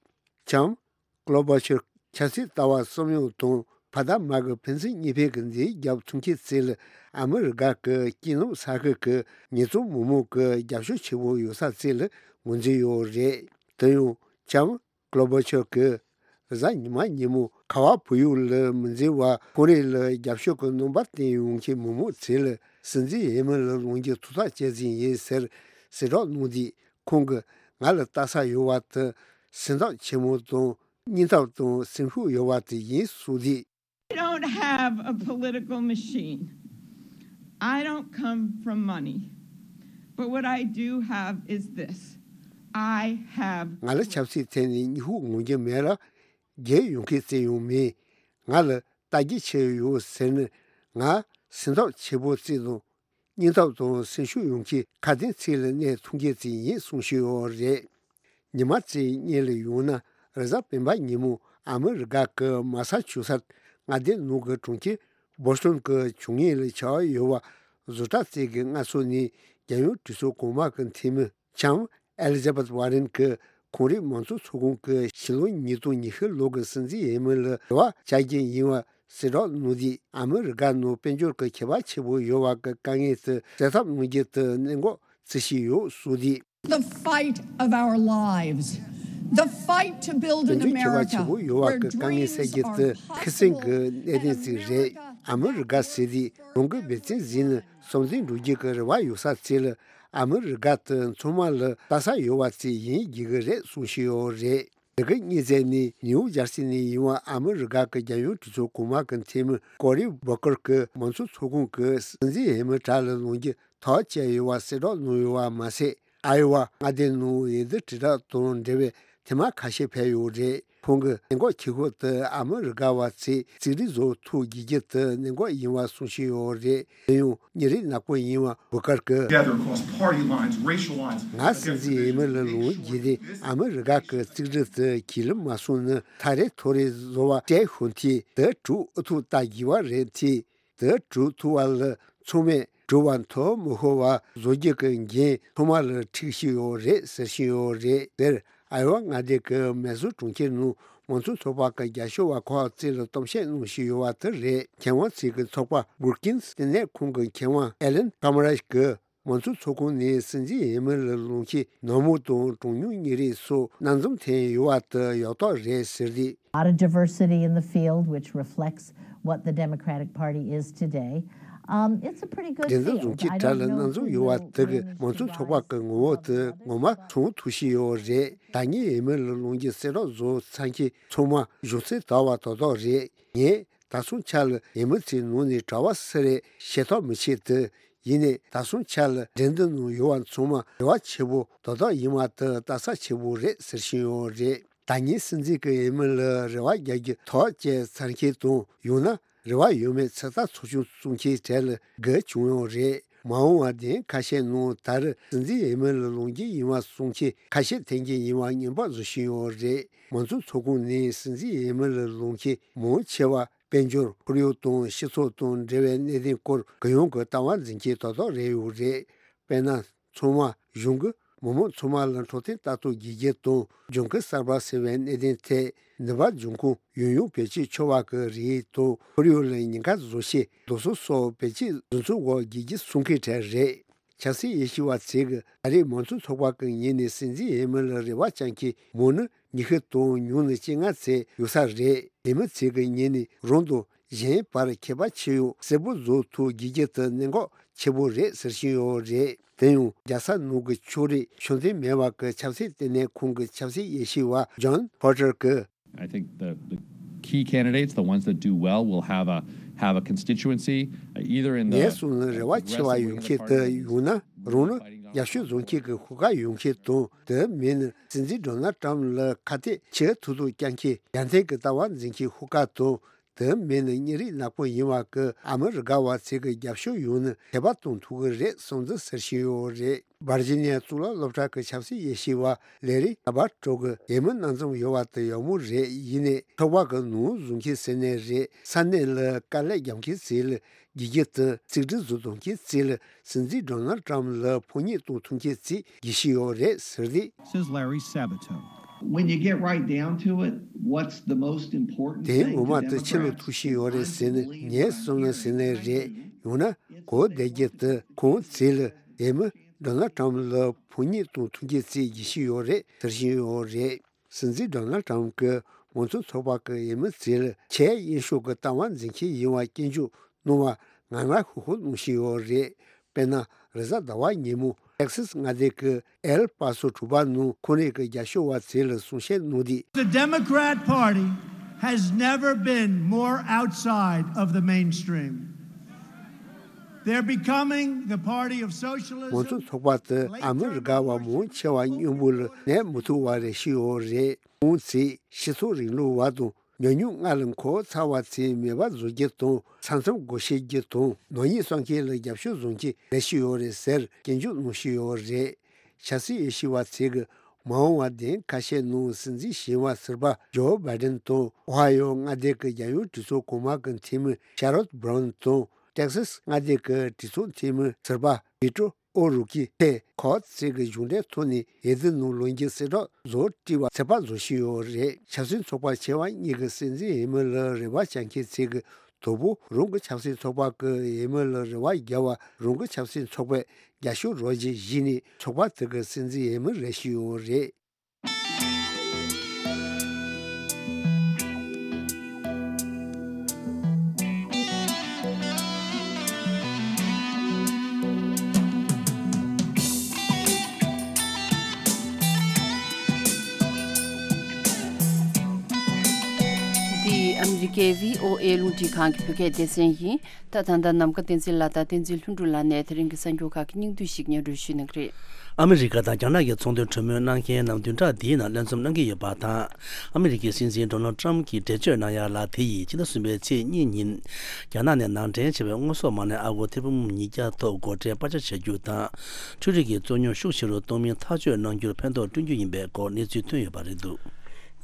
བྱས། ཀོ་ལོ་བྷ་ཆར་ཆབ་སྲིད་ལྟ་བ་གསུམ་ཡོད་དང་ཕ་དང་མ་གི་ཕན་ཚུན་གཉིས་ཕན་གྱི་འདི་རྒྱབ་ཐུག་མཁན་ཚོ་ལ་ཨ་མི་རི་ཀ་གི་སྐྱིད་སྡུག་ས་ཁུལ་གྱི་ཉེས་བཙུན་མི་མང་གི་རྒྱབ་སྐྱོར་ཆེ་བོ་ཡོད་ས་ཚོ་ལ་ངོས་འཛིན་ཡོད་རེད། དེ་ཡང་བྱས། ཀོ་ལོ་བྷ་ཆར་གྱིས་གཟའ་ཉི་མ་ཉིན་མོ་ཁ་བ་བུ་ཡུག་ལ་མི་འཛེམ་པར་ཁོང་རང་ལ་རྒྱབ་སྐྱོར་གྱི་རྣམ་པ་བསྟན་ཡོང་མཁན་མི་མང་ཚོ་ལ་སྲིད་འཛིན་འོས་མི་ལ་ལངས་རྒྱུ་ཐུགས་ཐག་བཅད་རྩིས་ཡིན་ཟེར་གསལ་བསྒྲགས་གནང་དུས། ཁོང་གིས་ང་ལ་ལྟ་ས་ཡོད་པ་དེ་སེམས་ཐག་ཆེན་མོ་དང་སྙིང་སྟོབས་དང་སེམས་ཤུགས་ཡོད་པ་དེ་ཡིན་གསུངས་དུས། I don't have a political machine. I don't come from money. But what I do have is this. I have ང་ལ་ཆབ་སྲིད་ཐད་ནས་སྙིང་ཁུང་ངོམ་རྒྱུ་མེད་ལ། རྒྱལ་ཡོང་མཁན་ཙམ་ཡང་མིན། ང་ལ་ལྟ་རྒྱུ་ཆེ་ཡོད་ཟེར་ནས་ང་སེམས་ཐག་ཆེ་པོ་བརྩིས་དང་། སྙིང་སྟོབས་དང་སེམས་ཤུགས་ཡོད་མཁན་ཁ་དན་ཚིག་ལ་གནས་ཐུབ་མཁན་ཅིག་ཡིན་གསུང་བཞིན་ཡོད་རེད། ཉི་མ་གཅིག་སྔོན་ལ་ཡོང་ན་རེས་གཟའ་སྤེན་པ་ཉིན་མོ་ཨ་མི་རི་ཀ་གི་མ་ས་ཆུ་སར་མངའ་སྡེ་ནང་གི་གྲོང་ཁྱེར་བོ་སི་ཊོན་གྱི་བྱུས་ངན་ལ་བྱ་བ་ཡོད་པ་བཟོ་གྲྭ་གཅིག་གི་མངའ་ཚོགས་ནས་རྒྱལ་ཡོངས་གྲོས་ཚོགས་གོང་མ་གི་འཐུས་མི་ལྕམ་ཨེ་ལི་ཛ་བྷེཐ་ཝ་རེན་གྱིས་ཁོང་རང་མང་གཙོ་ཚོགས་ཁང་གི་ཕྱི་ལོ་ཉིས་སྟོང་ཉི་ཤུ་ལོ་གི་སྲིད་འཛིན་འོས་མི་ལ་རེ་བ་བཅའ་རྒྱུ་ཡིན་པ་གསལ་བསྒྲགས་གནང་དུས། ཨ་མི་རི་ཀ་ནང་དཔལ་འབྱོར་གྱི་ཁྱད་པར་ཆེན་པོ་ཡོད་པ་གི་དཀའ་ངལ་དེ་སེལ་ཐབས་གནང་རྒྱུ་དེ་གནད་འགག་བརྩི་བཞིན་ཡོད་གསུངས་དུས། The fight of our lives. The fight to build an དཔལ་འབྱོར་ཁྱད་པར་America ཆེན་པོ་ཡོད་པ་where གི་དཀའ་ངལ་dreams སེལ་རྒྱུ་are དེ་ཁེ་སེང་གི་possible གནད་དོན་ཅིག་རེད། ཨ་མི་རི་ཀ་ཟེར་དུས་རང་གི་འབད་བརྩོན་བྱས་ནས་བསམ་འདུན་འགྲུབ་རྒྱུ་གི་རེ་བ་ཡོད་ས་ཚོ་ལ་ཨ་མི་རི་ཀ་དེ་ཚང་མ་ལ་ལྟ་ས་ཡོད་པ་ཅིག་ཡིན་དགོས་ཀྱི་རེད་གསུང་བཞིན་ཡོད་རེད། འདི་གི་གཉིས་ཚན་ནི་ནིའུ་ཇར་སི་ནས་ཡིན་པ་ཨ་མི་རི་ཀ་གི་རྒྱལ་ཡོངས་གྲོས་ཚོགས་གོང་མ་གི་འཐུས་མི་ཀོ་རི་བྷོ་ཀར་གྱིས་མང་གཙོ་ཚོགས་ཁང་གི་སྲིད་འཛིན་འོས་མི་གྲས་ལ་ལངས་རྒྱུ་ཐག་བཅད་ཡོད་པ་གསལ་བསྒྲགས་གནང་ཡོད་པ་མ་ཟད། ཨའི་ཝ་མངའ་སྡེ་ནང་འོས་བསྡུ་དྲིལ་བསྒྲགས་དང་འབྲེལ་བའི་ཐེངས་མ་ཁ་ཤས་ཕེབས་ཡོད་རེད། ཁོང་གིས་གནད་འགག་ཆེ་ཤོས་དེ་ཨ་མི་རི་ཀ་བ་ཚོས་གཅིག་སྒྲིལ་བཟོ་ཐུབ་དགོས་རྒྱུ་དེ་གནད་འགག་ཡིན་པ་གསུང་བཞིན་ཡོད་རེད། དེ་ཡང་ཉིན་རེའི་ནག་པོ་ཡིན་པ་བྷོ་ཀར་གྱིས། Together across party lines, racial lines, ང་སྲིད་འཛིན་འོས་མི་ལ་ལངས་རྒྱུ་དེ་ཨ་མི་རི་ཀ་གི་གཅིག་སྒྲིལ་དེ་གྱིས་ལུག་མ་སོང་ན་ཐག་རིང་ཐོག་རིང་བཟོ་བ་སྤྲད་ཤོག་དེ་དེ་གྲུབ་ཨུ་ཐུག་ལྟ་དགོས་པ་རེད་དེ། དེ་གྲུབ་ཐུབ་པ་ལ་ཚང་མས་གྲུབ་པ་མཐོང་མི་ཤོར་བ་བཟོ་རྒྱུ་གི་འགན་ཚང་མ་ལ་འཁྲི་བཞིན་ཡོད་རེད་ཟེར་བཞིན་ཡོད་རེད། དེར་ཨའི་ཝ་མངའ་སྡེ་གི་མེ་སོན་གྲོང་ཁྱེར་ནང་མང་གཙོ་ཚོགས་པ་གི་རྒྱབ་སྐྱོར་བ་ཁག་ཅིག་ལ་གཏམ་བཤད་གནང་བཞིན་ཡོད་པ་དེ་རེད། མཁས་དབང་ཚོས་ཀྱི་ཚོགས་པ་བྷུར་ཀིན་ལྟེ་གནས་ཁང་གི་མཁས་དབང་ཨེ་ལན་ཀ་མ་རཱ་གིས་མང་གཙོ་ཚོགས་ཁང་ནས་སྲིད་འཛིན་འོས་མི་ལ་ལངས་མཁན་ནག་མོ་དང་གྲངས་ཉུང་གཉིས་རིགས་སོགས་སྣ་འཛོམས་ཐོན་ཡོད་པ་དེ་ཡག་ཐག་རེད་ཟེར་ཏེ། Lot of diversity in the field, which reflects what the Democratic Party is today. Um, it's a pretty good འགྲན་བསྡུར་བཟོ་field. མཁན་I གྲས་ལ་don't know སྣ་འཛོམས་who ཡོད་པ་དེ་གིས་will མང་གཙོ་ཚོགས་པ་གི་ངོ་བོ་དེ་ངོ་མ་མཚོན་ཐུབ་བཞིན་ཡོད་རེད། ད་ངས་འོས་མི་ལ་ལངས་རྒྱུ་གསལ་བསྒྲགས་བཟོ་ཚར་མཁན་ཚང་མ་གཞུང་ཚབ་དར་བ་ཏག་ཏག་རེད། ངས་ད་སོང་ཆ་ལ་འོས་མི་ཚོའི་ནང་ནས་གྲྭ་པ་སུ་རེད་ཤེས་ཐག་མི་ཆོད་དེ། ཡིན་ནའི་ད་སོང་ཆ་ལ་འགྲན་བསྡུར་ནང་ཡོད་པ་ཚང་མ་རེ་བ་ཆེ་པོ་ཏག་ཏག་ཡིན་པ་དེ་ལྟ་ས་ཆེ་པོ་རེད་ཟེར་བཞིན་ཡོད་རེད། ད་ངས་སྲིད་འཛིན་གྱི་འོས་མི་ལ་རེ་བ་རྒྱག་རྒྱུ་ཐག་བཅད་ཚར་མཁན་དང་། ཡང་ན་རེ་བ་ཡོད་མེད་ཚོད་ལྟ་ཚོགས་ཆུང་བཙུགས་མཁན་གྲས་ལ་དགའ་བྱུང་ཡོད་རེད། མ་འོངས་པ་བདེན་ཁ་ཤས་ནང་ད་རེས་སྲིད་འཛིན་འོས་མི་ལ་ལངས་རྒྱུ་ཡིན་པ་གསུང་མཁན་ཁ་ཤས་ཐོན་རྒྱུ་ཡིན་པ་ངན་པ་བཟོ་བཞིན་ཡོད་རེད། མང་གཙོ་ཚོགས་ཁང་ནས་སྲིད་འཛིན་འོས་མི་ལ་ལངས་མཁན་མང་ཆེ་བ་དཔལ་འབྱོར་ཁོར་ཡུག་དང་སྤྱི་ཚོགས་དང་འབྲེལ་བའི་གནད་དོན་སྐོར་གུ་ཡངས་ཀྱི་ལྟ་བ་འཛིན་མཁན་ཏག་ཏག་རེད་ཡོད་རེད། དཔེར་ན། ཚང་མ་གཞུང་གིས་མི་མང་ཚང་མ་ལ་འཕྲོད་བསྟེན་ལྟ་རྟོག་དགོས་རྒྱུ་དང་ལྗང་ཁུ་གསར་པ་ཟེར་བའི་གནད་དོན་ཐད་ནུས་པ་འབྱུང་ཁུངས་ཡུན་རིང་བེད་སྤྱོད་ཆོག་པ་གི་རིགས་དང་ཁོར་ཡུག་ལ་ཉེན་ཁ་བཟོ་བྱེད་རྡོ་སོལ་སོགས་བེད་སྤྱོད་བཟོ་ཚུགས་པ་དགོས་རྒྱུ་གསུང་མཁན་གྲས་རེད། ཆབ་སྲིད་དབྱེ་ཞིབ་པ་ཚོས་ཀྱིས་ད་རེས་མང་གཙོ་ཚོགས་པ་གི་ངོས་ནས་སྲིད་འཛིན་འོས་མི་ལ་རེ་བ་བཅངས་མཁན་མང་ནི་ཉི་ཤུ་དང་ཉུང་ནི་བཅོ་ལྔ་ཚོད་ཡོད་ས་རེད། འོས་མི་ཚོས་ཀྱི་ངོས་ནས་རང་དང་གཞན་བར་ཁྱད་པར་ཕྱེ་ཡང་གསལ་པོ་བཟོ་ཐུབ་དགོས་རྒྱུ་དེ་གནད་འགག་ཆེ་པོ་རེད་ཟེར་བཞིན་ཡོད་རེད། དེ་ཡང་རྒྱལ་ས་ནང་གི་ཕྱོགས་རིས་ཤུགས་ལྡན་མེད་པ་གི་ཆབ་སྲིད་ལྟེ་གནས་ཁང་གི་ཆབ་སྲིད་དབྱེ་ཞིབ་པ་ཇོན་ཕོ་ཊར་གྱིས། I think the, the key candidates, the ones that do well, will have a, have a constituency, uh, either in the, ངས་གསུངས་ན་རེ་བ་ཆེ་བ་ཡོད་མཁན་དེ་ཡང་ན་རང་ལ་རྒྱབ་སྐྱོར་བཟོ་མཁན་གྱི་ཤོག་ཁག་ཡོད་མཁན་དང་། དེ་མིན་ན་སྲིད་འཛིན་ཌོ་ནལ་ཊམ་ལ་ཁ་གཏད་ཆེ་ཐུབ་ཐུབ་བསྐྱང་མཁན་རྒྱལ་མཚན་གྱི་ལྟ་བ་འཛིན་མཁན་ཤོག་ཁག་དང་། དེ་མིན་ནི་མི་རིགས་ནག་པོ་ཡིན་པ་གི་ཨ་མི་རི་ཀ་བ་ཚོས་གི་རྒྱབ་སྐྱོར་ཡོང་ནི་ཁྱད་པར་གཏོང་ཐུབ་གི་རེད་གསུངས་འདུག་ཟེར་བཞིན་ཡོད་རེད། ཝར་ཇི་ནི་ཡ་གཙུག་ལག་སློབ་གྲྭ་གི་ཆབ་སྲིད་དབྱེ་ཞིབ་པ་ལེ་རི་ཨ་བ་ཀྲོ་གི་འོས་མི་སྣ་འཛོམས་ཡོད་པ་དེ་ཡག་མོ་རེད། ཡིན་ནའི་ཚོགས་པ་གི་ནོར་བཟོ་མཁན་ཟེར་ནའི་རེད། ས་གནས་ལ་དཀའ་ལས་རྒྱབ་མཁན་ཚོ་ལ་དགེ་རྒན་དང་རྩིས་འབྲི་བཟོ་གཏོང་མཁན་ཚོ་ལ་སྲིད་འཛིན་ཌོ་ནལ་ཊམ་ལ་ཕོ་ཉས་གཏོང་ཐུབ་མཁན་ཚོས་དགེ་བཤེས་ཡོད་རེད་ཟེར་ཏེ། Says Larry Sabato. When you get right down to it, what's the most important དེ་ངོ་མ་དེ་ཆི་ལ་ཐུག་བཞིན་ཡོད་རེད་ཟེར་ནས་ངས་གསུངས་ན་ཟེར་ནས་རེད། ཡང་ན་གོ་བདེ་རྒྱུ་དེ་ཁོང་ཚོ་ལ་འོས་མི་ཌོ་ནལ་ཊམ་ལ་ཕོ་ཉས་གཏོང་ཐུབ་མཁན་ཚོས་དགེ་བཤེས་ཡོད་རེད་ཟེར་བཞིན་ཡོད་རེད། སྲིད་འཛིན་ཌོ་ནལ་ཊམ་གྱིས་མང་གཙོ་ཚོགས་པ་གི་འོས་མི་ཚོ་ལ་ཆེས་གཡས་ཕྱོགས་ཀྱི་ལྟ་བ་འཛིན་མཁན་ཡིན་པ་སྐྱོན་བརྗོད་གནང་བ་ངར་ངར་ཤུགས་ཤུགས་གནང་བཞིན་ཡོད་རེད། དཔེར་ན་རེས་གཟའ་ཟླ་བ་ཉིན་མོ་ཊེག་སིས་མངའ་སྡེ་གི་ཨེལ་པ་སོ་གྲོང་པ་ནང་ཁོང་རང་གི་རྒྱབ་སྐྱོར་བ་ཚོ་ལ་གསུང་བཤད་གནང་དུས། The Democrat Party has never been more outside of the mainstream. They're becoming the party of socialism. མང་གཙོ་ཚོགས་པ་དེ་ཨ་མི་རི་ཀ་བ་མང་ཆེ་བ་མཉམ་པོ་ལ་གནས་མི་ཐུབ་པ་རེད་བཞིན་ཡོད་རེད། ཁོང་ཚོས་སྤྱི་ཚོགས་རིང་ལུགས་པ་དང་ཉམས་མྱོང་སྔར་ལས་འཁོར་ཚར་བ་ཚོས་མེད་པ་བཟོ་རྒྱུ་དང་ས་མཚམས་སྒོ་ཕྱེ་རྒྱུ་དང་ནག་ཉེས་བསགས་མཁན་ལ་རྒྱབ་སྐྱོར་བཟོ་མཁན་རེད་བཞིན་ཡོད་རེད་ཟེར་སྐྱོན་བརྗོད་གནང་བཞིན་ཡོད་རེད། ཆབ་སྲིད་དབྱེ་ཞིབ་པ་ཚོས་ཀྱི་མ་འོངས་པ་བདུན་ཁ་ཤས་ནང་སྲིད་འཛིན་གཞོན་པ་ཟུར་པ་ཇོ་བྷའི་ཌེན་དང་ཨོ་ཧའི་ཡོ་མངའ་སྡེ་གི་རྒྱལ་ཡོངས་གྲོས་ཚོགས་གོང་མ་གི་འཐུས་མི་ཤ་རོད་བྷ་རོན་དང་ཊེག་སིས་མངའ་སྡེ་གི་གྲོས་ཚོགས་འཐུས་མི་ཟུར་པ་བི་ཏོ་ཨོ་རུ་ཀི་ཐེ་ཁོ་ཚོས་ཀྱི་གཞུང་འབྲེལ་ཐོག་ནས་འོས་བསྡུ་ནང་ལངས་རྒྱུ་གསལ་བསྒྲགས་བཟོ་བྲིས་པ་ཚོད་དཔག་བཟོ་བཞིན་ཡོད་རེད། ཆབ་སྲིད་ཚོགས་པ་ཆེ་བ་གཉིས་ཀྱི་སྲིད་འཛིན་འོས་མི་ལ་རེ་བ་བཅངས་མཁན་ཚོས་ཀྱི་དོ་པོ་རང་གི་ཆབ་སྲིད་ཚོགས་པ་གི་འོས་མི་ལ་རེ་བ་རྒྱབ་པ་རང་གི་ཆབ་སྲིད་ཚོགས་པས་རྒྱབ་སྐྱོར་རོགས་བྱེད་བཞིན་ནས་ཚོགས་པ་དེ་གི་སྲིད་འཛིན་འོས་མི་རེད་བཞིན་ཡོད་རེད། འདི་ཨ་མི་རི་ཀའི་བྷི་ཨོ་ཨེ་རླུང་འཕྲིན་ཁང་གི་བོད་སྐད་སྡེ་ཚན་ཡིན། ད་ད་ལྟ་ནམ་མཁའ་བསྟན་འཛིན་ལགས་དང་བསྟན་འཛིན་ལྷུན་གྲུབ་ལགས་ནས་དེ་རིང་གི་གསར་འགྱུར་ཁག་གི་སྙིང་བསྡུས་ཤིག་སྙན་སྒྲོན་ཞུ་གནང་གི་རེད། ཨ་མི་རི་ཀ་དང་རྒྱ་ནག་གི་ཚོང་དོན་གྲོས་མོལ་གནང་མཁན་རྣམས་བདུན་ཕྲག་འདིའི་ནང་བློན་འཚབ་གནང་གི་ཡོད་པ་དང་། ཨ་མི་རི་ཀའི་སྲིད་འཛིན་ཌོ་ནལ་ཊམ་གྱིས་འགྲེལ་བརྗོད་གནང་ཡ་ལ་དེ་ཡིས་ཕྱི་ཟླ་གསུམ་པའི་ཚེས་གཉིས་ཉིན། རྒྱ་ནག་ནས་ནང་འདྲེན་བྱས་པའི་དངོས་ཟོག་མ་དངུལ་ཨ་སྒོར་ཐེར་འབུམ་ཉིས་བརྒྱ་ཐོག་སྒོ་ཁྲལ་སྤར་ཆ་བྱ་རྒྱུ་དང་། འཕྲུལ་རིག་གི་རྩོད་རྙོག་ཤུགས་ཆེ་རུ་གཏོང་མིན་ཐག་གཅོད་གནང་རྒྱུར་ཕན་ཐོགས་བསྐྲུན་རྒྱུ་ཡིན་པའི་སྐོར་གནས་ཚུལ་ཐོན་ཡོད་པ་རེད་འདུག་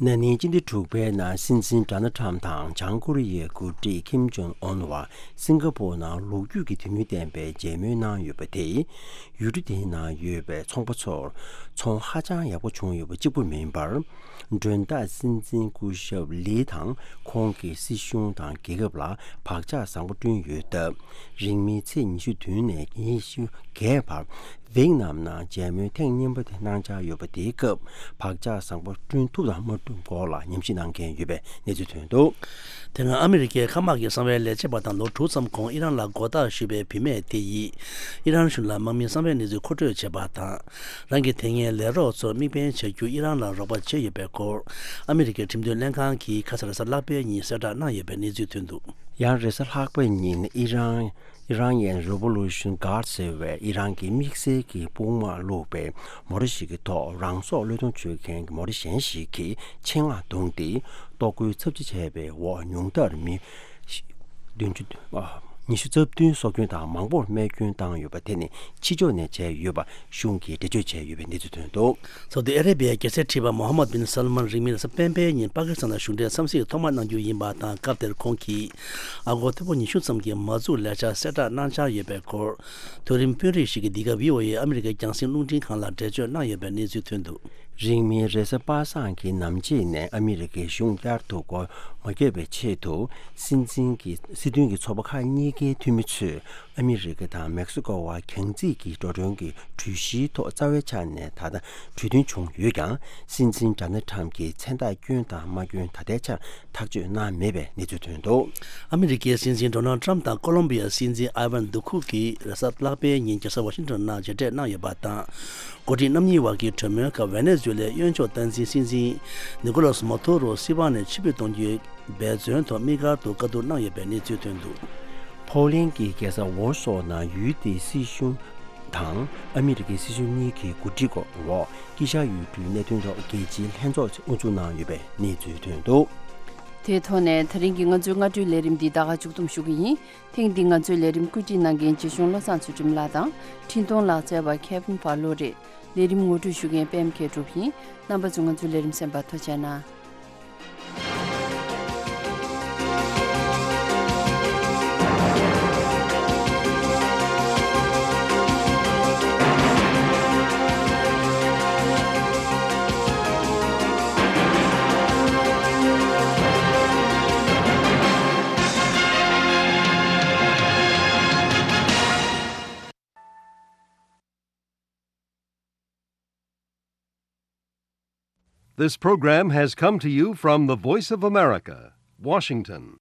ན་ནིང་སྤྱི་ཟླ་དྲུག་པའི་ནང་སྲིད་འཛིན་ཌོ་ནལ་ཊམ་དང་བྱང་ཀོ་རི་ཡའི་འགོ་ཁྲིད་ཁིམ་ཇོང་ཨོན་བར་སིང་ག་པོར་ནང་ལོ་རྒྱུས་ཀྱི་དུས་ཡུན་ལྡན་པའི་མཇལ་མོལ་གནང་ཡོད་པ་དེས། ཡུལ་གྲུ་དེའི་ནང་ཡོད་པའི་ཚོང་པ་ཚོར་ཚོང་ཧ་ཅང་ཡག་པོ་བྱུང་ཡོད་པ་གཅིག་པུ་མིན་པར། མགྲོན་བདག་སྲིད་འཛིན་སྐུ་ཞབས་ལི་དང་ཁོང་གི་སྲིད་གཞུང་དང་རྒྱལ་ཁབ་ལ་བག་ཆགས་བཟང་པོ་བསྐྲུན་ཡོད་སྟབས། རིང་མིན་ཚེས་ཉི་ཤུ་བདུན་ནས་ཉི་ཤུ་བརྒྱད་བར་ཝེག་ནམ་ནང་མཇལ་མོལ་ཐེངས་གཉིས་པ་དེ་གནང་འཆར་ཡོད་པ་དེའི་སྐབས་བག་ཆགས་བཟང་པོ་བསྐྲུན་ཐུབ་དང་མ་ཐུབ་སྐོར་ལ་ཉམས་ཞིབ་གནང་མཁན་ཡོད་པའི་གནས་ཚུལ་ཐོན་འདུག་དེ་སྔ་ཨ་མི་རི་ཀའི་མཁའ་དམག་གི་གསང་བའི་ལས་བྱེད་པ་དང་ལོ་དྲུག་ཙམ་གོང་ཨི་རན་ལ་མགོ་བཏགས་ཞུས་པའི་བུད་མེད་དེ་ཡིས་ཨི་རན་གཞུང་ལ་དམག་མིའི་གསང་བའི་གནས་ཚུལ་མཁོ་སྤྲོད་བྱས་པ་དང་། རང་གི་དེ་སྔའི་ལས་རོགས་ཚོར་དམིགས་འབེན་བྱ་རྒྱུ་ཨི་རན་ལ་རོགས་པ་བྱས་ཡོད་པའི་སྐོར་ཨ་མི་རི་ཀའི་ཁྲིམས་དོན་ལྷན་ཁང་གིས་ཁ་སང་རེས་གཟའ་ལྷག་པའི་ཉིན་གསལ་བསྒྲགས་གནང་ཡོད་པའི་གནས་ཚུལ་ཐོན་འདུག་ཡང་རེས་གཟའ་ལྷག་པའི་ཉིན་ཨི་རན། Iranian Revolution Guard ཟེར་བའི་ཨི་རན་གྱི་དམིགས་བསལ་གྱི་དཔུང་དམག་བླུགས་པའི་མོ་ཊ་ཞིག་གི་ཐོག་རང་སྲོག་བློས་གཏོང་བྱེད་མཁན་གྱི་མོ་ཊ་གཞན་ཞིག་གིས་ཆེད་མངགས་བརྡུངས་ཏེ། ལྟོ་གོས་ཚབས་ཆེ་བྱས་པའི་འོག་ཉུང་མཐར་མི་བདུན་ཅུ་ཉི་ཤུ་རྩ་བདུན་སྲོག་སྐྱོན་དང་མང་པོར་རྨས་སྐྱོན་བཏང་ཡོད་པ་དེ་ནི་ཕྱི་ཕྱོགས་ནས་བྱས་ཡོད་པ་གཞུང་གིས་འགྲེལ་བརྗོད་བྱས་ཡོད་པའི་གནས་ཚུལ་ཐོན་འདུག་ཚོགས་འདུ་ཨ་རེ་བྷི་ཡའི་རྒྱལ་སྲས་ཁྲི་པ་མོ་ཧམ་མད་བིན་སལ་མན་རིང་མིན་རེས་གཟའ་སྤེན་པའི་ཉིན་པ་ཀི་སི་ཐན་ལ་གཞུང་འབྲེལ་འཚམས་གཟིགས་ཐོག་མ་གནང་རྒྱུ་ཡིན་པ་དང་། སྐབས་དེར་ཁོང་གིས་ཨ་སྒོར་ཐེར་འབུམ་ཉི་ཤུ་ཙམ་གྱི་མ་འཛུགས་ལས་འཆར་གསལ་བསྒྲགས་གནང་འཆར་ཡོད་པའི་སྐོར། མཐོ་རིམ་དཔོན་རིགས་ཤིག་གིས་འདི་ག་བྷི་ཨོ་ཨེ་ཨ་མི་རི་ཀའི་རྒྱང་སྲིང་རླུང་འཕྲིན་ཁང་ལ་འགྲེལ་བརྗོད་གནང་ཡོད་པའི་གནས་ཚུལ་ཐོན་འདུག་རིང་མིན་རེས་གཟའ་པ་སངས་ཀྱི་ནམ་ཕྱེད་ནས་ཨ་མི་རི་ཀའི་གཞུང་བསྐྱར་དུ་སྒོ་མ་བརྒྱབ་པའི་ཆེད་དུ། སྲིད་འཛིན་གྱི་སྲིད་དོན་གྱི་ཚོགས་པ་ཁག་གཉིས་ཀའི་འཐུས་མི་ཚོས། ཨ་མི་རི་ཀ་དང་མེག་སི་ཀོ་བར་གྱང་རྩིས་ཀྱི་འགྲོ་གྲོན་གྱི་གྲོས་གཞིའི་ཐོག་རྩ་བའི་ཆ་ནས་ད་ལྟ་གྲོས་མཐུན་བྱུང་ཡོད་ཀྱང་། སྲིད་འཛིན་ཌོ་ནལ་ཊམ་གྱིས་མཚན་རྟགས་བསྐྱོན་དང་མ་བསྐྱོན་ད་ལྟའི་ཆར་ཐག་གཅོད་གནང་མེད་པའི་གནས་ཚུལ་ཐོན་འདུག་ཨ་མི་རི་ཀའི་སྲིད་འཛིན་ཌོ་ནལ་ཊམ་དང་ཀོ་ལོམ་བི་ཡའི་སྲིད་འཛིན་ཨ་ཝན་དུ་ཁུག་གིས་རེས་གཟའ་ལྷག་པའི་ཉིན་རྒྱལ་ས་ཝ་ཤིང་ཊོན་ནང་མཇལ་འཕྲད་གནང་ཡོད་པ་དང་། འགོ་ཁྲིད་རྣམ་གཉིས་བར་གྱི་གྲོས་མོལ་སྐབས་ཝེ་ནེ་ཛུ་ལའི་གཡོན་ཕྱོགས་སྟངས་འཛིན་སྲིད་འཛིན་ནི་ཀོ་ལོ་སི་མ་དུ་རོ་སྲིད་དབང་ནས་ཕྱིར་འབུད་གཏོང་རྒྱུའི་འབད་བརྩོན་ཐོག་དམིགས་བཀར་དུ་བཀའ་བསྡུར་གནང་ཡོད་པའི་གནས་ཚུལ་ཐོན་འདུག་ཕོ་ལན་གྱི་རྒྱལ་ས་ཝོར་སོ་ནང་ཡུལ་དེའི་སྲིད་གཞུང་དང་ཨ་མི་རི་ཀའི་སྲིད་གཞུང་གཉིས་ཀྱི་གོ་སྒྲིག་འོག་དཀྱིལ་ཤར་ཡུལ་གྲུའི་གནད་དོན་ཐོག་རྒྱལ་སྤྱིའི་ལྷན་ཚོགས་དབུ་འཛུགས་གནང་ཡོད་པའི་གནས་ཚུལ་ཐོན་འདུག་དེའི་ཐོག་ནས་དེ་རིང་གི་ང་ཚོའི་སྔ་དྲོའི་ལས་རིམ་འདི་ད་ག་མཇུག་བསྡོམས་ཞུ་གི་ཡིན། ཐེངས་འདིའི་ང་ཚོའི་ལས་རིམ་བཀོད་སྒྲིག་གནང་མཁན་རྗེ་གཞུང་བློ་བཟང་ཚུལ་ཁྲིམས་ལགས་དང་འཕྲིན་གཏོང་ལག་རྩལ་བ་ཁེ་ཕིན་བྷ་ལོ་རེད། ལས་རིམ་ངོ་སྤྲོད་ཞུ་མཁན་པད་མ་མཁས་གྲུབ་ཡིན། རྣམ་པ་ཚོ་ང་ཚོའི་ལས་རིམ་གསན་པར་ཐུགས་རྗེ་གནང་། This program has come to you from the Voice of America, Washington.